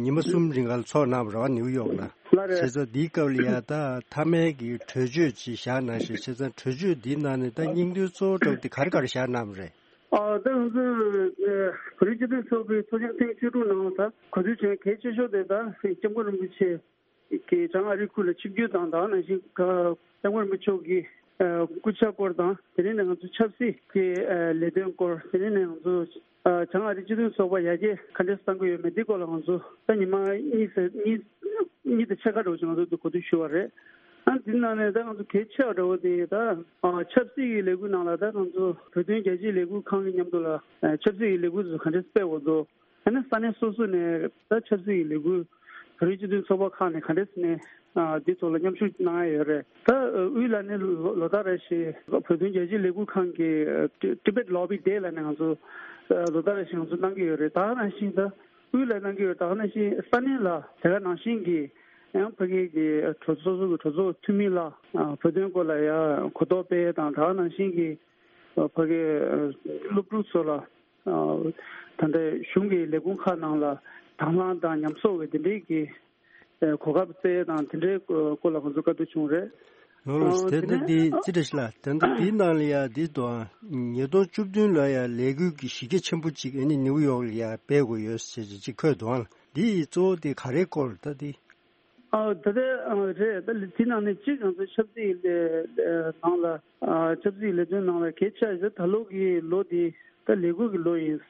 ཉི་མ་གསུམ་རིང་ག་ལ་ཚོགས་གནང་བ་རེད་བ། ནིའུ་ཡོག་ལ། ལགས་རེད། བྱས་ཙང་འདིའི་སྐབས་ལ་ཡ་ད་མཐའ་མའི་གི་གྲོས་ཆོད་ཅིག་བཞག་གནང་ཞིང་། བྱས་ཙང་གྲོས་ཆོད་འདིའི་ནང་ནས་ད་སྙིང་དོན་གཙོ་བོ་འདྲ་བོ་དེ་ག་རེ་ག་རེ་བཞག་གནང་བ་རེད། ཨ་ད་ང་ཚོས་བོད་རིགས་སྤྱི་མཐུན་ཚོགས་པའི་ཚོགས་ཆེན་ཐེངས་བཅུ་དྲུག་ནང་ད་གོ་ཐོས་བྱུང་གལ་ཆེ་ཤོས་དེ་ད་སྐྱབས་མགོན་རིན་པོ་ཆེ་གིས་བྱང་ཨ་རི་ཁུལ་ལ་ཆིབས་བསྒྱུར་དང་། ད་ག་ནང་བཞིན་སྐྱབས་མགོན་རིན་པོ་ཆེ་གི་སྐུ་ཕྱྭ་སྐོར་དང་། དེ་རིང་ནས་ང་ཚོ་ཆབ་སྲིད་ཀྱི་ལས་དོན་སྐོར། དེ་རིང་ནས་ང་ཚོ་བྱང་ཨ་རི་སྤྱི་མཐུན་ཚོགས་པ་ཡར་རྒྱས་ག་འདྲས་བཏང་གི་ཡོད་མེད་འདི་སྐོར་ལ་ང་ཚོ་ད་ཉི་མ་གཉིས་ཙམ་གཉིས་གཉིས་དང་ཕྱེད་ཀ་འདྲ་བོ་ཅིག་ང་ཚོ་འདི་གོ་བསྡུར་ཞུས་པ་རེད། ཨ་འདི་ནང་ནས་ད་ང་ཚོ་གལ་ཆེ་བ་འདྲ་བོ་དེ་ད་ཆབ་སྲིད་ཀྱི་ལས་འགུལ་ནང་ལ་ད་ང་ཚོ་བོད་དོན་རྒྱ་ཆེའི་ལས་འགུལ་ཁང་གི་མཉམ་དུ་ལ་ཆབ་སྲིད་ཀྱི་ལས་འགུལ་ཚོ་ག་འདྲས་སྤེལ་དགོས་འདུག། ཨ་ནི་ས་གནས་སོ་སོ་ནས་ད་ཆབ་སྲིད་ཀྱི་ལས་འགུལ་བོད་རིགས་སྤྱི་མཐུན་ཚོགས་པ་ཁག་ནས་ག་འདྲས་ནས་ཨ་འདི་ཐོག་ལ་མཉམ་ཞུགས་གནང་ཡ་ཡོད་རེད། ད་དབུས་ལ་ནི་ལོ་ལོ་ལྟར་རེ་བཞིན་བོད་དོན་རྒྱ་ཆེའི་ལས་འགུལ་ཁང་གི་Tibet Lobby Day ལ་ནི་ང་ཚོ་ལོ་ལྟར་རེ་བཞིན་ང་ཚོ་གནང་གི་ཡོད་རེད། ད་ག་ནང་བཞིན་ད་དབུས་ལ་གནང་གི་ཡོད། ད་ག་ནང་བཞིན་ས་གནས་ལ་དེ་ག་ནང་བཞིན་གྱི་ཡང་ཕ་གི་གི་གྲོས་ཚོགས་སོ་སོ་གི་གྲོས་ཚོགས་འཐུས་མི་ལ་བོད་དོན་སྐོར་ལ་ཡ་གོ་རྟོགས་སྤེལ་དང་། ད་ག་ནང་བཞིན་གྱི་ཕ་གི་སློབ་ཕྲུག་ཚོ་ལ་ད་ལྟའི་གཞུང་གི་ལས་ཁུངས་ཁག་ནང་ལ་དང་བླངས་དང་ཉམས་གསོག་གི་དེ་འདྲའི་གི་གོ་སྐབས་སྩལ་དང་། དེ་འདྲའི་སྐོར་ལ་ང་ཚོ་བཀའ་བསྡུར་བྱུང་རེད། ལགས་ལགས། དེ་ནས་ད་འདི་ཨ་ཙི་རེ་ཞིག་ལ། དེ་ནས་འདིའི་ནང་ལ་ཡ་འདི་དང་ཉིས་སྟོང་བཅུ་བདུན་ལ་ཡ་ལས་འགུལ་གྱི་གཞི་རྒྱ་ཆེན་པོ་ཅིག་ཨ་ནི་ནིའུ་ཡོག་ལ་ཡ་སྤེལ་དགོས་ཡོད་ཟེར་ཅིག་འཁོད་འདུག་ཨ། འདི་ཡི་གཙོ་བོ་དེ་ག་རེའི་སྐོར་ད་འདི། ཨ་ད་ལྟའི་ཨ་རེད། ད་དེ་ནང་ནས་གཅིག་ང་ཚོ་ཆབ་སྲིད་ལས་ནང་ལ་ཨ་ཆབ་སྲིད་ལས་དོན་ནང་ལ་གལ་ཆེ་ཤོས་ད་ལོ་གི་ལོ་འདི་ད་ལས་འགུལ་གྱི་ལོ་ཡིན།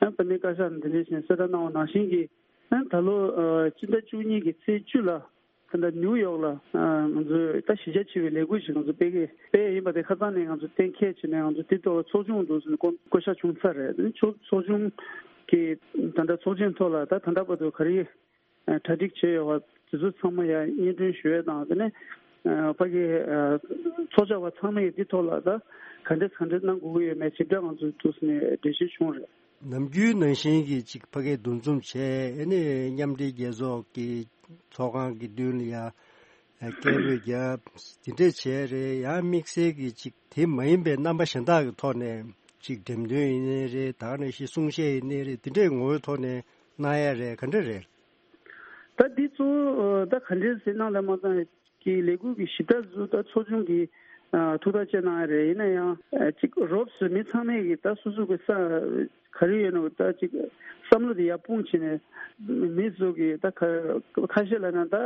ཨ་པ་ནི་བཀའ་ཤག་ནས་དེ་འདྲ་ཞིག་གསལ་བསྒྲགས་གནང་བ་ནང་བཞིན་གྱི་ཨ་ད་ལོ་ཨ་སྤྱི་ཟླ་བཅུ་གཉིས་ཀྱི་ཚེས་བཅུ་ལ་ད་ལྟ་ནིའུ་ཡོག་ལ་ཨ་ང་ཚོས་ད་གཞི་རྒྱ་ཆེ་བའི་ལས་འགུལ་ཞིག་ང་ཚོ་སྤེལ་གི་སྤེལ་ཡིན་པ་དེ་ཁ་སང་ནས་ང་ཚོ་གཏན་འཁེལ་བྱས་ནས་ང་ཚོ་དེ་ཐོག་ཚོགས་ཆུང་འདུག་ཟེར་ནས་བསྐོ་བསྐོ་བཞག་བྱུང་ཚར་རེད། ཚོགས་ཚོགས་ཆུང་གི་ད་ལྟ་ཚོགས་ཆེན་ཐོག་ལ་ད་ད་ལྟ་བར་དུ་ག་རེ་གྲ་སྒྲིག་བྱས་ཡོད་པ་དེ་ཚོ་ཚང་མ་ཡང་སྙན་སྒྲོན་ཞུ་ཡས་དང་། དེ་ནས་ཕ་གི་ཚོགས་བཅར་བ་ཚང་མས་འདི་ཐོག་ལ་ད་ག་འདྲས་ག་འདྲས་གནང་དགོས་ཀྱི་ཡོད་མེད་ཞིབ་ཕྲ་ང་ཚོའི་ཐུགས་སུ་ནས་འགྲེལ་བཤད་བྱུང་རེད། ནམ་རྒྱུན་ནང་བཞིན་གྱི་ཅིག་ཕ་གིའི་འདུ་འཛོམས་བྱས། ཨ་ནི་མཉམ་འབྲེལ་རྒྱལ་ཚོགས་ཀྱི་ཚོགས་ཁང་གི་མདུན་ལ་ཡ་སྐད་འབོད་རྒྱབ། དེ་འདྲས་བྱས་རེད། ཡང་དམིགས་བསལ་གྱི་ཅིག་དེ་མ་ཡིན་པའི་རྣམ་པ་གཞན་དག་གི་ཐོག་ནས་ཅིག་འགྲེམས་སྟོན་ཡིན་ནའི་རེད། ད་ག་ནང་བཞིན་གསུང་བཤད་ཡིན་ནའི་རེད། དེ་འདྲས་ངོ་བོའི་ཐོག་ནས་གནང་ཡ་རེད། ག་འདྲ་རེད། ད་འདི་གཙོ་བོ་ད་ག་འདྲས་ཟེར་ན་ལ་མ་ཚང་གི་ལས་འགུལ་གྱི་ཞིབ་ཕྲ་ཚོ་ད་ཚོགས་ཆུང་གིས་ཐུགས་ཐག་བཅད་གནང་ཡ་རེད། ཡིན་ན་ཡང་ཅིག་རོབ་ཙམ་མི་ཚང་མས་ཀྱི་ད་སོ་སོ་གི་ས་ག་རེ་ཡོད་ན་ད་ཅིག་བསམ་བློ་དེ་ཡར་སྤུངས་བྱས་ནས་མི་ཚོ་གི་ད་ཁ་ཁ་ཤས་ལ་ན་ད་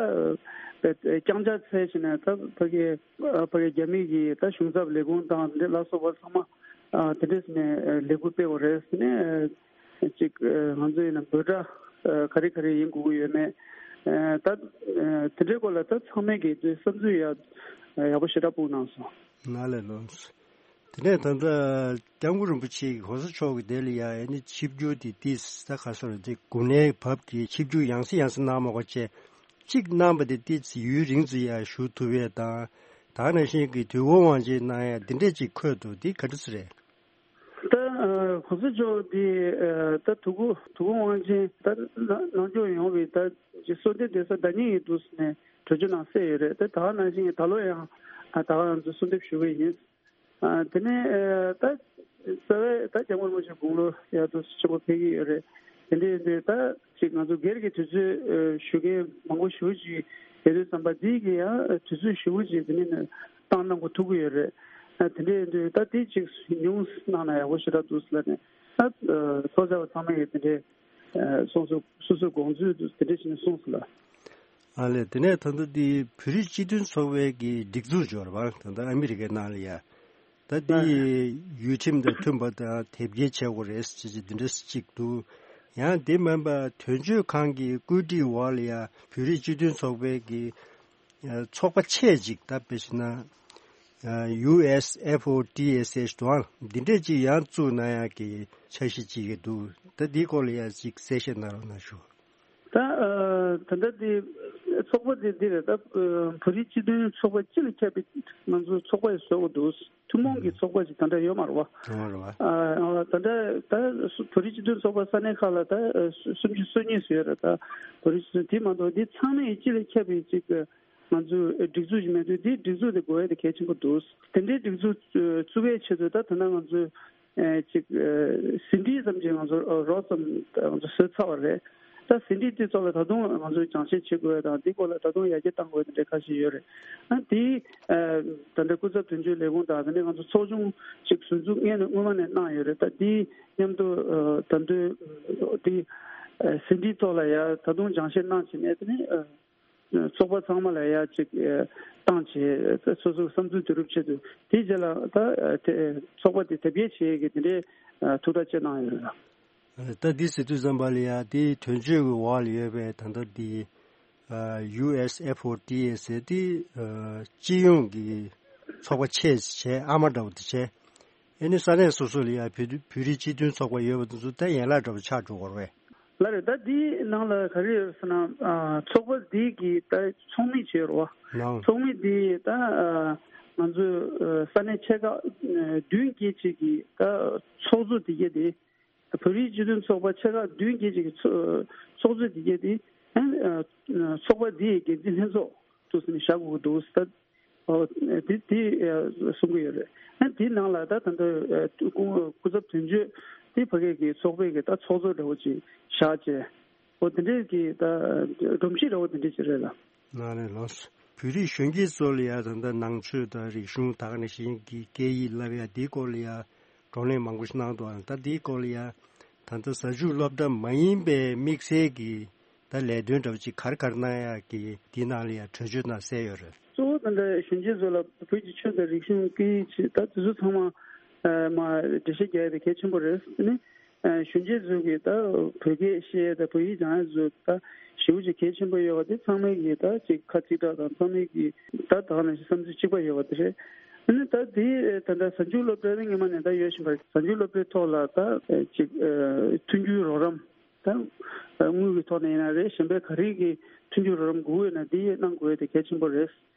རྐྱང་ཕྱག་འཚལ་བྱས་ནས་ད་ཕ་གི་ཕ་གི་རྒྱ་མི་གི་ད་གཞུང་ཚབ་ལས་ཁུངས་དང་དེ་ལ་སོགས་པ་ཚང་མ་དེ་འདྲས་ནས་ལས་འགུལ་སྤེལ་བ་རེད་ཟེར་ནས། ཅིག་ང་ཚོ་ཡིན་ན་འབོད་སྒྲ་ག་རེ་ག་རེ་ཡིན་དགོས་ཀྱི་ཡོད་མེད། ད་དེ་འདྲའི་སྐོར་ལ་ད་ཚང་མས་ཀྱི་བསམ་ཚུལ་ཡག་ཡག་པོ་ཞེ་དྲག་སྤུངས་གནང་སོང་། ན་ལས་ལོངས། དེ་ནས་ད་ལྟ་སྐྱབས་མགོན་རིན་པོ་ཆེ་གི་གོང་ས་མཆོག་གི་དེ་ལ་ཡ་ཨ་ནི་ཆིབས་བསྒྱུར་དེ་ཏིས་ད་ག་སོ་རེད། དེ་དགུང་ལོའི་བབ་ཀྱི་ཆིབས་བསྒྱུར་ཡང་སེ་ཡང་སེ་གནང་མ་དགོས་བྱས་གཅིག་གནང་པ་དེ་ཏིས་ཡུན་རིང་ཙམ་ཡ་བཞུགས་ཐུབ་ཡས་དང་། ད་ག་ནང་བཞིན་གྱི་དུས་འཁོར་དབང་ཆེན་གནང་ཡ་དེ་འདྲས་ཅིག་འཁོད་འདུག། དེ་ག་འདྲ་ཟེ་རེད། ད་གོང་ས་མཆོག་འདི་ད་དུས་འཁོར་དུས་འཁོར་དབང་ཆེན་ད་ནང་སྐྱོང་ཡོང་བའི་ད་ཅིག་གསོལ་འདེབས་འདེབས་ས་ཟླ་ཉིན་ཡིན་འདུག་ཟེར་ནས་གྲོས་ཆོད་ནང་གསལ་ཡོད་རེད། ད་ད་ག་ནང་བཞིན་ད་ལོ་ཡང་ད་ག་ང་ཚོ་གསོལ་འདེབས་ཞུ་གི་ཡིན། དེ་ནས་ད་རྩ་བའི་ད་སྐྱབས་མགོན་རིན་པོ་ཆེ་དགུང་ལོ་ཡར་དུ་ཆེན་པོ་ཕེབས་ཀྱི་ཡོད་རེད། དེ་འདྲ་ཡིན་དུས་ད་ཅིག་ང་ཚོ་སྒེར་གྱི་དུས་ཚོད་ཞུ་མཁན་མང་པོ་ཞེ་པོ་ཅིག་ཡོད་དུས་ཙམ་པ་འདི་གི་ཡང་དུས་ཚོད་ཞེ་པོ་ཅིག་དེ་ནས་བཏང་གནང་དགོས་ཐུག་གི་ཡོད་རེད། དེ་འདྲ་ཡིན་དུས་ད་དེ་ཅིག་ཉུང་གནང་ན་ཡག་པོ་ཞེ་དྲག་འདུག་ཟེར་ལབ་ནས་ད་ཚོགས་བཅར་བ་ཚང་མ་ཡིས་དེ་འདྲའི་སོ་སོ་སོ་སོའི་དགོངས་ཚུལ་དེ་འདྲ་ཞིག་གསུངས་སོང་ལ། ཨ་ལས། དེ་ནས་ད་ལྟ་འདི་བོད་རིགས་སྤྱི་མཐུན་ཚོགས་པའི་གི་སྒྲིག་འཛུགས་འབྱོར་བ་ད་ལྟ་ཨ་མི་རི་ཀའི་ནང་ལ་ཡ། ད་འདི་ཡུལ་ཁྲིམས་དང་མཐུན་པ་དང་དེབ་སྐྱེལ་བྱེད་དགོས་རེད་ཅེས་འདི་འདྲ་ཅིག་འདུག། ཡང་དེ་མིན་པ་དོན་གཅོད་ཁང་གི་བཀོད་སྒྲིག་འོག་ལ་ཡ་བོད་རིགས་སྤྱི་མཐུན་ཚོགས་པའི་གི་ཚོགས་པ་ཆེ་ཅིག་ད་དཔེ་བྱས་ན་ཡུ་ཨེས་ཨེཕ་ཨོ་ཊི་ཨེས་ཨེཆ་དང་འདི་འདྲས་ཅིག་ཡང་བཙུགས་གནང་ཡག་གི་འཆར་གཞི་ཅིག་གི་འདུག། ད་འདིའི་སྐོར་ལ་ཡ་ཅིག་གསལ་བཤད་གནང་རོགས་གནང་ཞུ། ད་ད་ལྟ་དེ་ ཚོགས་པ་དེ་འདི་རེད། ད་བོད་རིགས་སྤྱི་མཐུན་ཚོགས་པ་སྤྱི་ལ་ཁྱབ་པའི་ང་ཚོའི་ཚོགས་པ་ཞིག་བཟོ་དགོས་འདུག་ཐུན་མོང་གི་ཚོགས་པ་ཞིག་ད་ལྟ་ཡོད་མ་རེད་བ། ཡོད་མ་རེད་བ། ད་ལྟ་ད་བོད་རིགས་སྤྱི་མཐུན་ཚོགས་པ་ས་གནས་ཁག་ལ་ད་སུམ་ཅུ་སོ་གཉིས་ཙམ་ཡོད་རེད། ད་བོད་རིགས་སྤྱི་མཐུན་དེ་མ་གཏོགས་འདི་ཚང་མས་སྤྱི་ལ་ཁྱབ་པའི་ཅིག་ང་ཚོའི་སྒྲིག་འཛུགས་ཤིག་མེད་དུས་འདི་སྒྲིག་འཛུགས་དེ་དགོས་ཡ་དེ་གལ་ཆེན་པོ་འདུག་དེ་འདྲའི་སྒྲིག་འཛུགས་བཙུགས་པའི་ཆེད་དུ་ད་ད་ལྟ་ང་ཚོས་ཅིག་ཟིན་བྲིས་ཙམ་ཅིག་ང་ཚོ་རོབ་ཙམ་ང་ཚོ་བཟོས་ཚར་བ་རེད། ད་ཟིན་བྲིས་དེ་ཚོ་ལ་ད་དུང་ང་ཚོས་སྦྱང་བཤད་བྱེད་དགོས་དང་འདི་སྐོར་ལ་ད་དུང་ཡར་རྒྱས་གཏང་དགོས་དེ་འདྲ་ཁ་ཤས་ཡོད་རེད། ཨ་དེ་ད་ལྟ་སྐུ་ཚབ་དོན་གཅོད་ལས་ཁུངས་དང་དེ་ནས་ང་ཚོ་ཚོགས་ཆུང་ཅིག་ཟུར་འཛུགས་སྔོན་ནས་སྔོན་མ་ནས་གནང་ཡོད་རེད། ད་དེ་མཉམ་དུ་ད་དུང་དེ་ཟིན་བྲིས་ཐོག་ལ་ཡར་ད་དུང་སྦྱང་བཤད་གནང་བྱས་ནས་དེ་ནས། ཚོགས་པ་ཚང་མ་ལ་ཡ་གཅིག་བཏང་བྱས་སོ་སོའི་བསམ་ཚུལ་བསྡུ་རུབ་ཆེད་དུ་དེའི་རྗེས་ལ་ད་ཚོགས་པ་དེ་དེབ་སྐྱེལ་བྱེད་ཀྱི་དེ་འདྲའི་ཐུགས་ཐག་བཅད་གནང་ཡོད་རེད། ད་འདི་ཟེར་དུས་ཙམ་པ་ལ་ཡ་དེའི་དོན་གཅོད་ཀྱི་འོག་ལ་ཡོད་པའི་ད་ལྟ་འདི་ཡུ་ཨེས་ཨེཕ་ཨོ་ཏི་ཨེ་ཟེར་དེ་སྤྱི་ཡོངས་ཀྱི་ཚོགས་པ་ཆེ་བྱས་ཨ་མ་འདྲ་བོ་དེ་བྱས། ཨེ་ནི་ས་གནས་སོ་སོ་ལ་ཡ་བོད་བོད་རིགས་སྤྱི་མཐུན་ཚོགས་པ་ཡོད་པ་དེ་ཚོ་ད་ཡན་ལག་འདྲ་བོ་ཆགས་འགྲོ་གི་རེད་པས། ལགས་རེད། ད་འདིའི་ནང་ལ་ག་རེ་ཡོད་ཟེར་ན། ཨ་ཚོགས་པ་འདི་གི་ད་ཚོགས་མི་བྱས་རོ། ནའོ། ཚོགས་མི་འདི་ད་ཨ་ང་ཚོའི་ཨ་ས་གནས་ཆེ་ཁག་ཨ་བདུན་བརྒྱད་ཅིག་གི་ད་ཚོགས་གཙོ་དེ་གྱད་དེ། བོད་རིགས་སྤྱི་མཐུན་ཚོགས་པ་ཆེ་ཁག་བདུན་བརྒྱད་ཅིག་གི་ཚོ་ཚོགས་གཙོ་དེ་གྱད་དེ། ཨ་ཚོགས་པ་འདི་ཡི་འགན་འཛིན་ལྷན་ཚོགས་དུ་ཟིན་བཞག་དགོས་ཀྱི་འདུག་ཟེར། ཨོ། དེ་དེ་གསུང་གི་ཡོད་རེད། ཨ་དེའི་ནང་ལ་ད་ད་ལྟ་སྐུ་སྐུ་ཚབ་དོན་གཅོད་དེ་ཕ་གི་གི་ཚོགས་པའི་གི་ད་ཚོགས་གཙོ་འདྲ་བོ་ཅིག་བཞག་བྱས། ཨོ་དེ་འདྲའི་གི་ད་སྒྲོམ་གཞི་འདྲ་བོ་དེ་འདྲ་ཅིག་རེད་ལ། ལགས་རེད་ལགས། བོད་རིགས་གཞོན་སྐྱེས་ཚོ་ལ་ཡ་ད་ལྟ་ནང་ཆོས་དང་རིག་གཞུང་ད་ག་ནང་བཞིན་གི་སྐད་ཡིག་བསླབ་ཡ་དེའི་སྐོར་ལ་ཡ་བགྲོ་གླེང་མང་པོ་ཞིག་གནང་འདུག་ཨ་ད་དེའི་སྐོར་ལ་ཡ་ད་ལྟ་གཟའ་མཇུག་སློབ་གྲྭ་མ་ཡིན་པའི་དམིགས་བསལ་གི་ད་ལས་དོན་འདྲ་བོ་ཅིག་ག་རེ་ག་རེ་གནང་ཡག་གི་འདི་ནང་ལ་ཡང་གྲོས་ཆོད་ནང་གསལ་ཡོད་རེད། གཙོ་བོ་ད་ལྟ་གཞོན་སྐྱེས་ཚོ་ལ་བོད་ཀྱི་ཆོས་དང་རིག་གཞུང་སྐད་ཡིག་ཅིག་ད་དེ་ཚོ་ཚང་མ་ཨ་མ་འགྲེལ་བཤད་རྒྱག་ཡ་དེ་གལ་ཆེན་པོ་རེད། ཨ་ནི་ཨ་གཞོན་སྐྱེས་ཚོ་གི་ད་བོད་སྐད་བཤད་ཡ་དང་བོད་ཡིག་སྦྱང་ཡ་ཚོ་ད་ཞེ་པོ་ཅིག་གལ་ཆེན་པོ་ཡོད་པ་དེ་ཚང་མས་གི་ད་ཅིག་ཁ་གཅིག་གྲགས་དང་ཚང་མས་གི་ད་ད་ག་ནང་བཞིན་བསམ་ཚུལ་གཅིག་པ་ཡོད་པ་དེ་རེད། ཨ་ནི་ད་དེ་ད་ལྟ་གཟའ་མཇུག་སློབ་གྲྭ་ནི་སྔོན་མ་ནས་ད་ཡོད་བཞིན་པ་རེད། གཟའ་མཇུག་སློབ་གྲྭའི་ཐོག་ལ་ད་ཨ་ཅིག་ཨ་མཐུན་འགྱུར་རོགས་རམ། ད་དངུལ་གྱི་ཐོག་ནས་ཡིན་ན་རེད། གཞན་པའི་ག་རེ་གི་མཐུན་འགྱུར་རོགས་རམ་དགོས་ཡོད་ན་འདི་ཡས་གནང་དགོས་ཡ་དེ་གལ་ཆེན་པོ་རེད།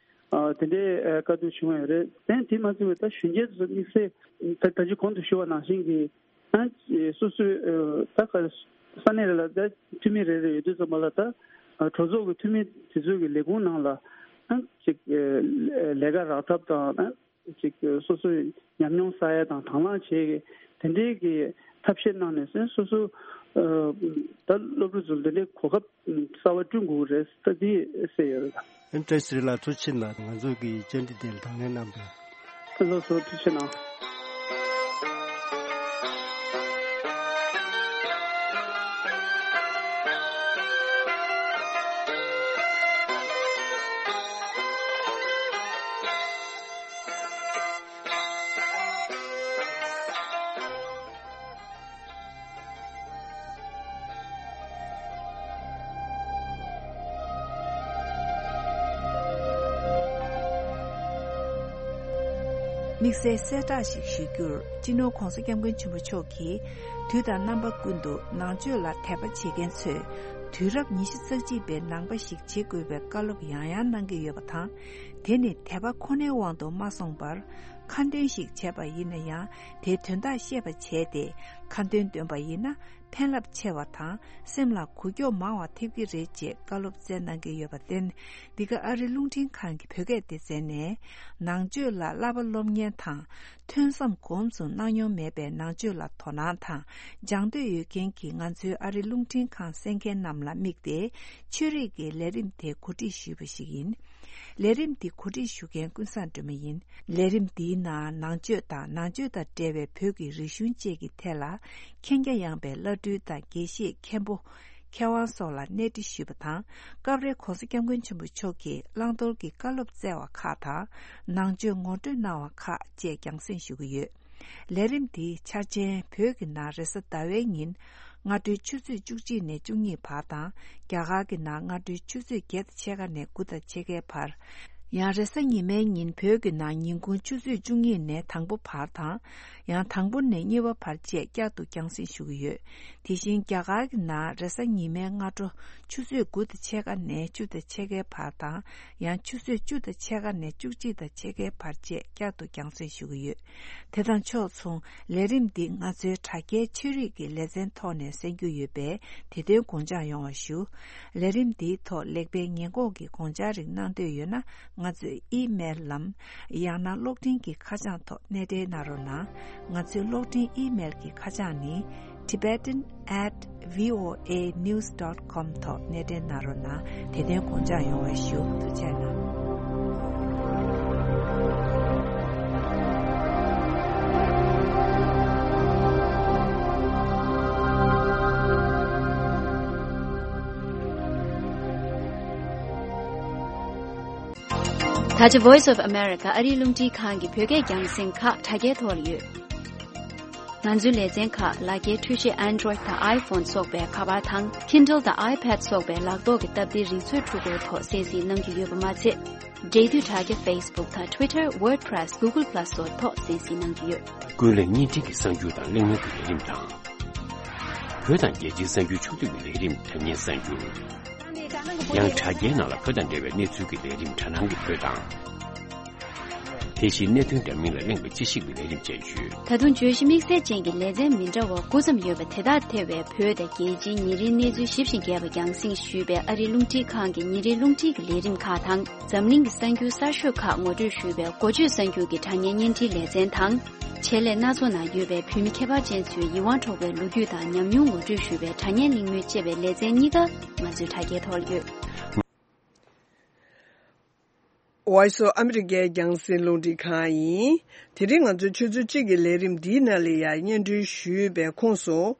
ཨ་དེ་འདྲའི་ཨ་བཀའ་བསྡུར་བྱུང་ཡོད་རེད། དེ་དེ་མ་ཚད་པའི་ད་གཞོན་སྐྱེས་ཚོ་དམིགས་བསལ་ད་ད་ཅི་གོང་དུ་ཞུས་པ་ནང་བཞིན་གྱི་ཨ་སོ་སོའི་ཨ་ད་ག་ས་གནས་རེ་ལ་ད་འཐུས་མི་རེ་རེ་ཡོད་དུས་ཙམ་པ་ལ་ད་ཨ་གྲོས་ཚོགས་ཀྱི་འཐུས་མི་དེ་ཚོའི་གི་ལས་ཁུངས་ནང་ལ་ཨ་ཅིག་ཨ་ལས་ཀ་རག་ཐབས་དང་ཨ། ཅིག་སོ་སོའི་ཉམས་མྱོང་བསགས་ཡ་དང་དང་བླངས་བྱེད་ཡ་དེ་འདྲའི་གི་ཐབས་ཤེས་གནང་ནས་སོ་སོ་ཨ་ད་སློབ་ཕྲུག་ཚོ་འདི་འདྲའི་གོ་སྐབས་གསར་པ་བསྐྲུན་དགོས་རེད། ད་འདི་གསལ་ཡོད་རེད། ཨ་བཀྲ་ཤིས་ཚེ་རིང་ལགས་ཐུགས་རྗེ་ཆེ་གནང་། ང་ཚོ་གི་བཅར་འདྲི་དེ་ལ་དང་ལེན་གནང་བས། ལགས་སོ་ཐུགས་རྗེ་ཆེ་གནང་། དམིགས་བསལ་གསལ་བསྒྲགས་ཤིག་ཞུ་རྒྱུར། སྤྱི་ནོར་༧གོང་ས་༧སྐྱབས་མགོན་ཆེན་པོ་མཆོག་གིས་དུས་དང་རྣམ་པ་ཀུན་ཏུ་ནང་ཆོས་ལ་དད་པ་བྱེད་མཁན་ཚོས་དུས་རབས་ཉི་ཤུ་རྩ་གཅིག་པའི་ནང་པ་ཞིག་བྱེད་དགོས་པའི་བཀའ་སློབ་ཡང་ཡང་གནང་གི་ཡོད་པ་དང་། དེ་ནི་དད་པ་ཁོ་ནའི་དབང་དུ་མ་སོང་བར། ཁ་འདོན་ཞིག་བྱས་པ་ཡིན་ན་ཡང་། དེའི་དོན་དག་ཤེས་པ་བྱས་ཏེ། ཁ་འདོན་འདོན་པ་ཡིན་ན། ཕན་རླབས་ཆེ་བ་དང་། སེམས་ལ་འགུག་སྐྱོབ་མང་བ་ཐེབས་ཀྱི་རེད། ཅེས་བཀའ་སློབ་སྩལ་གནང་གི་ཡོད་པར་བརྟེན། འདི་ག་ཨ་རི་རླུང་འཕྲིན་ཁང་གི་བོད་སྐད་སྡེ་ཚན་ནས། ནང་ཆོས་ལ་བསླབ་པ་སློབ་གཉེར་དང་། ཐོས་བསམ་སྒོམ་གསུམ་གནང་མྱོང་མེད་པའི་ནང་ཆོས་ལ་དོ་སྣང་དང་། སྦྱང་འདོད་ཡོད་མཁན་གྱི་ང་ཚོའི་ཨ་རི་རླུང་འཕྲིན་ཁང་གསན་མཁན་རྣམས་ལ་དམིགས་ཏེ། ཆོས་རིག་གི་ལས་རིམ་དེ་གོ་སྒྲིག་ཞུས་པ་ཞིག་ཡིན། ལས་རིམ་འདི་གོ་སྒྲིག་ཞུ་མཁན་ཀུན་བཟང་སྒྲོལ་མ་ཡིན། ལས་རིམ་འདིའི་ནང་ནང་ཆོས་དང་། ནང་ཆོས་དང་འབྲེལ་བའི་བོད་ཀྱི་རིག་གཞུང་བཅས་ཀྱི་ཐད་ལ་མཁྱེན་རྒྱ་ཡངས་པའི་བླ་སྤྲུལ་དང་དགེ་བཤེས་མཁན་པོ། མཁས་དབང་སོགས་ལ་གནས་འདྲི་ཞུས་པ་དང་། སྐབས་རེ་༧གོང་ས་༧སྐྱབས་མགོན་ཆེན་པོ་མཆོག་གིས་བླང་དོར་གྱི་བཀའ་སློབ་སྩལ་བ་ཁག་དང་། ནང་ཆོས་ངོ་སྤྲོད་གནང་བ་ཁག་བཅས་རྒྱང་སྲིང་ཞུ་གི་ཡོད། ལས་རིམ་འདིའི་འཆར་ཅན་བོད་ཀྱི་ནང་རེས་གཟའ་ཟླ་བའི་ཉིན་སྔ་དྲོའི་ཆུ་ཚོད་བཅུ་གཅིག་ནས་བཅུ་གཉིས་བར་དང་། རྒྱ་གར་གྱི་ནང་སྔ་དྲོའི་ཆུ་ཚོད་བརྒྱད་དང་ཕྱེད་ཀ་ནས་དགུ་དང་ཕྱེད་ཀའི་བར། ཡང་རེས་གཟའ་ཉི་མའི་ཉིན་བོད་ཀྱི་ནང་ཉིན་གུང་ཆུ་ཚོད་བཅུ་གཉིས་ནས་དང་པོ་བར་དང་། ཡང་དང་པོ་ནས་གཉིས་པ་བར་བཅས་བསྐྱར་དུ་རྒྱང་སྲིང་ཞུ་གི་ཡོད། དེ་བཞིན་རྒྱ་གར་གྱི་ནང་རེས་གཟའ་ཉི་མའི་སྔ་དྲོ་ཆུ་ཚོད་དགུ་དང་ཕྱེད་ཀ་ནས་བཅུ་དང་ཕྱེད་ཀའི་བར་དང་། ཡང་ཆུ་ཚོད་བཅུ་དང་ཕྱེད་ཀ་ནས་བཅུ་གཅིག་དང་ཕྱེད་ཀའི་བར་བཅས་བསྐྱར་དུ་རྒྱང་སྲིང་ཞུ་གི་ཡོད། དེ་དང་ཕྱོགས་མཚུངས། ལས་རིམ་འདི་ང་ཚོའི་དྲ་རྒྱའི་ཆོས་རིག་གི་ལེ་ཚན་ཐོག་ནས་གསན་རྒྱུ་ཡོད་པས། དེ་དོན་དགོངས་འཇགས་ཡོང་བ་ཞུ། ལས་རིམ་འདིའི་ཐོག་ལེགས་སྤེལ་ཉེས་འགོག་གི་དགོངས་འཆར་རིགས་གནང་འདོད་ཡོད་ན། ང་ཚོའི་ཨི་མེལ་ལམ། ཡང་ན་གློག་འཕྲིན་གྱི་ཁ་བྱང་ཐོག་སྣེ་འདྲེན་གནང་རོགས་གནང་། ང་ཚོའི་གློག་འཕྲིན་ཨི་མེལ་གྱི་ཁ་བྱང་ནི། Tibetan at V O A news dot com ཐོག་སྣེ་འདྲེན་གནང་རོགས་གནང་། དེ་དོན་དགོངས་འཇགས་ཡོང་བ་ཞུ། ཐུགས་རྗེ་གནང་། ད་ཆ་Voice of America ཨ་རིའི་རླུང་འཕྲིན་ཁང་གི་བོད་སྐད་རྒྱང་སྲིང་ཁག་དྲ་རྒྱའི་ཐོག་ལ་ཡོད། ང་ཚོའི་ལེ་ཚན་ཁག་ལག་འཁྱེར་འཕྲུལ་ཆས་Android དང་iPhone སོགས་པའི་ཁ་པར་དང་། Kindle དང་iPad སོགས་པའི་ལག་ཐོག་གི་སྟབས་བདེའི་རིག་མཛོད་འཕྲུལ་འཁོར་ཐོག་གསན་གཟིགས་གནང་རྒྱུ་ཡོད་པ་མ་ཚད། འབྲེལ་མཐུད་དྲ་རྒྱ་Facebook དང་Twitter, WordPress, Google Plus སོགས་ཐོག་གསན་གཟིགས་གནང་རྒྱུ་ཡོད། ཀུན་གླེང་བརྙན་འཕྲིན་གྱི་གསར་འགྱུར་དང་གླེང་མོལ་གྱི་ལས་རིམ་དང་། བོད་དང་རྒྱལ་སྤྱིའི་གསར་འགྱུར་ཕྱོགས་བསྡུས་ཀྱི་ལས་རིམ་དྲ་བརྙན་གསར་འགྱུར། ཡང་དྲ་རྒྱའི་ནང་ལ་བོད་དང་འབྲེལ་བའི་གནས་ཚུལ་གྱི་ལས་རིམ་དྲ་སྣང་གི་བོད་དང་། དེ་བཞིན་གནད་དོན་འདྲ་མིན་ལ་གླེང་བའི་དཔྱད་ཞིབ་ཀྱི་ལས་རིམ་བཅས་ཡོད། ད་དུང་བརྗོད་གཞི་དམིགས་བསལ་ཅན་གྱི་ལེ་ཚན་མི་འདྲ་བ་དགུ་ཙམ་ཡོད་པ་དེ་དག་ཐེ་བའི་བོད་དང་རྒྱལ་སྤྱིའི་ཉིན་རེའི་གནས་ཚུལ་ཞིབ་ཅིང་རྒྱས་པ་རྒྱང་སྲིང་ཞུས་པའི་ཨ་རིའི་རླུང་འཕྲིན་ཁང་གི་ཉིན་རེའི་རླུང་འཕྲིན་གྱི་ལས་རིམ་ཁག་དང་། འཛམ་གླིང་གི་གསར་འགྱུར་གསར་ཤོས་ཁག་ངོ་སྤྲོད་ཞུས་པའི་འགོ་བརྗོད་གསར་འགྱུར་གྱི་དྲ་བརྙན་བརྙན་འཕྲིན་ལེ་ཚན་དང་། ཆེད་ལས་སྣ་ཚོགས་ནང་ཡོད་པའི་བོད་མི་ཁྱད་པར་ཅན་ཚོའི་ཡིད་དབང་འཕྲོག་པའི་ལོ་རྒྱུས་དང་ཉམས་མྱོང་ངོ་སྤྲོད་ཞུས་པའི་དྲ་བརྙན་གླེང་མོལ་ཅེས་པའི་ལེ་ཚན་གཉིས་ཀ་ང་ཚོའི་དྲ་རྒྱའི་ཐོག་ལ་ཡོད། Voice of America རྒྱང་སྲིང་རླུང་འཕྲིན་ཁང་ཡིན། དེ་རིང་ང་ཚོའི་ཆུ་ཚོད་གཅིག་གི་ལས་རིམ་འདིའི་ནང་ལ་ཡང་སྙན་སྒྲོན་ཞུས་པའི་ཁོངས་སུ།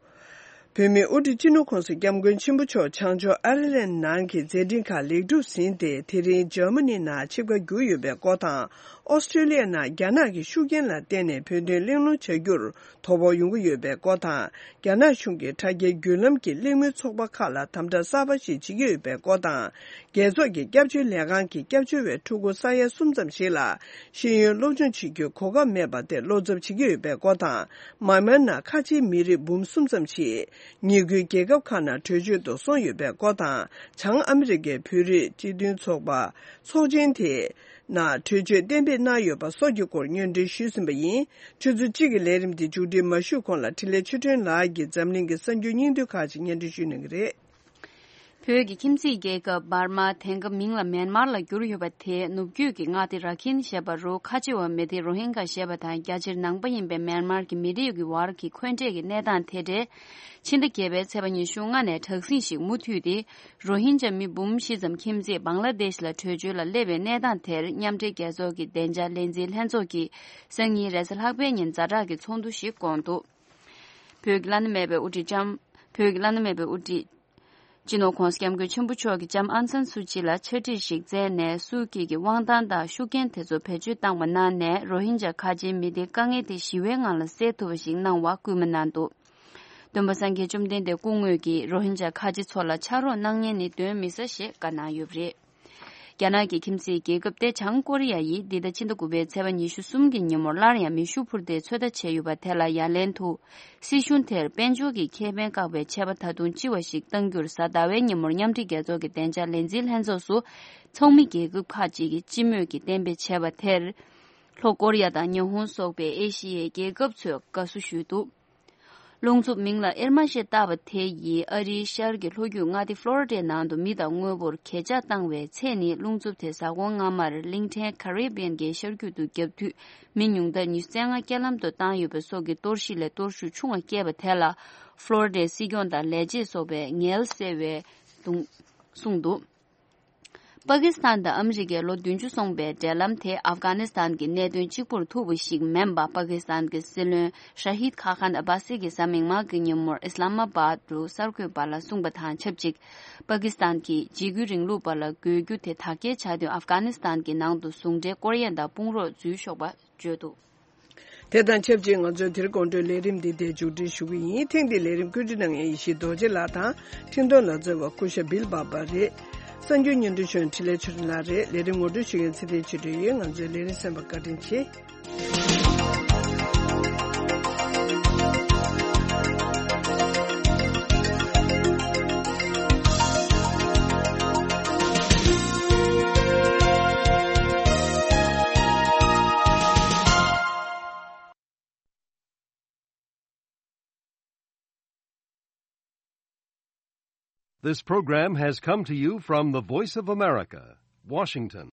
བོད་མིའི་དབུ་ཁྲིད་སྤྱི་ནོར་༸གོང་ས་༸སྐྱབས་མགོན་ཆེན་པོ་མཆོག་བྱང་ཕྱོགས་ཨའི་ལན་ནང་གི་མཛད་འཕྲིན་ཁག་ལེགས་གྲུབ་ཟིན་ཏེ། དེ་རིང་འཇར་མ་ནི་ནང་ཆིབས་ཁ་བསྒྱུར་ཡོད་པའི་སྐོར་དང་། ཨོ་སི་ཀྲི་ལི་ཡ་ནང་རྒྱ་ནག་གི་ཤུགས་རྐྱེན་ལ་བརྟེན་ནས་བོད་དོན་གླེང་སློང་བྱ་རྒྱུར་དོ་ཕོག་ཡོང་གི་ཡོད་པའི་སྐོར་དང་། རྒྱ་ནག་གཞུང་གིས་དྲ་རྒྱའི་བརྒྱུད་ལམ་གྱི་གླེང་མོལ་ཚོགས་པ་ཁག་ལ་དམ་དྲག་གསར་པ་ཞིག་བྱེད་ཀྱི་ཡོད་པའི་སྐོར་དང་། རྒྱལ་ཚོགས་ཀྱི་སྐྱབས་བཅོལ་ལས་ཁང་གི་སྐྱབས་བཅོལ་བའི་ཕྲུ་གུ་ས་ཡ་གསུམ་ཙམ་ཞིག་ལ་ཤེས་ཡོན་སློབ་སྦྱོང་བྱེད་རྒྱུའི་གོ་སྐབས་མེད་པ་དེ་བློ་འཚབ་བྱེད་ཀྱི་ཡོད་པའི་སྐོར་དང་། མཱ་མཱན་ནང་ཁ་ཆེའི་མི་རིགས་འབུམ་གསུམ་ཙམ་ཞིག་ཉེ་ཁུལ་རྒྱལ་ཁབ་ཁག་ནང་བྲོས་བྱོལ་དུ་སོང་ཡོད་པའི་སྐོར་དང་། བྱང་ཨ་མི་རི་ཀའི་བོད་རིགས་སྤྱི་མཐུན་ཚོགས་པ་ཚོགས་ཆེན་དེ་ནང་བྲོས་བྱོལ་གཏན་འབེབས་གནང་ཡོད་པ་སོགས་ཀྱི་སྐོར་སྙན་སྒྲོན་ཞུས་ཟིན་པ་ཡིན། ཆུ་ཚོད་གཅིག་གི་ལས་རིམ་འདི་མཇུག་སྒྲིལ་མ་ཞུས་གོང་ལ་འཕྲིན་ལས་ཆོས་སྒྲོན་ལགས་ཀྱིས་འཛམ་གླིང་གི་གསར་འགྱུར་སྙིང་བསྡུས་ཁག་ཅིག་སྙན་སྒྲོན་ཞུ་གནང་གི་རེད། བོད་ཀྱི་ཁྱིམ་མཚེས་རྒྱལ་ཁབ་འབར་མ། དེང་སྐབས་མིང་ལ་མེན་མར་ལ་བསྒྱུར་ཡོད་པ་དེའི་ནུབ་རྒྱུད་ཀྱི་མངའ་སྡེ་ར་ཁིན་ཞེས་པ་རུ་ཁ་ཆེ་བ་མི་སྡེ་རོ་ཧིན་གྷ་ཞེས་པ་དང་། རྒྱ་ཆེར་ནང་པ་ཡིན་པའི་མེན་མར་གྱི་མི་རིགས་ཀྱི་བར་གྱི་འཁོན་འགྲས་ཀྱི་གནས་སྟངས་དེ་འབྲེལ། ཕྱི་ཟླ་བརྒྱད་པའི་ཚེས་པ་ཉི་ཤུ་ལྔ་ནས་དྲག་ཟིང་ཞིག་མུ་མཐུད་དེ། རོ་ཧིན་ཇ་མི་འབུམ་བཞི་ཙམ་ཁྱིམ་མཚེས་བང་ལ་དེཤ་ལ་བྲོས་བྱོལ་ལ་སླེབས་པའི་གནས་སྟངས་དེར། མཉམ་འབྲེལ་རྒྱལ་ཚོགས་ཀྱི་བདེ་འཇགས་ལས་འཛིན་ལྷན་ཚོགས་ཀྱིས་སང་ཉིན་རེས་གཟའ་ལྷག་པའི་ཉིན་ཛ་དྲག་གི་ཚོགས་འདུ་ཞིག་བསྐོངས་འདུག། བོད་ཀྱི་བླ་ན་མེད་པའི་དབུ་ཁྲིད་ལྕམ། བོད་ཀྱི་བླ་ན་མེད་པའི་དབུ་ཁྲིད་སྤྱི་ནོར་༸གོང་ས་༸སྐྱབས་མགོན་ཆེན་པོ་མཆོག་གིས་ལྕམ་ཨང་སན་སུ་ཅི་ལ་ཕྱག་བྲིས་ཤིག་མཛད་ནས། སུའུ་ཀི་གི་དབང་ཐང་དང་ཤུགས་རྐྱེན་དེ་ཚོ་བེད་སྤྱོད་བཏང་བ་གནང་ནས། རོ་ཧིན་ཇ་ཁ་ཆེའི་མི་སྡེའི་དཀའ་ངལ་དེ་ཞི་བའི་ངང་ལ་སེལ་ཐུབ་པ་ཞིག་གནང་བར་སྐུལ་མ་གནང་འདུག། སྟོན་པ་སངས་རྒྱས་བཅོམ་ལྡན་འདས་སྐུ་དངོས་ཀྱིས་རོ་ཧིན་ཇ་ཁ་ཆེ་ཚོ་ལ་ཕྱག་རོགས་གནང་མཁན་ནི་གདོན་མི་ཟ་ཞེས་བཀའ་གནང་ཡོད་པ་རེད། རྒྱ་ནག་གི་ཁྱིམ་མཚེས་རྒྱལ་ཁབ་སྟེ་བྱང་ཀོ་རི་ཡ་ཡིས་འདི་ཟླ་ཕྱི་ཟླ་དགུ་པའི་ཚེས་པ་ཉི་ཤུ་གསུམ་གྱི་ཉིན་མོར་སླར་ཡང་མེ་ཤུགས་འཕུར་མདེལ་ཚོད་ལྟ་བྱས་ཡོད་པ་དེ་ལ་ཡ་ལན་དུ། སྲིད་གཞུང་དེར་དཔལ་འབྱོར་གྱི་ཁེ་ཕན་བཀག་པའི་ཆད་པ་ད་དུང་ལྕི་བ་ཞིག་གཏང་རྒྱུར་གཟའ་ཟླ་བའི་ཉིན་མོར་མཉམ་འབྲེལ་རྒྱལ་ཚོགས་ཀྱི་བདེ་འཇགས་ལས་འཛིན་ལྷན་ཚོགས་སུ། ཚོགས་མི་རྒྱལ་ཁབ་ཁག་ཅིག་གིས་སྤྱི་མོས་ཀྱིས་གཏན་འབེབས་བྱས་པ་དེར། ལྷོ་ཀོ་རི་ཡ་དང་ཉི་ཧོང་སོགས་པའི་ཨེ་ཤི་ཡའི་རྒྱལ་ཁབ་ཚོས་དགའ་བསུ་ཞུས་འདུག། རླུང་འཚུབ་མིང་ལ་ཨིར་མ་ཞེས་བཏགས་པ་དེ་ཡིས་ཨ་རིའི་ཤར་གྱི་ལྷོ་རྒྱུད་མངའ་སྡེ་ཕློ་རི་ཌའི་ནང་དུ་མི་དང་དངོས་པོར་གས་ཆག་བཏང་བའི་ཚེ་ནི། རླུང་འཚུབ་དེ་གཟའ་འཁོར་སྔ་མར་གླིང་ཕྲན་ཀ་རི་བི་ཡན་གྱི་ཤར་རྒྱུད་དུ་བརྒྱབ་དུས། མི་ཉུང་མཐར་ཉི་ཤུ་རྩ་ལྔ་རྐྱེན་ལམ་དུ་བཏང་ཡོད་པ་སོགས་ཀྱི་གཏོར་བཤིག་ལས་གཏོར་ཤུགས་ཆུང་བ་བསྐྱེད་པ་དེ་ལ། ཕློ་རི་ཌའི་སྲིད་སྐྱོང་དང་ལས་བྱེད་སོགས་པས་ངལ་གསོ་བའི་གདུང་གསུངས་འདུག། པ་ཀི་སི་ཐན་དང་ཨ་མི་རི་ཀས་ལོ་བདུན་ཅུ་སོང་པའི་འབྲེལ་ལམ་དེ་ཨབ་གྷ་ནི་སི་ཐན་གྱི་གནད་དོན་གཅིག་པུར་ཐུག་པ་ཞིག་མིན་པ། པ་ཀི་སི་ཐན་གྱི་སྲིད་བློན་ཤ་ཧིད་ཁ་ཁན་ཨ་བྷ་སི་གིས་གཟའ་མིག་དམར་གྱི་ཉིན་མོར་ཨི་སི་ལམ་ཨ་བྷད་དུ་གསར་འགོད་པ་ལ་གསུངས་པ་དང་ཆབས་ཅིག། པ་ཀི་སི་ཐན་གྱིས་འཇིགས་སྐུལ་རིང་ལུགས་པ་ལ་རྒོལ་རྒྱུ་དེ་དག་སྐྱེལ་བྱ་དུས། ཨབ་གྷ་ནི་སི་ཐན་གྱི་ནང་དུ་ཟུང་འབྲེལ་ཀོ་རི་ཡ་དང་དཔུང་རོགས་འཛུལ་ཆོག་པ་བརྗོད་འདུག། དེ་དང་ཆབས་ཅིག་ང་ཚོའི་དེ་རིང་དགོང་དྲོའི་ལས་རིམ་འདི་དེ་མཇུག་སྒྲིལ་ཞུ་གི་ཡིན། ཐེངས་འདིའི་ལས་རིམ་བཀོད་སྒྲིག་གནང་མཁན་ཡེ་ཤེས་རྡོ་རྗེ་ལགས་དང་། འཕྲིན་གཏོང་ལ་བརྩེ་བ་སྐུ་ཞབས་བིལ་བྷ་བྷ་རེད། གསར་འགྱུར་སྙན་སྒྲོན་ཞུ་མཁན་འཕྲིན་ལས་ཆོས་སྒྲོན་ལགས་རེད། ལས་རིམ་ངོ་སྤྲོད་ཞུ་མཁན་ཚེ་བརྟན་ཆོས་སྒྲོན་ཡིན། ང་ཚོའི་ལས་རིམ་གསན་པར་བཀའ་དྲིན་ཆེ། This program has come to you from the Voice of America, Washington.